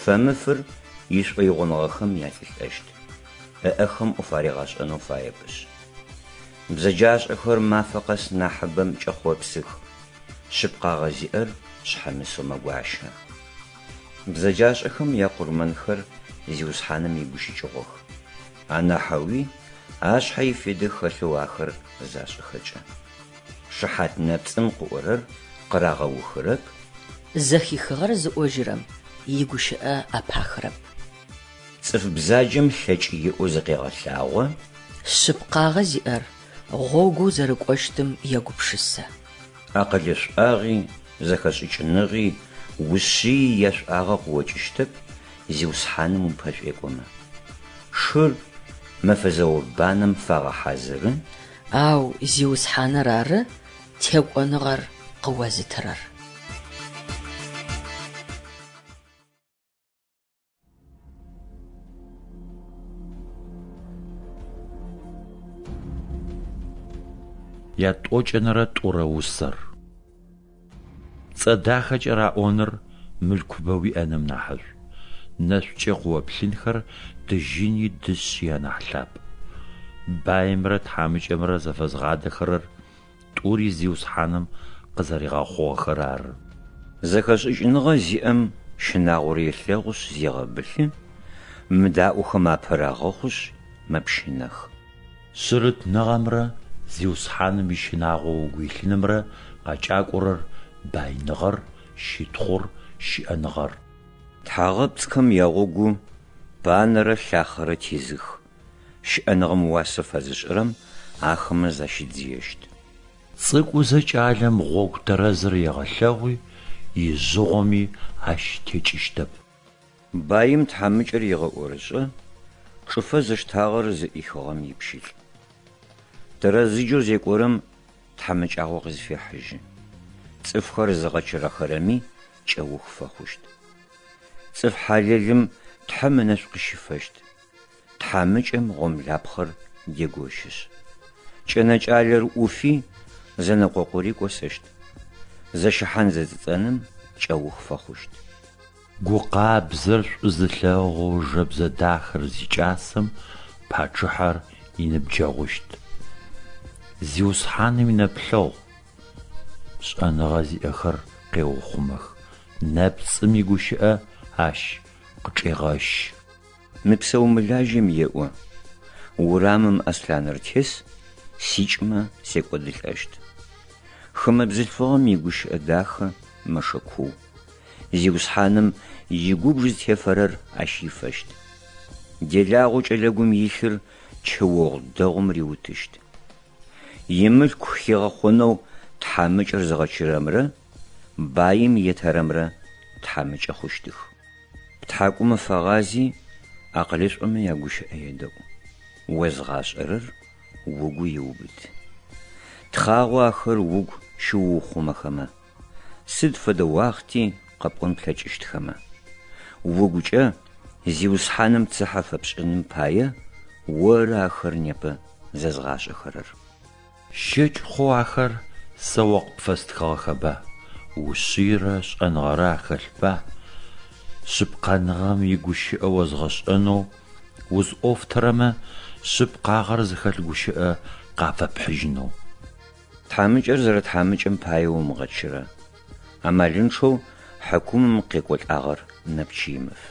Фэмыфыр ишӏоигъоныгъэхэм ялӏылӏэщт, ыӏэхэм ӏоф аригъэшӏэнэу фаепышъ. Бзэджашӏэхэр мафэ къэс нахьыбэм кӏэхъопсых, шъыпкъагъэ зиӏэр шъхьэмысэу мэгуащэ. Бзэджашӏэхэм якъурмэнхэр Зиусхьаным игущыкӏыгъох, анахьэуи ашъхьэ ифедэ хэлъэу ахэр зашӏыхэкӏэ. Шыхьат нэпцӏым къыӏорэр къырагъэухырэп. Зэхихыгъэр зыӏожьырэм игущыӏэ ӏэпахырэп. Цӏыф бзаджэм лъэкӏ иӏэу зыкъегъэлъагъо. Шъыпкъагъэ зиӏэр гъогоу зэрыкӏощтым егупшысэ. Акъылышӏуагъи, зэхэшӏыкӏыныгъи, ушъыий яшӏуагъэ къыокӏыщтэп, Зиусхьаным упэшӏуекӏомэ. Шыр мэфэ зэо-банэм фагъэхьазыры. Ау Зиусхьаныр ары текӏоныгъэр къыозытырэр. Ятӏокӏэнэрэ тӏурэ усэр. Пцӏэ дахэкӏэ раӏоныр мылъкубэ уиӏэным нахьышӏу, нэшӏукӏэ къыоплъынхэр тыжьыни дышъи анахь лъапӏ. Баимрэ тхьамыкӏэмрэ зэфэзгъадэхэрэр тӏури Зиусхьаным къызэригъэхъугъэхэр ары. Зэхэшӏыкӏыныгъэ зиӏэм щынагъор елъэгъушъ зегъэбылъы, мыдаӏохэм апэ рагъэхъушъ мэпщынэх. Шъырытныгъэмрэ Зиусхьаным ищынагъо угу илъынымрэ къакӏакӏорэр байныгъэр, щытхъур, щыӏэныгъэр. Тхьагъэпцӏхэм ягъогу банэрэ лъахъэрэ тезых, щыӏэныгъэм уасэ фэзышӏырэм ахэмэ защидзыещт. Цӏыкӏузэ кӏалэм гъогу тэрэзыр егъэлъэгъуи, ижъыгъоми ащ текӏыщтэп. Баим тхьамыкӏэр егъэӏорышӏэ, чӏыфэ зыштагъэр зыӏихыгъэм ипщылӏ. Тэрэзыджэу зекӏорэм тхьамыкӏагъо къызфехьыжьы, цӏыфхэр зыгъэчырэхэрэми кӏэух фэхъущт. Цӏыф хьалэлым Тхьэм ынэшӏу къыщифэщт, тхьамыкӏэм гъомлапхъэр дегощышъ. Кӏэнэкӏалэр ӏуфи, зэнэкъокъури кӏосэщт. Зэщыхьан-зэцӏэцӏэным кӏэух фэхъущт. Гу къабзэр шӏу зылъэгъоу жэбзэ дахэр зикӏасэм пачъыхьэр иныбджэгъущт. Зиусхьаным инэплъэгъу шӏэныгъэ зиӏэхэр къеухъумэх, нэпцӏым игущыӏэ ащ къычӏегъэщы. Мыпсэу-мылажьэм еӏо, Урамым аслъаныр тес, сикӏмэ, секӏодылӏэщт. Хымэ бзылъфыгъэм игущыӏэ дахэ мэшэ куу. Зиусхьаным игубж зытефэрэр ащ ифэщт. Делагъэу кӏэлэгум илъыр чэогъу дэгъум риутыщт. Имылъку хигъэхъонэу тхьамыкӏэр зыгъэчырэмрэ баим етэрэмрэ тхьамыкӏэ хъущтых. Птхьакӏумэ фэгъази, акъылышӏомэ ягущыӏэ едэӏу, озгъашӏэрэр угу иубыт. Тхъагъо ахэр угу щыуухъумэхэмэ, сыд фэдэ уахъти къэпӏон плъэкӏыщтхэмэ. Угукӏэ Зиусхьаным цыхьэ фэпшӏыным пае оры ахэр непэ зэзгъашӏэхэрэр. Щэкӏ хъоу ахэр сэ о къыпфэстхыгъэхэба, ушъыйрэ шӏэныгъэрэ ахэлъба? Шъыпкъэныгъэм игущыӏэ озгъэшӏэнэу узӏофтэрэмэ шъыпкъагъэр зыхэлъ гущыӏэ къафэпхьыжьынэу. Тхьамыкӏэр зэрэтхьамыкӏэм пае умыгъэчырэ, амалынчъэу хьыкумым къекӏолӏагъэр нэпч имыф.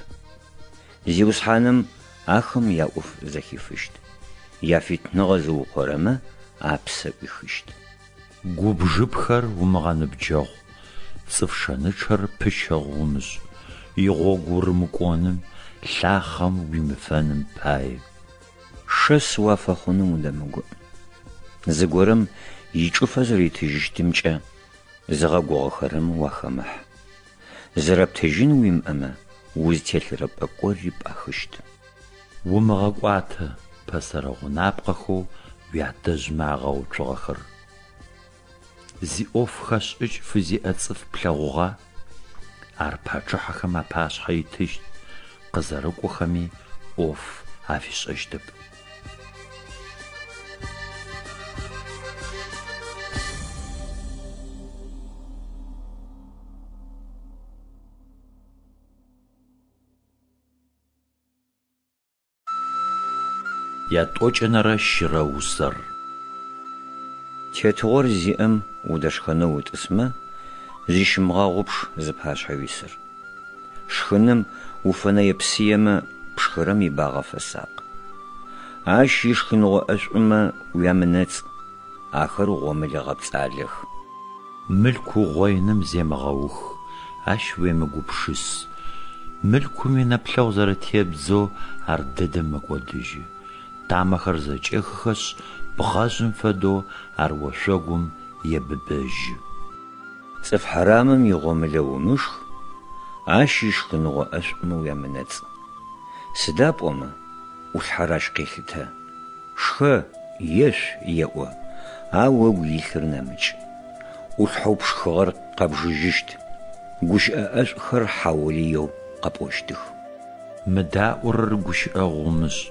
Зиусхьаным ахэм яӏоф зэхифыщт, яфитныгъэ зыукъорэмэ апсэ ӏуихыщт. Губжыпхэр умыгъэныбджэгъу, цӏыф шэнычъэр пыщэгъу умышӏ, игъогу урымыкӏоным, лъахъэм уимыфэным пае. Шэс уафэхъуным удэмыгуӏ. Зыгорэм ичӏыфэ зэритыжьыщтымкӏэ зыгъэгугъэхэрэм уахэмыхь. Зэрэптыжьын уимыӏэмэ, узтелъырэ пӏэкӏори пӏахыщт. Умыгъэкӏуатэ пэсэрэ гъунапкъэхэу уятэжъмэ агъэуцугъэхэр. Зиӏоф хэшӏыкӏ фызиӏэ цӏыф плъэгъугъа? Ар пачъыхьэхэм апашъхьэ итыщт, къызэрыкӏохэми ӏоф афишӏэщтэп. Ятӏокӏэнэрэ щырэ усэр. Тетыгъор зиӏэм удэшхэнэу утӏысмэ, зыщымыгъэгъупш зыпашъхьэ уисыр. Шхыным уфэнэе-псыемэ, пшхырэм ибагъэ фэсакъ. Ащ ишхыныгъо ӏэшӏумэ уямынэцӏ, ахэр гъомылэ гъэпцӏалэх. Мылъку угъоиным земыгъэух, ащ уемыгупшыс. Мылъкум инэплъэгъу зэрэтебдзэу ар дэдэм мэкӏодыжьы. Тамэхэр зэкӏехыхэшъ, бгъэжъым фэдэу ар ошъогум ебыбэжьы. Цӏыф хьарамым игъомылэ умышх, ащ ишхыныгъо ӏэшӏумэ уямынэцӏ. Сыда пӏомэ, ӏулъхьэр ащ къелъытэ. Шхэ, ешъу еӏо, ау ыгу илъыр нэмыкӏ. ӏулъхьэу пшхыгъэр къэбжыжьыщт, гущыӏэ ӏэшӏухэр хьаулыеу къэпӏощтых. Мыдаӏорэр гущыӏэгъу умышӏ,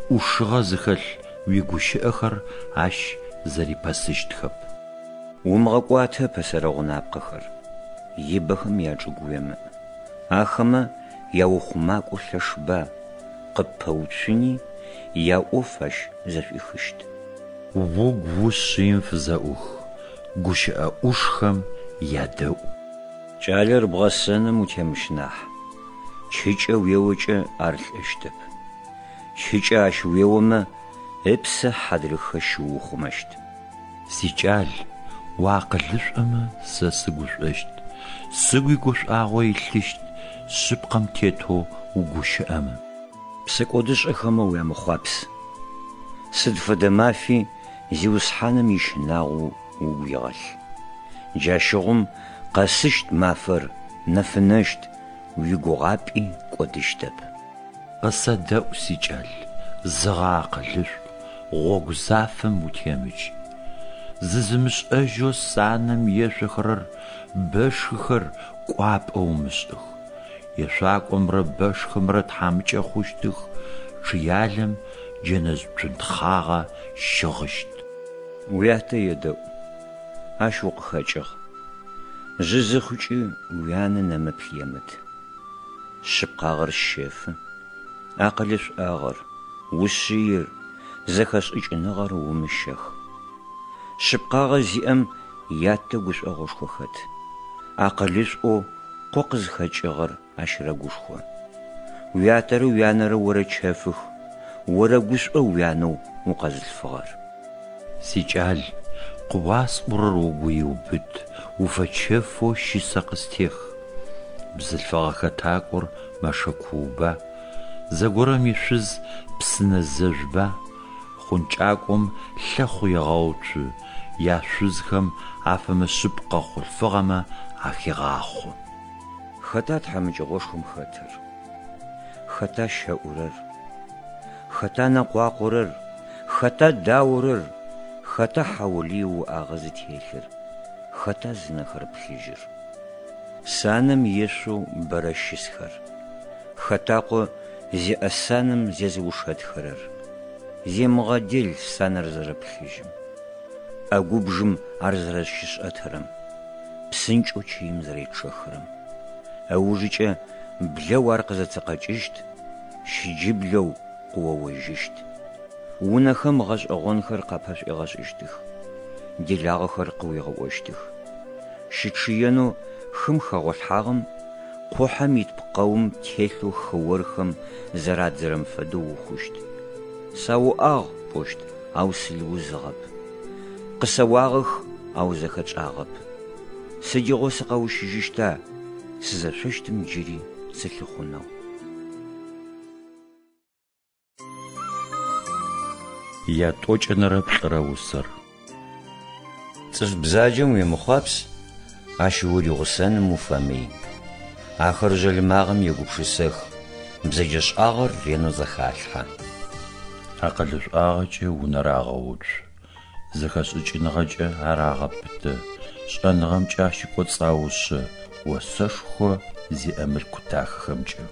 ӏушыгъэ зыхэлъ уигущыӏэхэр ащ зэрипэсыщтхэп. Умыгъэкӏуатэ пэсэрэ гъунапкъэхэр, ибэхэм ячӏыгу уемыӏ. Ахэмэ яухъумакӏо лъэшба, къыппэуцуни, яӏоф ащ зэшӏуихыщт. Угу ушъыим фызэӏух, гущыӏэ ӏушхэм ядэӏу. Кӏалэр бгъэсэным утемыщынахь, чыкӏэ уеокӏэ ар лӏэщтэп. Чыкӏэ ащ уеомэ, ыпсэ хьадрыхэ щыуухъумэщт. Сикӏал, уакъылышӏомэ, сэ сыгушӏощт, сыгуи гушӏуагъо илъыщт, шъыпкъэм тетэу угущыӏэмэ. Псэкӏодышӏэхэмэ уямыхъуапс. Сыд фэдэ мафи Зиусхьаным ищынагъо угу игъэлъ. Джащыгъум къэсыщт мафэр нэфынэщт, уигугъапӏи кӏодыщтэп. Къысэдэӏу, сикӏал, зыгъэакъылышӏу, гъогу зафэм утемыкӏ. Зызымышӏэжьэу санэм ешъохэрэр, бэшхыхэр кӏуапӏэ умышӏых. Ешъуакӏомрэ бэшхымрэ тхьамыкӏэ хъущтых, чъыялэм джэнэжъ цунтхъагъэ щыгъыщт. Уятэ едэӏу, ащ укъыхэкӏыгъ. Жъы зыхъукӏи уянэ нэмыплъ емыт. Шъыпкъагъэр щэфы, акъылышӏуагъэр, ушъыир, зэхэшӏыкӏыныгъэр умыщэх. Шъыпкъагъэ зиӏэм ятэ гушӏогъошхо хэт. Акъылышӏоу къо къызхэкӏыгъэр ащ рэгушхо. Уятэрэ уянэрэ орэчэфых, орэгушӏо уянэу укъэзылъфыгъэр. Сикӏал, къыуасӏорэр угу иубыт, уфэчэфэу щысэ къыстех. Бзылъфыгъэ хэтакӏор мэшэ кууба, зэгорэм ишъуз псынэ зэжъуба? Хъункӏакӏом лъэхъу егъэуцу, яшъузхэм афэмышъыпкъэ хъулъфыгъэмэ ахегъахъо. Хэта тхьамыкӏэгъошхом хэтыр? Хэта щэӏурэр? Хэта нэкъуакъорэр? Хэта даорэр? Хэта хьаулыеу уӏагъэ зытелъыр? Хэта зынэхэр плъыжьыр? Санэм ешъоу бэрэ щысхэр? Хэтакъо зиӏэ санэм зезыушэтхэрэр? Земыгъэдел санэр зэрэплъыжьым, ӏэгубжым ар зэрэщышӏэтырэм, псынкӏэу чыим зэречъэхырэм. Ыужыкӏэ блэу ар къызэцэкъэкӏыщт, щыджыблэу къыоожьыщт. Унэхэм гъэшӏэгъонхэр къапэшӏуегъэшӏыщтых, делагъэхэр къыуигъэӏощтых. Щычъыенэу хым хэгъолъхьагъэм, къухьэм ит пкъэум телъэу хыорхэм зэрадзэрэм фэдэу ухъущт. Сауӏагъ пӏощт, ау сыл узыгъэп. Къысэуагъэх, ау зэхэтшӏагъэп. Сыдигъо сыкъэущыжьыщта, сызэшъощтым джыри сылъыхъунэу? Ятӏокӏэнэрэ плӏырэ усэр. Цӏыф бзаджэм уемыхъуапс, ащ уригъусэным уфэмый. Ахэр жъалымагъэм егупшысэх, бзэджэшӏагъэр ренэу зэхалъхьэ. Акъылышӏуагъэкӏэ унэр агъэуцу, зэхэшӏыкӏыныгъэкӏэ ар агъэпытэ, шӏэныгъэмкӏэ ащ ыкӏоцӏаушъэ, осэшхо зиӏэ мылъку дахэхэмкӏэ.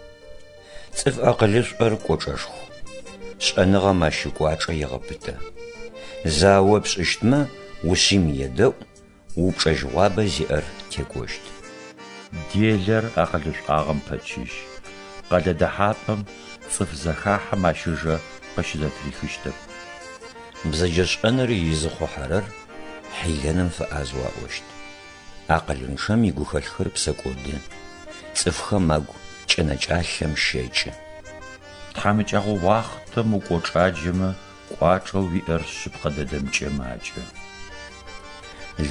Цӏыф акъылышӏор кӏочӏэшху, шӏэныгъэм ащ ыкӏуачӏэ егъэпытэ. Зао пшӏыщтмэ, ушъыим едэӏу, упчӏэжьыгъуабэ зиӏэр текӏощт. Делэр акъылышӏуагъэм пэчыжь, къэлэ дэхьапӏэм цӏыф зэхахьэм ащ ыжэ къыщызэтырихыщтэп. Бзэджэшӏэныр изыхъухьэрэр хьилэным фэӏазэу аӏощт. Акъылынчъэм игухэлъхэр псэкӏоды, цӏыфхэм агу кӏэнэкӏалъэм щэкӏы. Тхьамыкӏэгъо уахътэм укӏочӏаджэмэ, кӏуачӏэу уиӏэр шъыпкъэ дэдэмкӏэ макӏэ.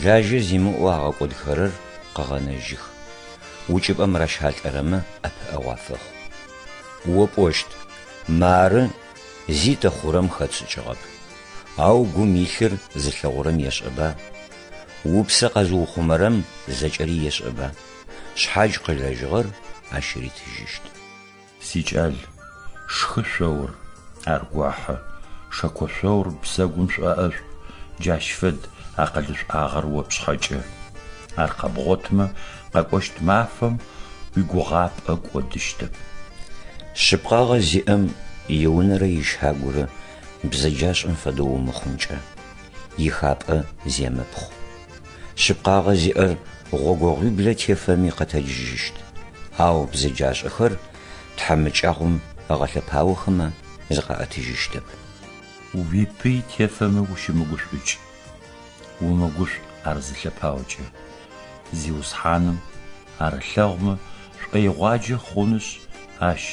Лажьэ зимыӏэу агъэкӏодхэрэр къэгъэнэжьых, укӏыпӏэм ращалӏэрэмэ ӏэпыӏэгъу афэхъу. О пӏощт, мары зи тэ хъурэм хэтшӏыкӏыгъэп, ау гум илъыр зылъэгъурэм ешӏэба, упсэ къэзыухъумэрэм зэкӏэри ешӏэба, шъхьадж къылэжьыгъэр ащ ритыжьыщт. Сикӏал, шхы шъоур, ар гохьы, шэкошъоур бзэгум шӏоӏэшӏу, джащ фэд акъылышӏуагъэр о пшъхьэкӏэ. Ар къэбгъотмэ, къэкӏощт мафэм уигугъапӏэ кӏодыщтэп. Шъыпкъагъэ зиӏэм иунэрэ ищагурэ бзэджашӏэм фэдэу умыхъункӏэ, ихапӏэ земыпхъу. Шъыпкъагъэ зиӏэр гъогогъуиблэ тефэми къэтэджыжьыщт, ау бзэджашӏэхэр тхьамыкӏагъом ыгъэлъэпаохэмэ зыкъаӏэтыжьыщтэп. Уипый тефэмэ ущымыгушӏукӏ, умыгушӏу ар зылъэпаокӏэ. Зиусхьаным ар ылъэгъумэ, шӏоигъуаджэ хъунышъ, ащ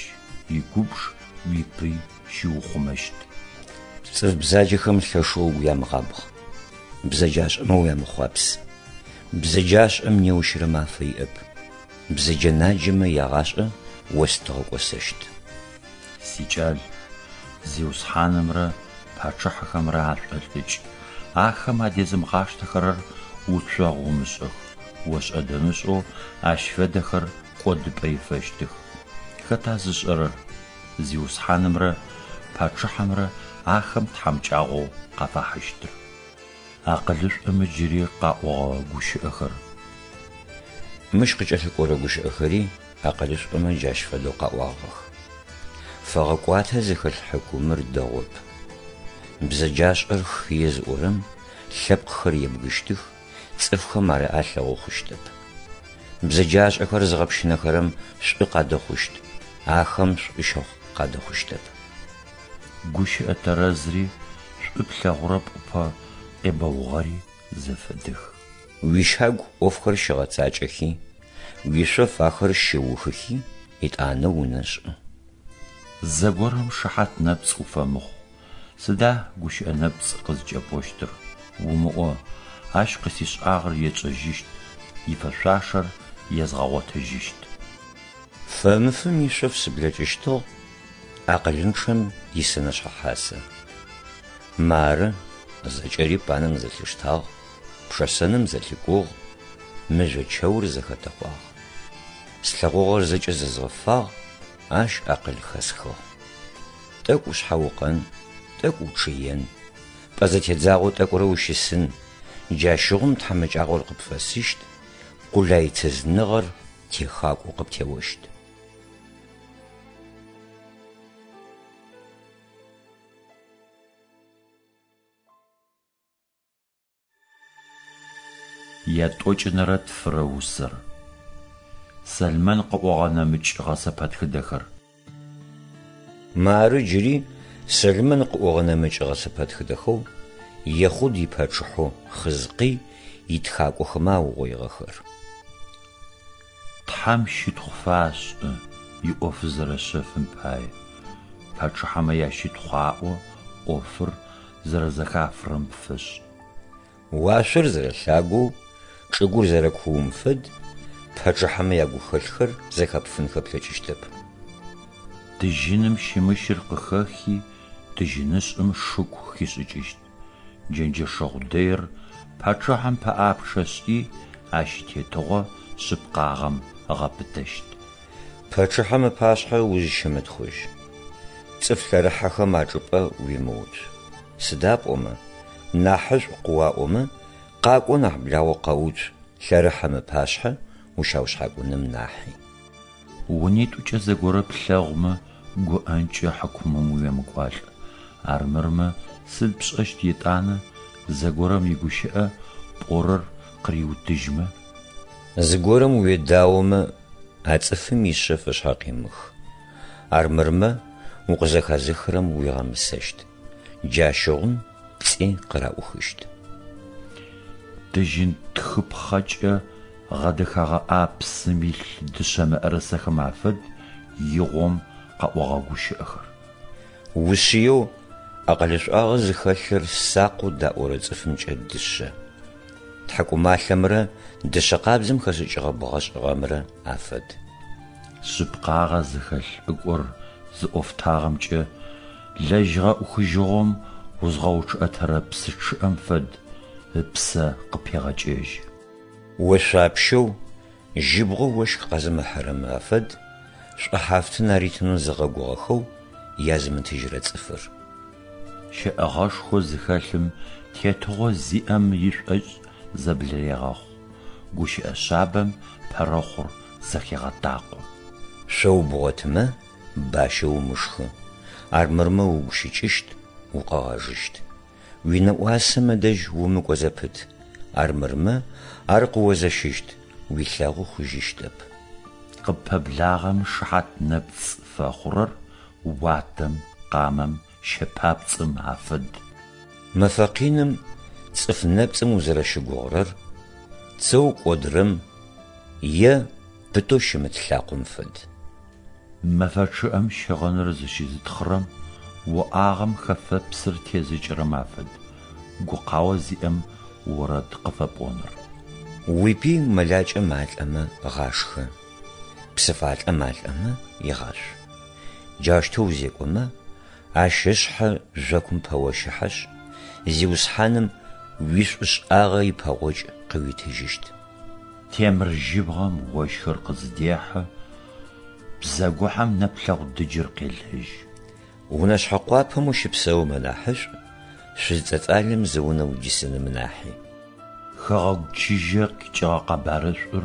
игубж уипый щиухъумэщт. Цӏыф бзаджэхэм лъэшэу угу ямыгъабгъ, бзэджашӏэмэ уямыхъуапс. Бзэджашӏэм неущрэ мафэ иӏэп, бзэджэ-наджэмэ ягъашӏэ остыгъэ кӏосэщт. Сикӏал, Зиусхьанымрэ пачъыхьэхэмрэ ашӏолӏыкӏ, ахэм адезымыгъаштэхэрэр уцогъу умышӏых, ошӏэ-дэмышӏэу ащ фэдэхэр кӏодыпӏэ ифэщтых. Хэта зышӏэрэр Зиусхьанымрэ пачъыхьэмрэ ахэм тхьамыкӏагъоу къафахьыщтыр? Акъылышӏомэ джыри къаӏогъэ гущыӏэхэр. Мыщ къыкӏэлъыкӏорэ гущыӏэхэри Акъылышӏомэ джащ фэдэу къаӏуагъэх. Фэгъэкӏуатэ зыхэлъ хьыкумыр дэгъоп. Бзэджашӏэр хые зыӏорэм лъэпкъхэр ебгыщтых, цӏыфхэм ар алъэгъу хъущтэп. Бзэджашӏэхэр зыгъэпщынэхэрэм шӏу къадэхъущт, ахэм шӏу щэхъу къадэхъущтэп. Гущыӏэ тэрэзри шӏу плъэгъурэ пӏупэ къебэугъэри зэфэдэх. Уищагу ӏофхэр щыгъэцакӏэхи, уишъоф ахэр щыухыхи, етӏанэ унэ шӏы. Зэгорэм шыхьат нэпцӏ уфэмыхъу. Сыда гущыӏэ нэпцӏ къызкӏэпӏощтыр? Умыӏо, ащ къысишӏагъэр етшӏэжьыщт, ифэшъуашэр езгъэгъотыжьыщт. Фэмыфым ишъоф сыблэкӏыщтыгъ, акъылынчъэм исэнэшъхьэ хьасэ. Мары, зэкӏэри панэм зэлъиштагъ, пшэсэным зэлъикӏугъ, мыжъо чэур зэхэтэкъуагъ. Слъэгъугъэр зэкӏэ зэзгъэфагъ, ащ акъыл хэсхыгъ. Тӏэкӏу ушъхьаукъэн, тӏэкӏу учъыен, пӏэ зэтедзагъэу тӏэкӏурэ ущысын, джащыгъум тхьамыкӏагъор къыпфэсыщт, къулайцызныгъэр техакӏоу къыптеощт. Ятӏокӏынэрэ тфырэ усэр. Сэлмэн къыӏогъэ нэмыкӏ гъэсэпэтхыдэхэр. Мары джыри Сэлмэн къыӏогъэ нэмыкӏ гъэсэпэтхыдэхэу Ехъуд ипачъыхьэу Хъызкъый итхакӏохэмэ аугъоигъэхэр. Тхьэм щытхъу фашӏы иӏоф зэрэшъэфым пае. Пачъыхьэмэ ящытхъу аӏо ӏофыр зэрэзэхафырэм фэшӏ. Уашъор зэрэлъагэу, чӏыгур зэрэкуум фэд, пачъыхьэмэ ягухэлъхэр зэхэпфынхэ плъэкӏыщтэп. Тыжьыным щымыщыр къыхэхи, тыжьынышӏым шыку хишӏыкӏыщт. Джэнджэшэгъу дэир пачъыхьэм пэӏапчъэ шӏи, ащ итетыгъо шъыпкъагъэм ыгъэпытэщт. Пачъыхьэм ыпашъхьэ узыщымытхъужь. Цӏыф лъэрыхьэхэм ачӏыпӏэ уимыуцу. Сыда пӏомэ, нахьышӏу къыуаӏомэ, къакӏо нахь благъэу къэуцу лъэрыхьэм ыпашъхьэ ущаушъхьакӏуным нахьи. Унитӏукӏэ зэгорэ плъэгъумэ, гуӏэнкӏэ хьыкумым уемыкӏуалӏ. Армырмэ, сыд пшӏэщт етӏанэ, зэгорэм игущыӏэ пӏорэр къыриутыжьмэ? Зыгорэм уедаомэ, а цӏыфым ишъэф ышъхьэ къимых. Армырмэ, укъызэхэзыхырэм уигъэмысэщт. Джащыгъум пцӏи къыраӏухыщт. Тыжьын тхыпхъэкӏэ гъэдэхэгъэ ӏапсым илъ дышъэ мыӏэрысэхэм афэд игъом къэӏогъэ гущыӏэхэр. Ушъыеу акъылышӏуагъэ зыхэлъыр сакъэу даӏорэ цӏыфымкӏэ дышъэ. Тхьакӏумалъэмрэ дышъэ къабзэм хэшӏыкӏыгъэ бгъэшӏыгъэмрэ афэд. Шъыпкъагъэ зыхэлъ лӏыкӏор зыӏофтагъэмкӏэ лэжьыгъэ ӏухыжьыгъом узгъэучъыӏэтэрэ псы чъыӏэм фэд, ыпсэ къыпегъэкӏэжьы. Ошъуапщэу жьыбгъэу ощх къэзымыхьырэм афэд шӏухьафтын аритынэу зыгъэгугъэхэу язымытыжьырэ цӏыфыр. Щэӏэгъэшхо зыхэлъым тетыгъо зиӏэм ишӏошӏ зэблырегъэхъу, гущыӏэ шъабэм пэрэхъур зэхегъэтакъо. Шъоу бгъотымэ, бащэ умышхы, армырмэ угу щыкӏыщт, укъэгъэжыщт. Уинэӏуасэмэ дэжь умыкӏо зэпыт, армырмэ ар къыозэщыщт, уилъэгъу хъужьыщтэп. Къыппэблагъэм шыхьат нэпцӏ фэхъурэр уатэм, къамэм, щэ папцӏэм афэд. Мэфэ къиным цӏыф нэпцӏым узэрэщыгугъырэр цэу кӏодырэм е пытэу щымыт лъакъом фэд. Мэфэ чъыӏэм щыгъыныр зыщызытхъырэм, уӏагъэм хэфэпсыр тезыкӏырэм афэд, гукъао зиӏэм орэд къыфэпӏоныр. Уипый мэлакӏэ малӏэмэ гъашхэ, псыфалӏэ малӏэмэ егъашъу. Джаущтэу узекӏомэ, ащ ышъхьэ жъокум пэощыхьэшъ, Зиусхьаным уишӏушӏагъэ ипэгъокӏ къыуитыжьыщт. Темыр жьыбгъэм ощхыр къызыдехьы, бзэгухьэм нэплъэгъу дыджыр къелэжьы. Унэшъхьэ къуапэм ущыпсэумэ нахьышӏу, шъуз цӏэцӏалэм зы унэ удисыным нахьи. Хэгъэгу чыжьэ къикӏыгъэ къэбарышӏур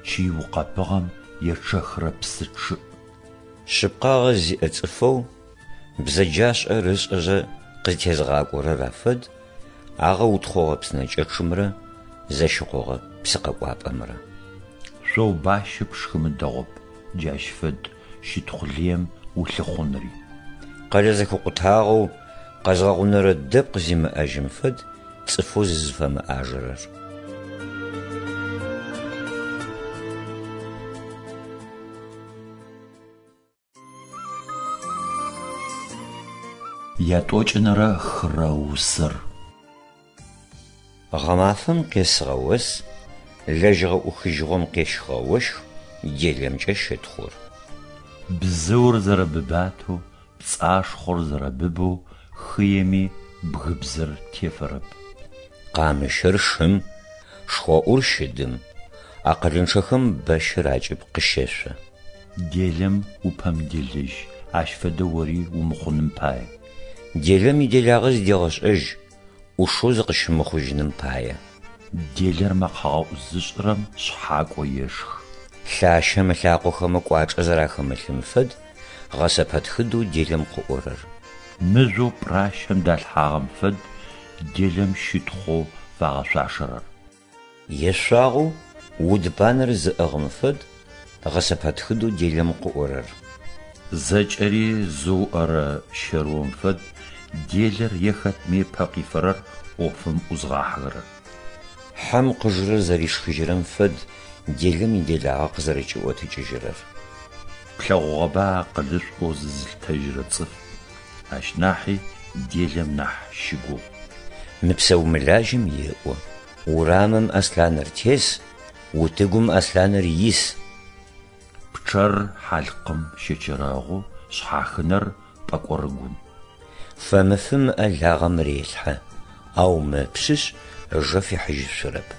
чый укъэбыгъэм ечъэхырэ псы чъыӏ. Шъыпкъагъэ зиӏэ цӏыфэу бзэджашӏэр ышӏэзэ къызтезгъакӏорэр афэд агъэутхъогъэ псынэкӏэчъымрэ зэщыкъогъэ псыкъэкӏуапӏэмрэ. Шъоу бащэ пшхымэ дэгъоп, джащ фэд щытхъу лыем улъыхъунри. Къэлэ зэхэкъутагъэу къэзгъэгъунэрэ дэпкъ зимыӏэжьым фэд цӏыфэу зызыфэмыӏажэрэр. Ятӏокӏынэрэ хырэ усэр. Гъэмафэм къесыгъэ ос, лэжьыгъэ ӏухыжьыгъом къещхыгъэ ощх делэмкӏэ щытхъур. Бзыур зэрэбыбатэу, пцӏашхъор зэрэбыбэу хыеми бгыбзэр тефэрэп. Къамыщыр шым, шхоӏур щыдым, акъылынчъэхэм бэщыр акӏыб къыщэшъо. Делэм упэмыделэжь, ащ фэдэ ори умыхъуным пае. Делэм иделагъэ зыдегъэшӏэжь, ӏушэу зыкъыщымыхъужьыным пае. Делэр мэкъэгъэӏу зышӏырэм шъхьакӏо ешхы. Лъащэм ылъакъохэмэ кӏуачӏэ зэрахэмылъым фэд гъэсэпэтхыдэу делэм къыӏорэр. Мыжъоу пӏращэм далъхьагъэм фэд делэм щытхъоу фагъэшъуашэрэр. Ешъуагъэу уд банэр зыӏыгъым фэд гъэсэпэтхыдэу делэм къыӏорэр. Зэкӏэри зыуӏэрэ щэрыом фэд делэр е хэтми ыпэ къифэрэр ӏофым ӏузгъахьэхэрэр. Хьэм къыжырэр зэришхыжьырэм фэд делэм иделагъэ къызэрэкӏиӏотыкӏыжьырэр. Плъэгъугъэба акъылышӏоу зызылъытэжьырэ цӏыф, ащ нахьи делэм нахь щыгугъ. Мыпсэу-мылажьэм еӏо: Урамым аслъаныр тес, утыгум аслъаныр ис. Пчъэр хьалъкъым щэчэрэгъу, шъхьахынэр пӏэкӏорыгум. Фэмыфым ыӏэ лагъэм релъхьэ, ау мэпшъышъ, ыжэ фихьыжьышъурэп.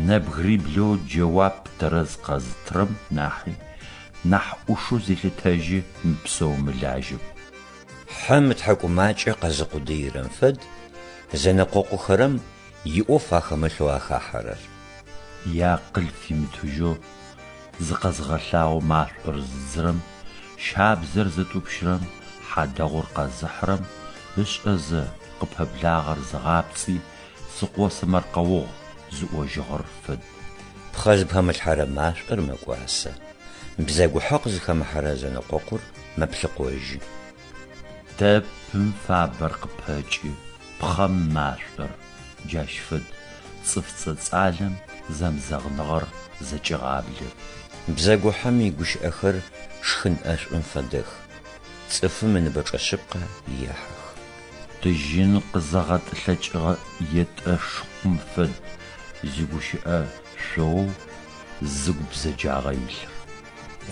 Нэбгыриблэу джэуап тэрэз къэзытырэм нахьи, нахь ӏушэу зелъытэжьы мыпсэу-мылажьэм. Хьэм ытхьакӏумакӏэ къэзыкъудыирэм фэд зэнэкъокъухэрэм иӏоф ахэмылъэу ахахьэрэр. Иакъыл фимытыжьэу зыкъэзыгъэлъагъоу машӏор зыдзырэм, щабзэр зытӏупщырэм, хьадэгъур къэзыхьырэм ышӏэзэ, къыпэблагъэр зыгъапцӏи, сыкъосэмэркъэугъ зыӏожьыгъэр фэд. Пхъэ зыпэмылъхьэрэ машӏор мэкӏуасэ, бзэгухьэ къызыхэмыхьэрэ зэнэкъокъур мэплъыкъожьы. Дэпым фабэр къыпэкӏы, пхъэм машӏор, джащ фэд, цӏыф цӏэцӏалэм зэмызэгъыныгъэр зэкӏегъаблэ. Бзэгухьэм игущыӏэхэр шхын ӏэшӏум фэдэх, цӏыфым ыныбэчӏэ шъыпкъэ ехьых. Тыжьын къызэгъэтӏылъэкӏыгъэ етӏэ шыкъум фэд зигущыӏэ шъоу зыгу бзэджагъэ илъыр.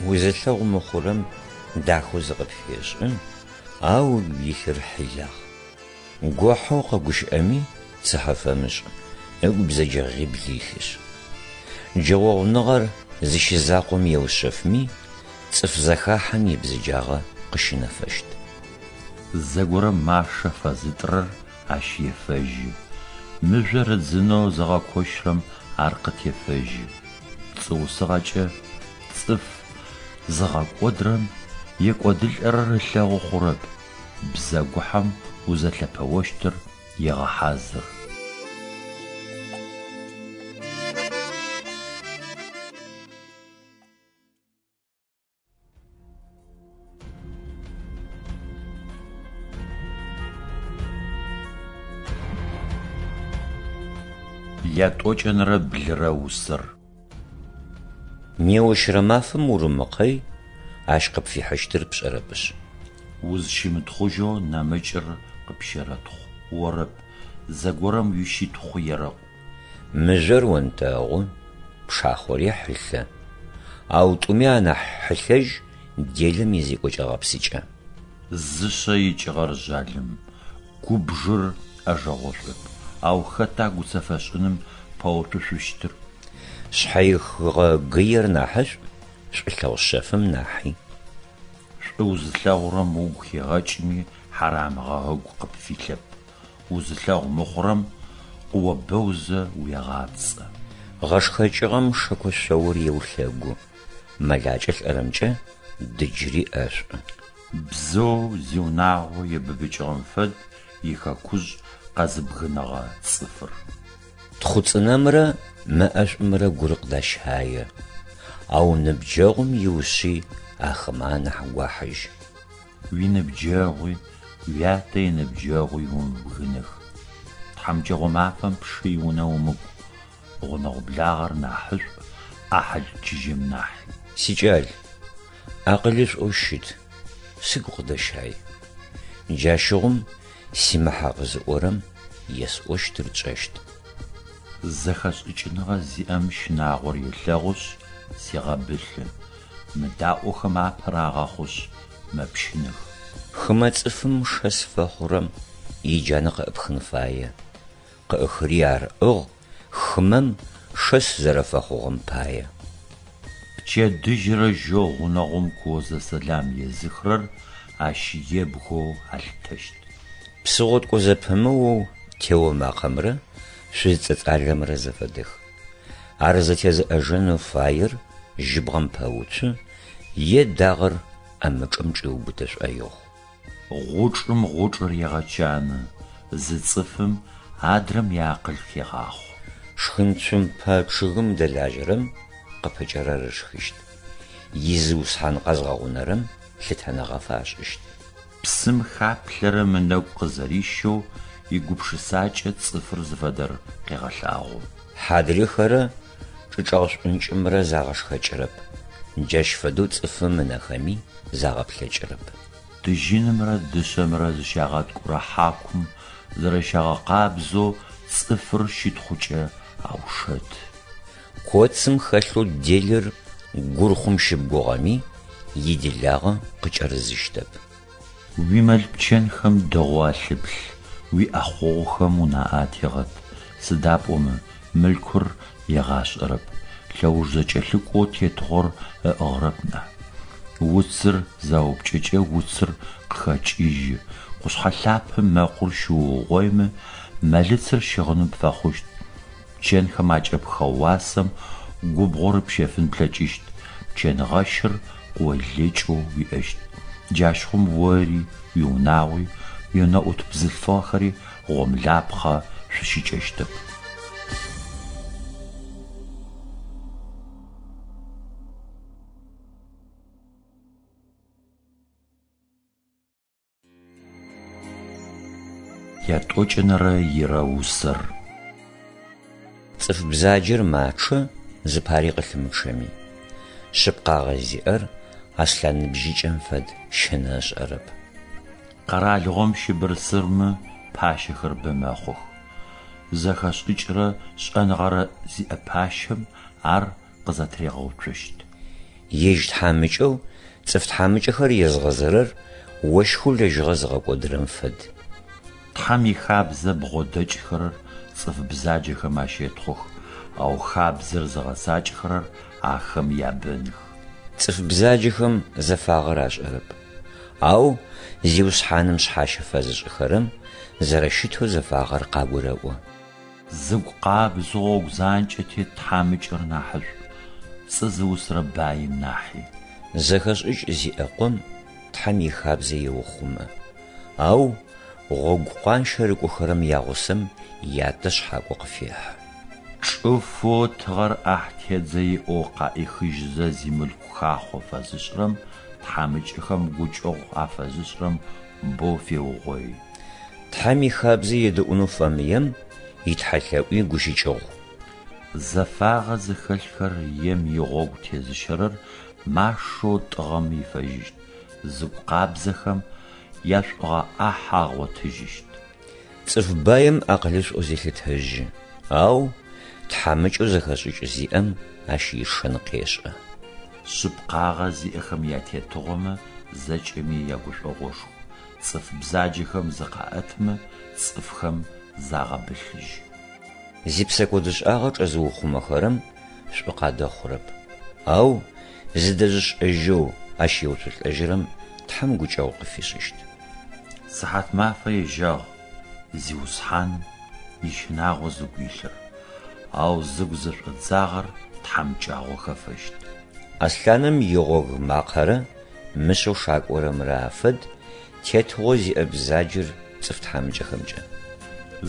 Узылъэгъу мыхъурэм дахэу зыкъыпфешӏы, ау ыгу илъыр хьилагъ. Гохьэу къэгущыӏэми цыхьэ фэмышӏ, ыгу бзэджэгъибл илъышъ. Джэгъогъуныгъэр зыщизакъом еушъэфми, цӏыф зэхахьэм ибзэджагъэ къыщынэфэщт. Зэгорэм машэ фэзытӏырэр ащ ефэжьы, мыжъор ыдзынэу зыгъэкощырэм ар къытефэжьы. Пцӏыусыгъэкӏэ цӏыф зыгъэкӏодырэм екӏодылӏэрэр ылъэгъу хъурэп, бзэгухьэм узэлъэпэощтыр егъэхьазыр. Ятӏокӏэнэрэ блырэ усэр. Неущрэ мафэм урымыкъэй, ащ къыпфихьыщтыр пшӏэрэпышъ. Узщымытхъужьэу нэмыкӏыр къыпщэрэтхъу, орэп, зэгорэм уищытхъу ерэӏу. Мыжъор онтэгъу, пшахъори хьылъэ. Ау тӏуми анахь хьылъэжь делэм изекӏокӏэ-гъэпсыкӏэ. Зышъэ икӏыгъэр жъалым, губжыр ӏэжэгъошӏоп, ау хэта гуцэфэшӏыным пэуцушъущтыр? Шъхьэихыгъэ гыер нахьышӏу, шӏулъэгъу шъэфым нахьи. Шӏу узылъэгъурэм угу хегъэкӏми, хьарамыгъэ ыгу къыпфилъэп. Узылъэгъу мыхъурэм къыобэузэ уегъапцӏэ. Гъэшхэкӏыгъэм шэко шъоур еулъэгу. Мэлакӏэ лӏэрэмкӏэ дыджыри ӏэшӏу. Бзыоу зиунагъо ибыбыкӏыгъэм фэд ихэкужъ къэзыбгынэгъэ цӏыфыр. Тхъуцӏынэмрэ мэ ӏэшӏумрэ гур къыдащае, ау ныбджэгъум иушъый ахэмэ анахь гуахьыжь. Уиныбджэгъуи, уятэ иныбджэгъуи умыбгынэх. Тхьамыкӏэгъо мафэм пшы иунэ умыкӏу, гъунэгъу благъэр нахьышӏу ӏахьыл чыжьэм нахьи. Сикӏал, акъылышӏоу щыт, сыгу къыдэщай. Джащыгъум симыхьакъ зыӏорэм есӏощтыр тшӏэщт. Зэхэшӏыкӏыныгъэ зиӏэм щынагъор елъэгъушъ, зегъэбылъы, мыдаӏохэм апэ рагъэхъушъ, мэпщынэх. Хымэ цӏыфым шэс фэхъурэм иджанэ къыӏыпхын фае, къыӏыхыри ар ыӏыгъ хымэм шэс зэрэфэхъугъэм пае. Пчэдыжьрэ жьэу гъунэгъум куозэ сэлам езыхырэр ащ ебгэу алъытэщт. Псы гъоткӏо зэпымыоу тео макъэмрэ шъуз цӏэцӏалэмрэ зэфэдэх. Ар зэтезыӏэжэнэу фаер жьыбгъэм пэуцу е дагъэр ӏэмычӏэм чӏиубытэ шӏоигъу. Гъучӏым гъучӏыр егъэчаны, зы цӏыфым адрэм иакъыл хегъахъо. Шхынцумпэ чъыгым дэлажьэрэм къыпыкӏэрэр ышхыщт, изыусхьан къэзгъэгъунэрэм лъытэныгъэ фашӏыщт. Псым хаплъэрэм ынэгу къызэрищэу игупшысакӏэ цӏыфыр зыфэдэр къегъэлъагъо. Хьадрыхэрэ чӏычӏэгъ шӏункӏымрэ загъэшхэкӏырэп, джащ фэдэу цӏыфым ынэхэми загъэплъэкӏырэп. Тыжьынымрэ дышъэмрэ зыщагъэткӏурэ хьакум зэрэщагъэкъабзэу цӏыфыр щытхъукӏэ аушэты. Коцым хэлъэу делэр гурхъум щыбгугъэми, иделагъэ къыкӏэрызыщтэп. Уимэл-пчэнхэм дэгъоу алъыплъ, уиӏэхъогъухэм унаӏэ атегъэт, сыда пӏомэ мылъкур егъашӏэрэп, лъэуж зэкӏэлъыкӏоу тетыгъор ыӏыгъырэп нахь. Уцыр заупкӏэкӏэ уцыр къыхэкӏыжьы, къушъхьэ лъапэм мэкъур щыуугъоимэ, мэлыцыр щыгъыны пфэхъущт, пчэнхэм акӏэпхыгъэ уасэм губгъор пщэфын плъэкӏыщт, пчэнгъэщыр къыолэкӏэу уиӏэщт. Джащыгъум ори, уиунагъуи, уиунэӏут бзылъфыгъэхэри гъомлапхъэ шъущыкӏэщтэп. Ятӏокӏэнэрэ ирэ усэр. Цӏыф бзаджэр мачъэ, зыпари къылъымычъэми. Шъыпкъагъэ зиӏэр аслъан ныбжьыкӏэм фэд, щынэ ышӏэрэп. Къэралыгъом щыбырсырмэ пащэхэр бэ мэхъух. Зэхэшӏыкӏрэ шӏэныгъэрэ зиӏэ пащэм ар къызэтыригъэуцощт. Ежь тхьамыкӏэу цӏыф тхьамыкӏэхэр езгъэзырэр ощхэу лэжьыгъэ зыгъэкӏодырэм фэд. Тхьэм ихабзэ бгъодэкӏхэрэр цӏыф бзаджэхэм ащетхъух, ау хабзэр зыгъэцакӏэхэрэр ахэм ябэных. Цӏыф бзаджэхэм зэфагъэр ашӏэрэп, ау Зиусхьаным шъхьащэ фэзышӏыхэрэм зэрэщытэу зэфагъэр къагурэӏо. Зыгу къабзэу гъогу занкӏэ тет тхьамыкӏэр нахьышӏу, пцӏы зыусырэ баим нахьи. Зэхэшӏыкӏ зиӏэ къом Тхьэм ихабзэ еухъумэ, ау гъогу къуанщэ рыкӏохэрэм ягъусэм ятэ шъхьакӏо къыфехьы. Чӏыфэу тыгъэр ӏахь тедзэ иӏэу къаӏихыжьызэ зимылъку хахъо фэзышӏырэм тхьамыкӏэхэм гукӏэгъу афэзышӏырэм боу феугъои. Тхьэм ихабзэ едэӏунэу фэмыем итхьэлъэӏуи гущыкӏыгъу. Зэфагъэ зыхэлъхэр ем игъогу тезыщэрэр машэу тӏыгъэм ифэжьыщт, зыгу къабзэхэм яшӏугъэ ӏахь агъотыжьыщт. Цӏыф баим акъылышӏоу зелъытэжьы, ау тхьамыкӏэу зэхэшӏыкӏ зиӏэм ащ ишэн къешӏэ. Шъыпкъагъэ зиӏэхэм ятетыгъомэ зэкӏэми ягушӏогъошху, цӏыф бзаджэхэм зыкъаӏэтмэ, цӏыфхэм загъэбылъыжьы. Зипсэкӏодышӏагъэ чӏэзыухъумэхэрэм шӏу къадэхъурэп, ау зыдэзышӏэжьэу ащ еуцолӏэжьырэм Тхьэм гукӏэгъу къыфишӏыщт. Сыхьатмафэ ежьагъ Зиусхьаным ищынагъо зыгу илъыр, ау зыгу зэшӏодзагъэр тхьамыкӏагъо хэфэщт. Аслъаным игъог макъэрэ мышъэу шакӏорэмрэ афэд тетыгъо зиӏэ бзаджэр цӏыф тхьамыкӏэхэмкӏэ.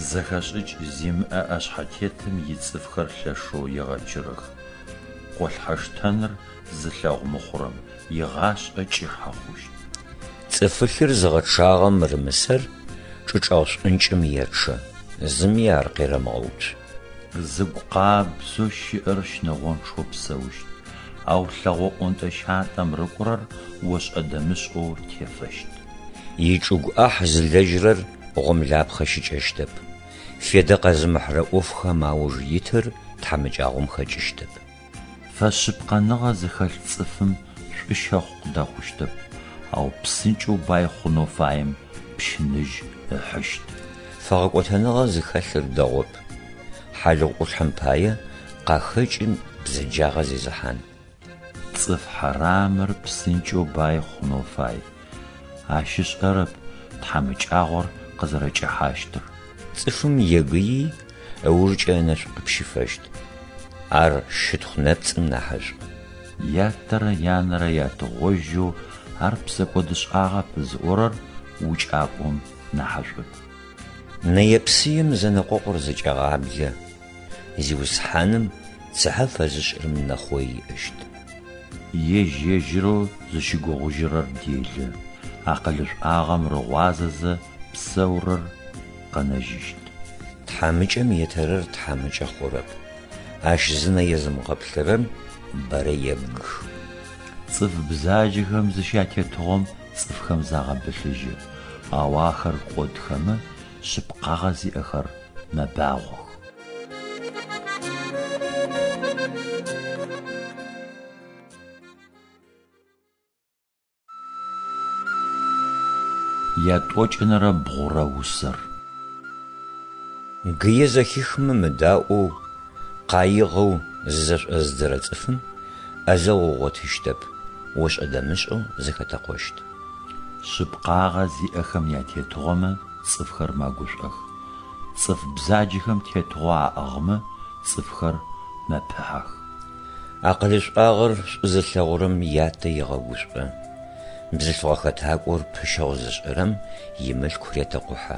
Зэхэшӏыкӏ зимыӏэ ӏэшъхьэтетым ицӏыфхэр лъэшэу егъэчырэх. Къолъхьэштэныр зылъэгъу мыхъурэм игъашӏэ кӏыхьэ хъущт. Цӏыфылъыр зыгъэчъагъэм рымысэр чӏычӏэгъ шӏункӏым ечъэ, зыми ар къерэмыгъэуцу. Зыгу къабзэу щыӏэр щынэгъончъэу псэущт, ау лъэгъо ӏонтӏэ-щантӏэм рыкӏорэр ошӏэ-дэмышӏэу тефэщт. Ичӏыгу ӏахь зылэжьырэр гъомлапхъэ щыкӏэщтэп, федэ къэзымыхьырэ ӏофхэм ауж итыр тхьамыкӏагъом хэкӏыщтэп. Фэшъыпкъэныгъэ зыхэлъ цӏыфым шӏу щэхъу къыдэхъущтэп, ау псынкӏэу бай хъунэу фаем пщыныжь ыхьыщт. Фэгъэкӏотэныгъэ зыхэлъыр дэгъоп, хьалыгъу ӏулъхьэм пае къахэкӏы бзэджагъэ зезыхьан. Цӏыф хьарамыр псынкӏэу бай хъунэу фай, ащ ышӏэрэп тхьамыкӏагъор къызэрэкӏэхьащтыр. Цӏыфым егыи, ыужкӏэ ынэшӏу къыпщыфэщт, ар щытхъу нэпцӏым нахьышӏу. Ятэрэ янэрэ ятыгъожьэу ар псэкӏодышӏагъэп зыӏорэр укӏакӏом нахьышӏоп. Нэе-псыем зэнэкъокъур зэкӏагъаблэ, Зиусхьаным цыхьэ фэзышӏырэм нэхъой иӏэщт. Ежь-ежьырэу зыщыгугъыжьырэр делэ, акъылышӏуагъэм рыгъуазэзэ псэурэр къэнэжьыщт. Тхьамыкӏэм етэрэр тхьамыкӏэ хъурэп, ащ зынэ езымыгъэплъырэм бэрэ ебгы. Цӏыф бзаджэхэм зыщятетыгъом цӏыфхэм загъэбылъыжьы, ау ахэр кӏодхэмэ, шъыпкъагъэ зиӏэхэр мэбагъох. Ятӏокӏынэрэ бгъурэ усэр. Гые зэхихмэ мыдаӏоу, къаигъэу зызэшӏозыдзэрэ цӏыфым ӏэзэгъу ыгъотыщтэп, ошӏэ-дэмышӏэу зэхэтэкъощт. Шъыпкъагъэ зиӏэхэм ятетыгъомэ цӏыфхэр мэгушӏох, цӏыф бзаджэхэм тетыгъо аӏыгъмэ цӏыфхэр мэпыхьэх. Акъылышӏуагъэр шӏу зылъэгъурэм ятэ егъэгушӏо, бзылъфыгъэ хэтакӏор пыщэгъу зышӏырэм имылъку ретэкъухьэ.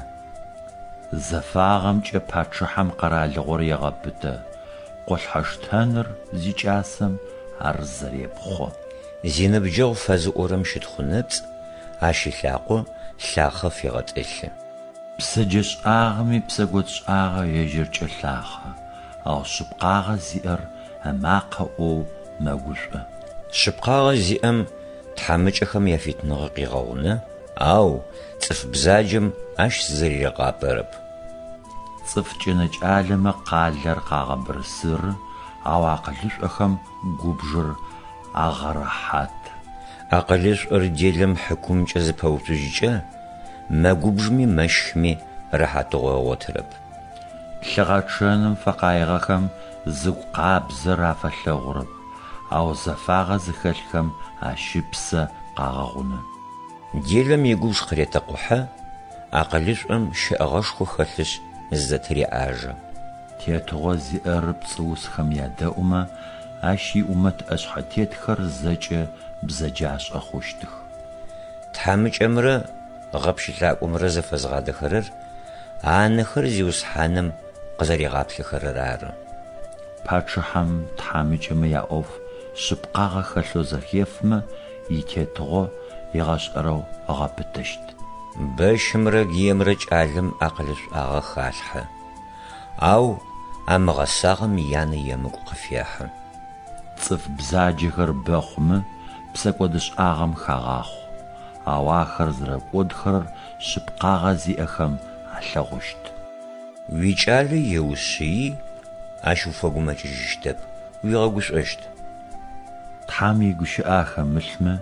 Зэфагъэмкӏэ пачъыхьэм къэралыгъор егъэпытэ, къолъхьэштэныр зикӏасэм ар зэрепхъо. Зиныбджэгъу фэзыӏорэм щытхъу нэпцӏ, ащ ылъакъо лъахъэ фегъэтӏылъы. Бзэджэшӏагъэм ипсэкӏодшӏагъэ ежьыркӏэ лъахъэ, ау шъыпкъагъэ зиӏэр ымакъэ ӏоу мэгушӏо. Шъыпкъагъэ зиӏэм тхьамыкӏэхэм яфитыныгъэ къегъэгъунэ, ау цӏыф бзаджэм ащ зыригъапэрэп. Цӏыф кӏэнэкӏалэмэ къалэр къагъэбырсыры, ау акъылышӏохэм губжыр агъэрэхьаты. Акъылышӏор делэм хьыкумкӏэ зыпэуцужькӏэ, мэгубжыми мэщхыми рэхьатыгъо ыгъотырэп. Лъыгъэчъэным фэкъаигъэхэм зыгу къабзэр афэлъэгъурэп, ау зэфагъэ зыхэлъхэм ащ ыпсэ къагъэгъунэ. Делэм игубж къыретэкъухьэ, акъылышӏом щэӏэгъэшхо хэлъышъ зызэтыреӏажэ. Тетыгъо зиӏэр пцӏыусхэм ядэӏумэ, ащ иӏумэт ӏэшъхьэтетхэр зэкӏэ бзэджашӏэ хъущтых. Тхьамыкӏэмрэ гъэпщылӏакӏомрэ зэфэзгъадэхэрэр анэхэр Зиусхьаным къызэригъаплъэхэрэр ары. Пачъыхьэм тхьамыкӏэмэ яӏоф шъыпкъагъэ хэлъэу зэхефмэ, итетыгъо егъэшӏэрэу ыгъэпытэщт. Бэщымрэ гыемрэ кӏалэм акъылышӏуагъэ халъхьэ, ау амыгъэсагъэм янэ емыкӏу къыфехьы. Цӏыф бзаджэхэр бэ хъумэ, псэкӏодышӏагъэм хагъахъо, ау ахэр зэрэкӏодхэрэр шъыпкъагъэ зиӏэхэм алъэгъущт. Уикӏалэ еушъыи, ащ уфэгумэкӏыжьыщтэп, уигъэгушӏощт. Тхьэм игущыӏэ ахэмылъмэ,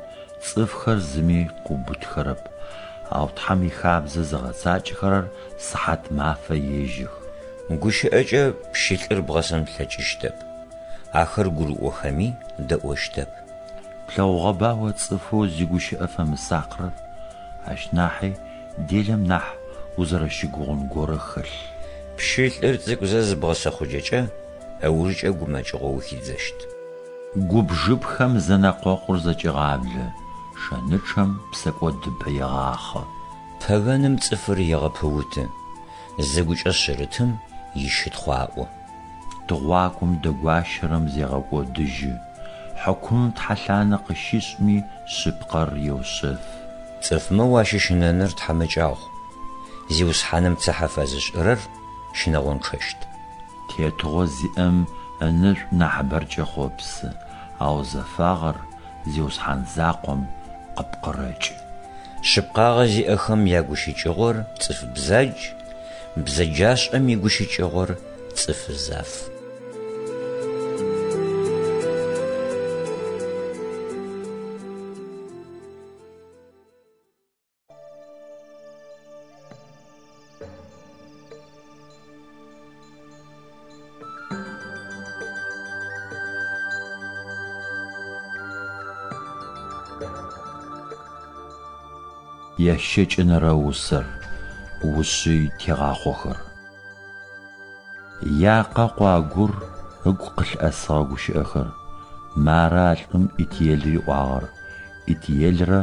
цӏыфхэр зыми къыубытхэрэп, ау Тхьэм ихабзэ зыгъэцакӏэхэрэр сыхьат мафэ ежэх. Гущыӏэкӏэ пщылӏыр бгъэсэн плъэкӏыщтэп, ахэр гурыӏохэми дэӏощтэп. Плъэгъугъэба о цӏыфэу зигущыӏэ фэмысакърэр? Ащ нахьи делэм нахь узэрэщыгугъын горэ хэлъ. Пщылӏыр цӏыкӏузэ зыбгъэсэхъуджэкӏэ, ыужкӏэ гумэкӏыгъо ухидзэщт. Губжыпхэм зэнэкъокъур зэкӏегъаблэ, шэнычъэм псэкӏодыбэ егъахъэ. Пэгэным цӏыфыр егъэпыуты, зыгукӏэ шъырытым ищытхъу аӏо. Тыгъуакӏом дэгуащэрэм зегъэкӏодыжьы, хьыкумым тхьэлъанэ къыщишӏми шъыпкъэр еушъэфы. Цӏыфмэ уащыщынэныр тхьамыкӏагъу, Зиусхьаным цыхьэ фэзышӏырэр щынэгъончъэщт. Тетыгъо зиӏэм ынэшӏу нахьыбэр кӏэхъопсы, ау зэфагъэр Зиусхьан закъом къыпкъырэкӏы. Шъыпкъагъэ зиӏэхэм ягущыкӏыгъор цӏыф бзадж, бзэджашӏэм игущыкӏыгъор цӏыф заф. Ящэкӏэнэрэ усэр, ушъый тегъахъохэр. Якъэкъо Агур ыгу къылъыӏэсыгъэ гущыӏэхэр, мары а лӏым Итиел риӏуагъэр, Итиелрэ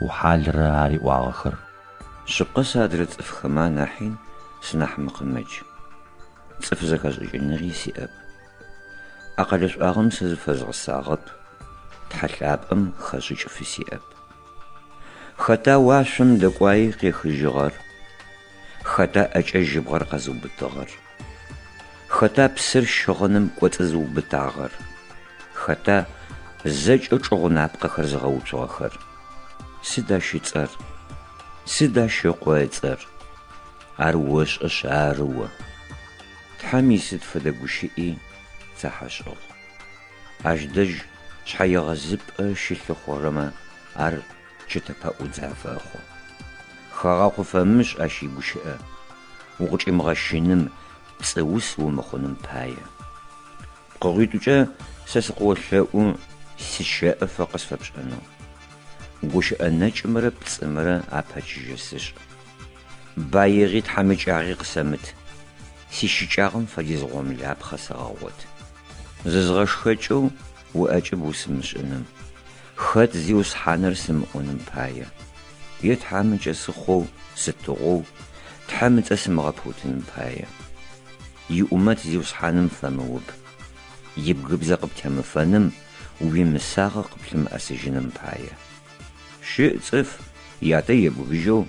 Ухьалрэ ариӏуагъэхэр. Шъыпкъэ сэ адрэ цӏыфхэмэ анахьи сынахь мыкъымэдж, цӏыф зэхэшӏыкӏыныгъи сиӏэп. Акъылышӏуагъэм сэ зыфэзгъэсагъэп, Тхьэ лъапӏэм хэшӏыкӏ фысиӏэп. Хэта уашъом дэкӏуаи къехыжьыгъэр? Хэта ӏэкӏэ жьыбгъэр къэзыубытыгъэр? Хэта псыр щыгъыным кӏоцӏызыубытагъэр? Хэта зэкӏэ чӏыгъунапкъэхэр зыгъэуцугъэхэр? Сыд ащ ыцӏэр? Сыд ащ ыкъо ыцӏэр? Ар ошӏэшъ ары о. Тхьэм исыд фэдэ гущыӏи цыхьэшӏэгъу. Ащ дэжь шъхьэегъэзыпӏэ щылъыхъурэмэ ар чэтэпэӏудз афэхъу. Хэгъэхъу фэмышӏ ащ игущыӏэ, укъычӏимыгъэщыным, пцӏыус умыхъуным пае. Пкъыгъуитӏукӏэ сэ сыкъыолъэӏу сыщэӏэфэ къысфэпшӏэнэу. Гущыӏэ нэкӏымрэ пцӏымрэ апэчыжьэ сышӏ. Баигъи тхьамыкӏагъи къысэмыт, сищыкӏагъэм фэдиз гъомылапхъэ сэгъэгъот. Зызгъэшхэкӏэу уӏэкӏыб усымышӏыным, хэт Зиусхьаныр сымыӏоным пае, е тхьамыкӏэ сыхъоу сытыгъоу Тхьэм ыцӏэ сымыгъэпыутыным пае. Иӏумэт Зиусхьаным фэмыуб, ибгыбзэ къыптемыфэным, уимысагъэ къыплъымыӏэсыжьыным пае. Щыӏ цӏыф ятэ ебгыжьэу,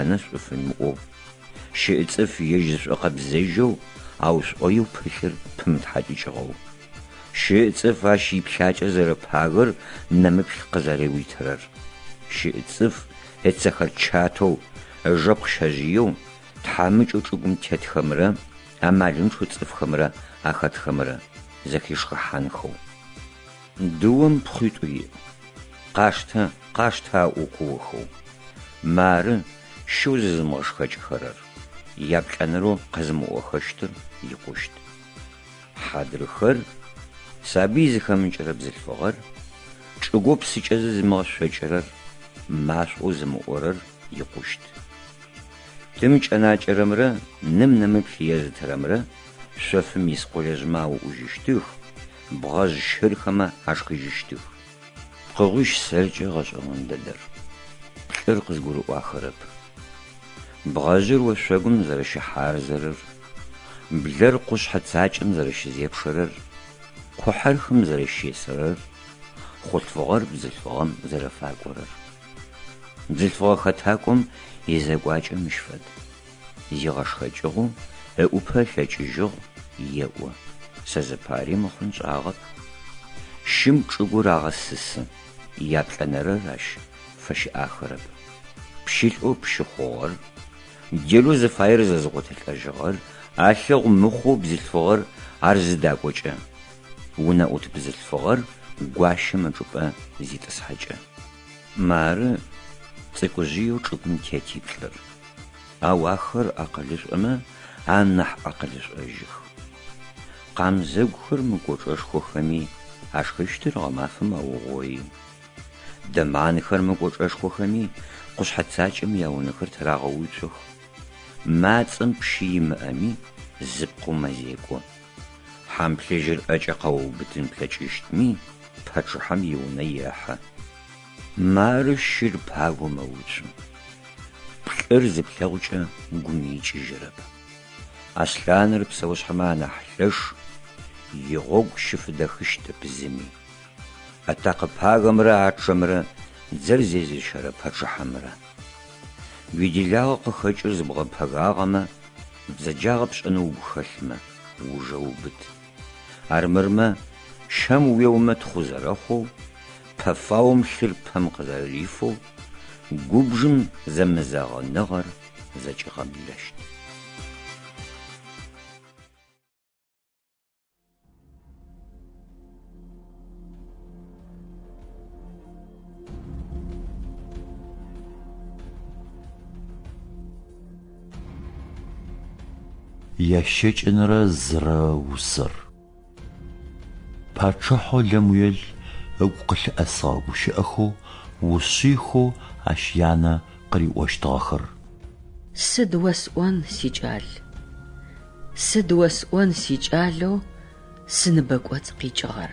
янэ шӏу фимыӏоу. Щыӏ цӏыф ежь зышӏокъэбзэжьэу, ау шӏоеу пылъыр пымытхьакӏыкӏыгъэу. Щыӏ цӏыф ащ иплъакӏэ зэрэпагэр нэмыплъ къызэреуитырэр. Щыӏ цӏыф ыцэхэр чатэу, ыжэпкъ щэжъыеу, тхьамыкӏэу чӏыгум тетхэмрэ амалынчъэу цӏыфхэмрэ ахэтхэмрэ зэхишхыхьанхэу. Дыом пхъуитӏу иӏ. Къаштэ, къаштэ аӏоу куохэу. Мары щэу зызымыгъэшхэкӏыхэрэр, яплӏэнэрэу къэзымыӏохэщтыр икъущт. Хьадрыхэр, сабый зыхэмыкӏырэ бзылъфыгъэр, чӏыгоу псыкӏэ зызымыгъэшъокӏырэр, машӏоу зымыӏорэр икъущт. Тым кӏэнакӏэрэмрэ ным нэмыплъ езытырэмрэ шъофым ис къолэжъмэ ауӏужьыщтых, бгъэжъ щырхэмэ ашхыжьыщтых. Пкъыгъуищ сэркӏэ гъэшӏэгъон дэдэр. Плӏыр къызгурыӏуахэрэп. Бгъэжъыр ошъогум зэрэщыхьарзэрэр, блэр къушъхьэ цакӏэм зэрэщызепшэрэр, къухьэр хым зэрэщесэрэр, хъулъфыгъэр бзылъфыгъэм зэрэфакӏорэр. Бзылъфыгъэ хэтакӏом изекӏуакӏэ мыщ фэд. Зигъэшхэкӏыгъэу ыӏупэ ылъэкӏыжьыгъ, еӏо, сэ зыпари мыхъун сшӏагъэп. Щым чӏыгур агъэсысы, яплӏэнэрэр ащ фэщыӏахэрэп. Пщылӏэу пщы хъугъэр, делэу зыфаер зэзыгъотылӏэжьыгъэр алъэгъу мыхъоу бзылъфыгъэр ар зыдакӏокӏэ, унэӏут бзылъфыгъэр гуащэм ычӏыпӏэ зитӏысхьэкӏэ. Мары цӏыкӏужъыеу чӏыгум тетиплӏыр. Ау ахэр акъылышӏомэ анахь акъылышӏожьых. Къамзэгухэр мыкӏочӏэшхохэми, ашхыщтыр гъэмафэм аугъои. Дэманхэр мыкӏочӏэшхохэми, къушъхьэ цакӏэм яунэхэр тырагъэуцох. Мацӏэм пщы имыӏэми, зыпкъэу мэзекӏо. Хьамплъыжьыр ӏэкӏэ къэуубытын плъэкӏыщтми, пачъыхьэм иунэ ехьэ. Мары щыр пагэу мэуцу. Плӏыр зыплъэгъукӏэ гум икӏыжьырэп. Аслъаныр псэушъхьэмэ анахь лъэш, игъогу щыфыдэхыщтэп зыми. Атакъэ пагэмрэ ачъэмрэ дзэр зезыщэрэ пачъыхьэмрэ. Уиделагъэ къыхэкӏэу зыбгъэпэгагъэмэ, бзэджагъэ пшӏэнэу угу хэлъмэ, ужэ убыт. Армырмэ, щэм уеомэ тхъу зэрэхъоу, пэфаом лъыр пэм къызэрэрифэу, губжым зэмызэгъыныгъэр зэкӏигъэблэщт. Ящэкӏэнэрэ зырэ усэр. Пачъыхьэу Лэмуел ыгу къылъыӏэсыгъэ гущыӏэхэу, ушъыйхэу ащ янэ къыриӏощтыгъэхэр. Сыд осӏон, сикӏал? Сыд осӏон, сикӏалэу сыныбэкӏоцӏ къикӏыгъэр?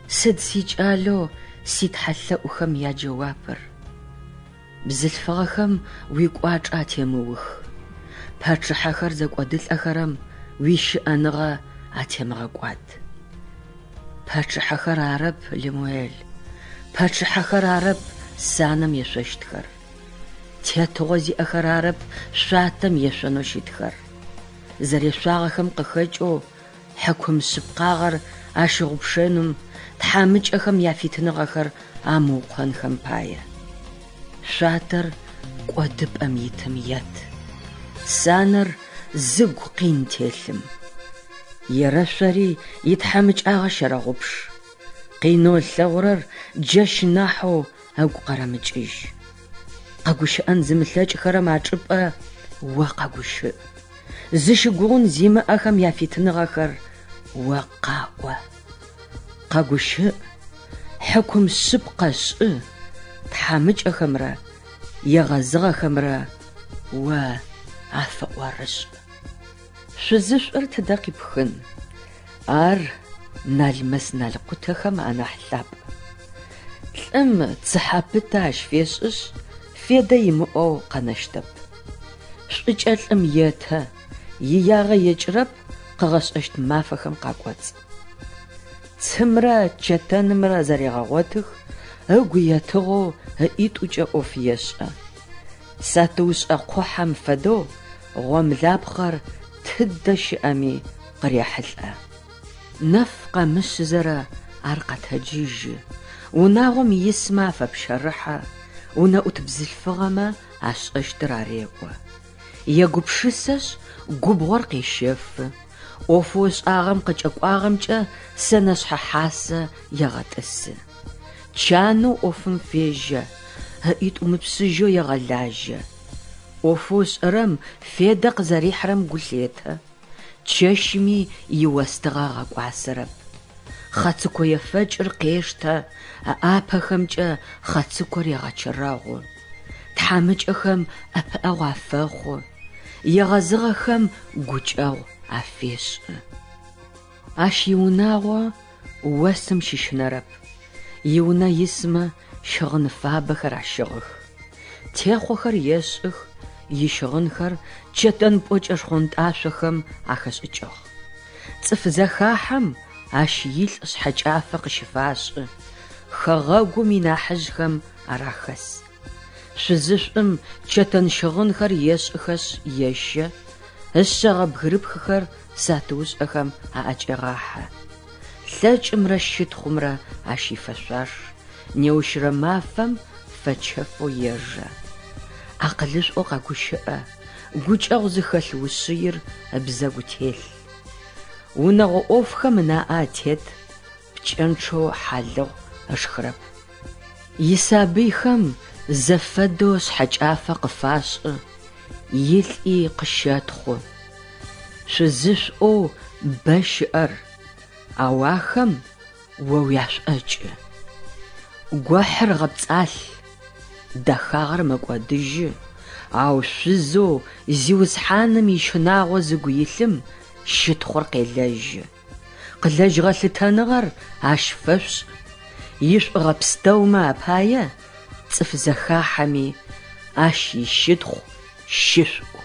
Сыд сикӏалэу ситхьэлъэӏухэм яджэуапыр? Бзылъфыгъэхэм уикӏуачӏэ атемыух, пачъыхьэхэр зэкӏодылӏэхэрэм уищыӏэныгъэ атемыгъэкӏуад. Пачъыхьэхэр арэп, Лемуэл, пачъыхьэхэр арэп санэм ешъощтхэр. Тетыгъо зиӏэхэр арэп шъуатэм ешъонэу щытхэр. Зэрешъуагъэхэм къыхэкӏэу хьыкум шъыпкъагъэр ащыгъупшэным тхьамыкӏэхэм яфитыныгъэхэр амыукъонхэм пае. Шъуатэр кӏодыпӏэм итым ет. Санэр зыгу къин телъым. Ерэшъори итхьамыкӏагъэ щэрэгъупш. Къинэу ылъэгъурэр джэщ нахьэу ыгу къэрэмыкӏыжь. Къэгущыӏэн зымылъэкӏхэрэм ачӏыпӏэ о къэгущыӏ. Зыщыгугъун зимыӏэхэм яфитыныгъэхэр о къаӏо. Къэгущыӏ, хьыкум шъыпкъэ шӏы, тхьамыкӏэхэмрэ егъэзыгъэхэмрэ о афэӏорышӏ. Шъузышӏур тыдэ къипхын? Ар налмэс-налкъутэхэм анахь лъапӏ. Лӏым цыхьэ пытэ ащ фешӏышъ, федэ имыӏэу къэнэщтэп. Шӏукӏэ лӏым етэ, иягъэ екӏырэп къыгъэшӏэщт мафэхэм къакӏоцӏ. Цымрэ чэтэнымрэ зэрегъэгъотых, ыгу етыгъэу ыӏитӏукӏэ ӏоф ешӏэ. Сатыушӏэ къухьэм фэдэу гъомлапхъэр тыдэ щыӏэми къырехьылӏэ. Нэф къэмышъызэрэ ар къэтэджыжьы, унагъом исмэ афэпщэрыхьэ, унэӏут бзылъфыгъэмэ ашӏэщтыр ареӏо. Егупшысэшъ, губгъор къещэфы, ӏофэу ышӏагъэм къыкӏэкӏуагъэмкӏэ сэнэшъхьэ хьасэ егъэтӏысы. Чанэу ӏофым фежьэ, ыӏитӏу мыпшъыжьэу егъэлажьэ. ӏофэу ышӏэрэм федэ къызэрихьырэм гу лъетэ, чэщми иостыгъэ ыгъэкӏуасэрэп. Хъацыко ефэкӏыр къештэ, ыӏапэхэмкӏэ хъацыкор егъэчэрэгъу. Тхьамыкӏэхэм ӏэпыӏэгъу афэхъу, егъэзыгъэхэм гукӏэгъу афешӏы. Ащ иунагъо осым щыщынэрэп, иунэ исмэ щыгъын фабэхэр ащыгъых. Техъохэр ешӏых, ищыгъынхэр чэтэн пӏокӏэ шхъонтӏашъохэм ахэшӏыкӏыгъ. Цӏыф зэхахьэм ащ илӏ шъхьэкӏафэ къыщыфашӏы, хэгъэгум инахьыжъхэм ар ахэс. Шъузышӏум чэтэн щыгъынхэр ешӏыхэшъ ещэ, ышъэгъэ бгырыпхыхэр сатыушӏэхэм аӏэкӏегъахьэ. Лъэкӏымрэ щытхъумрэ ащ ифэшъуаш, неущрэ мафэм фэчэфэу ежэ. Акъылышӏоу къэгущыӏэ, гукӏэгъу зыхэлъ ушъыир ыбзэгу телъ. Унэгъо ӏофхэм ынаӏэ атет, пкӏэнчъэу хьалыгъу ышхырэп. Исабыйхэм зэфэдэу шъхьэкӏафэ къыфашӏы, илӏи къыщэтхъу. Шъузышӏоу бэ щыӏэр, ау ахэм о уяшӏокӏы. Гохьыр гъэпцӏалъ, дэхагъэр мэкӏодыжьы, ау шъузэу Зиусхьаным ищынагъо зыгу илъым щытхъур къелэжьы. Къылэжьыгъэ лъытэныгъэр Ащ фэшъушӏ, ишӏугъэ пстэумэ апае цӏыф зэхахьэми Ащ ищытхъу щышъуӏу.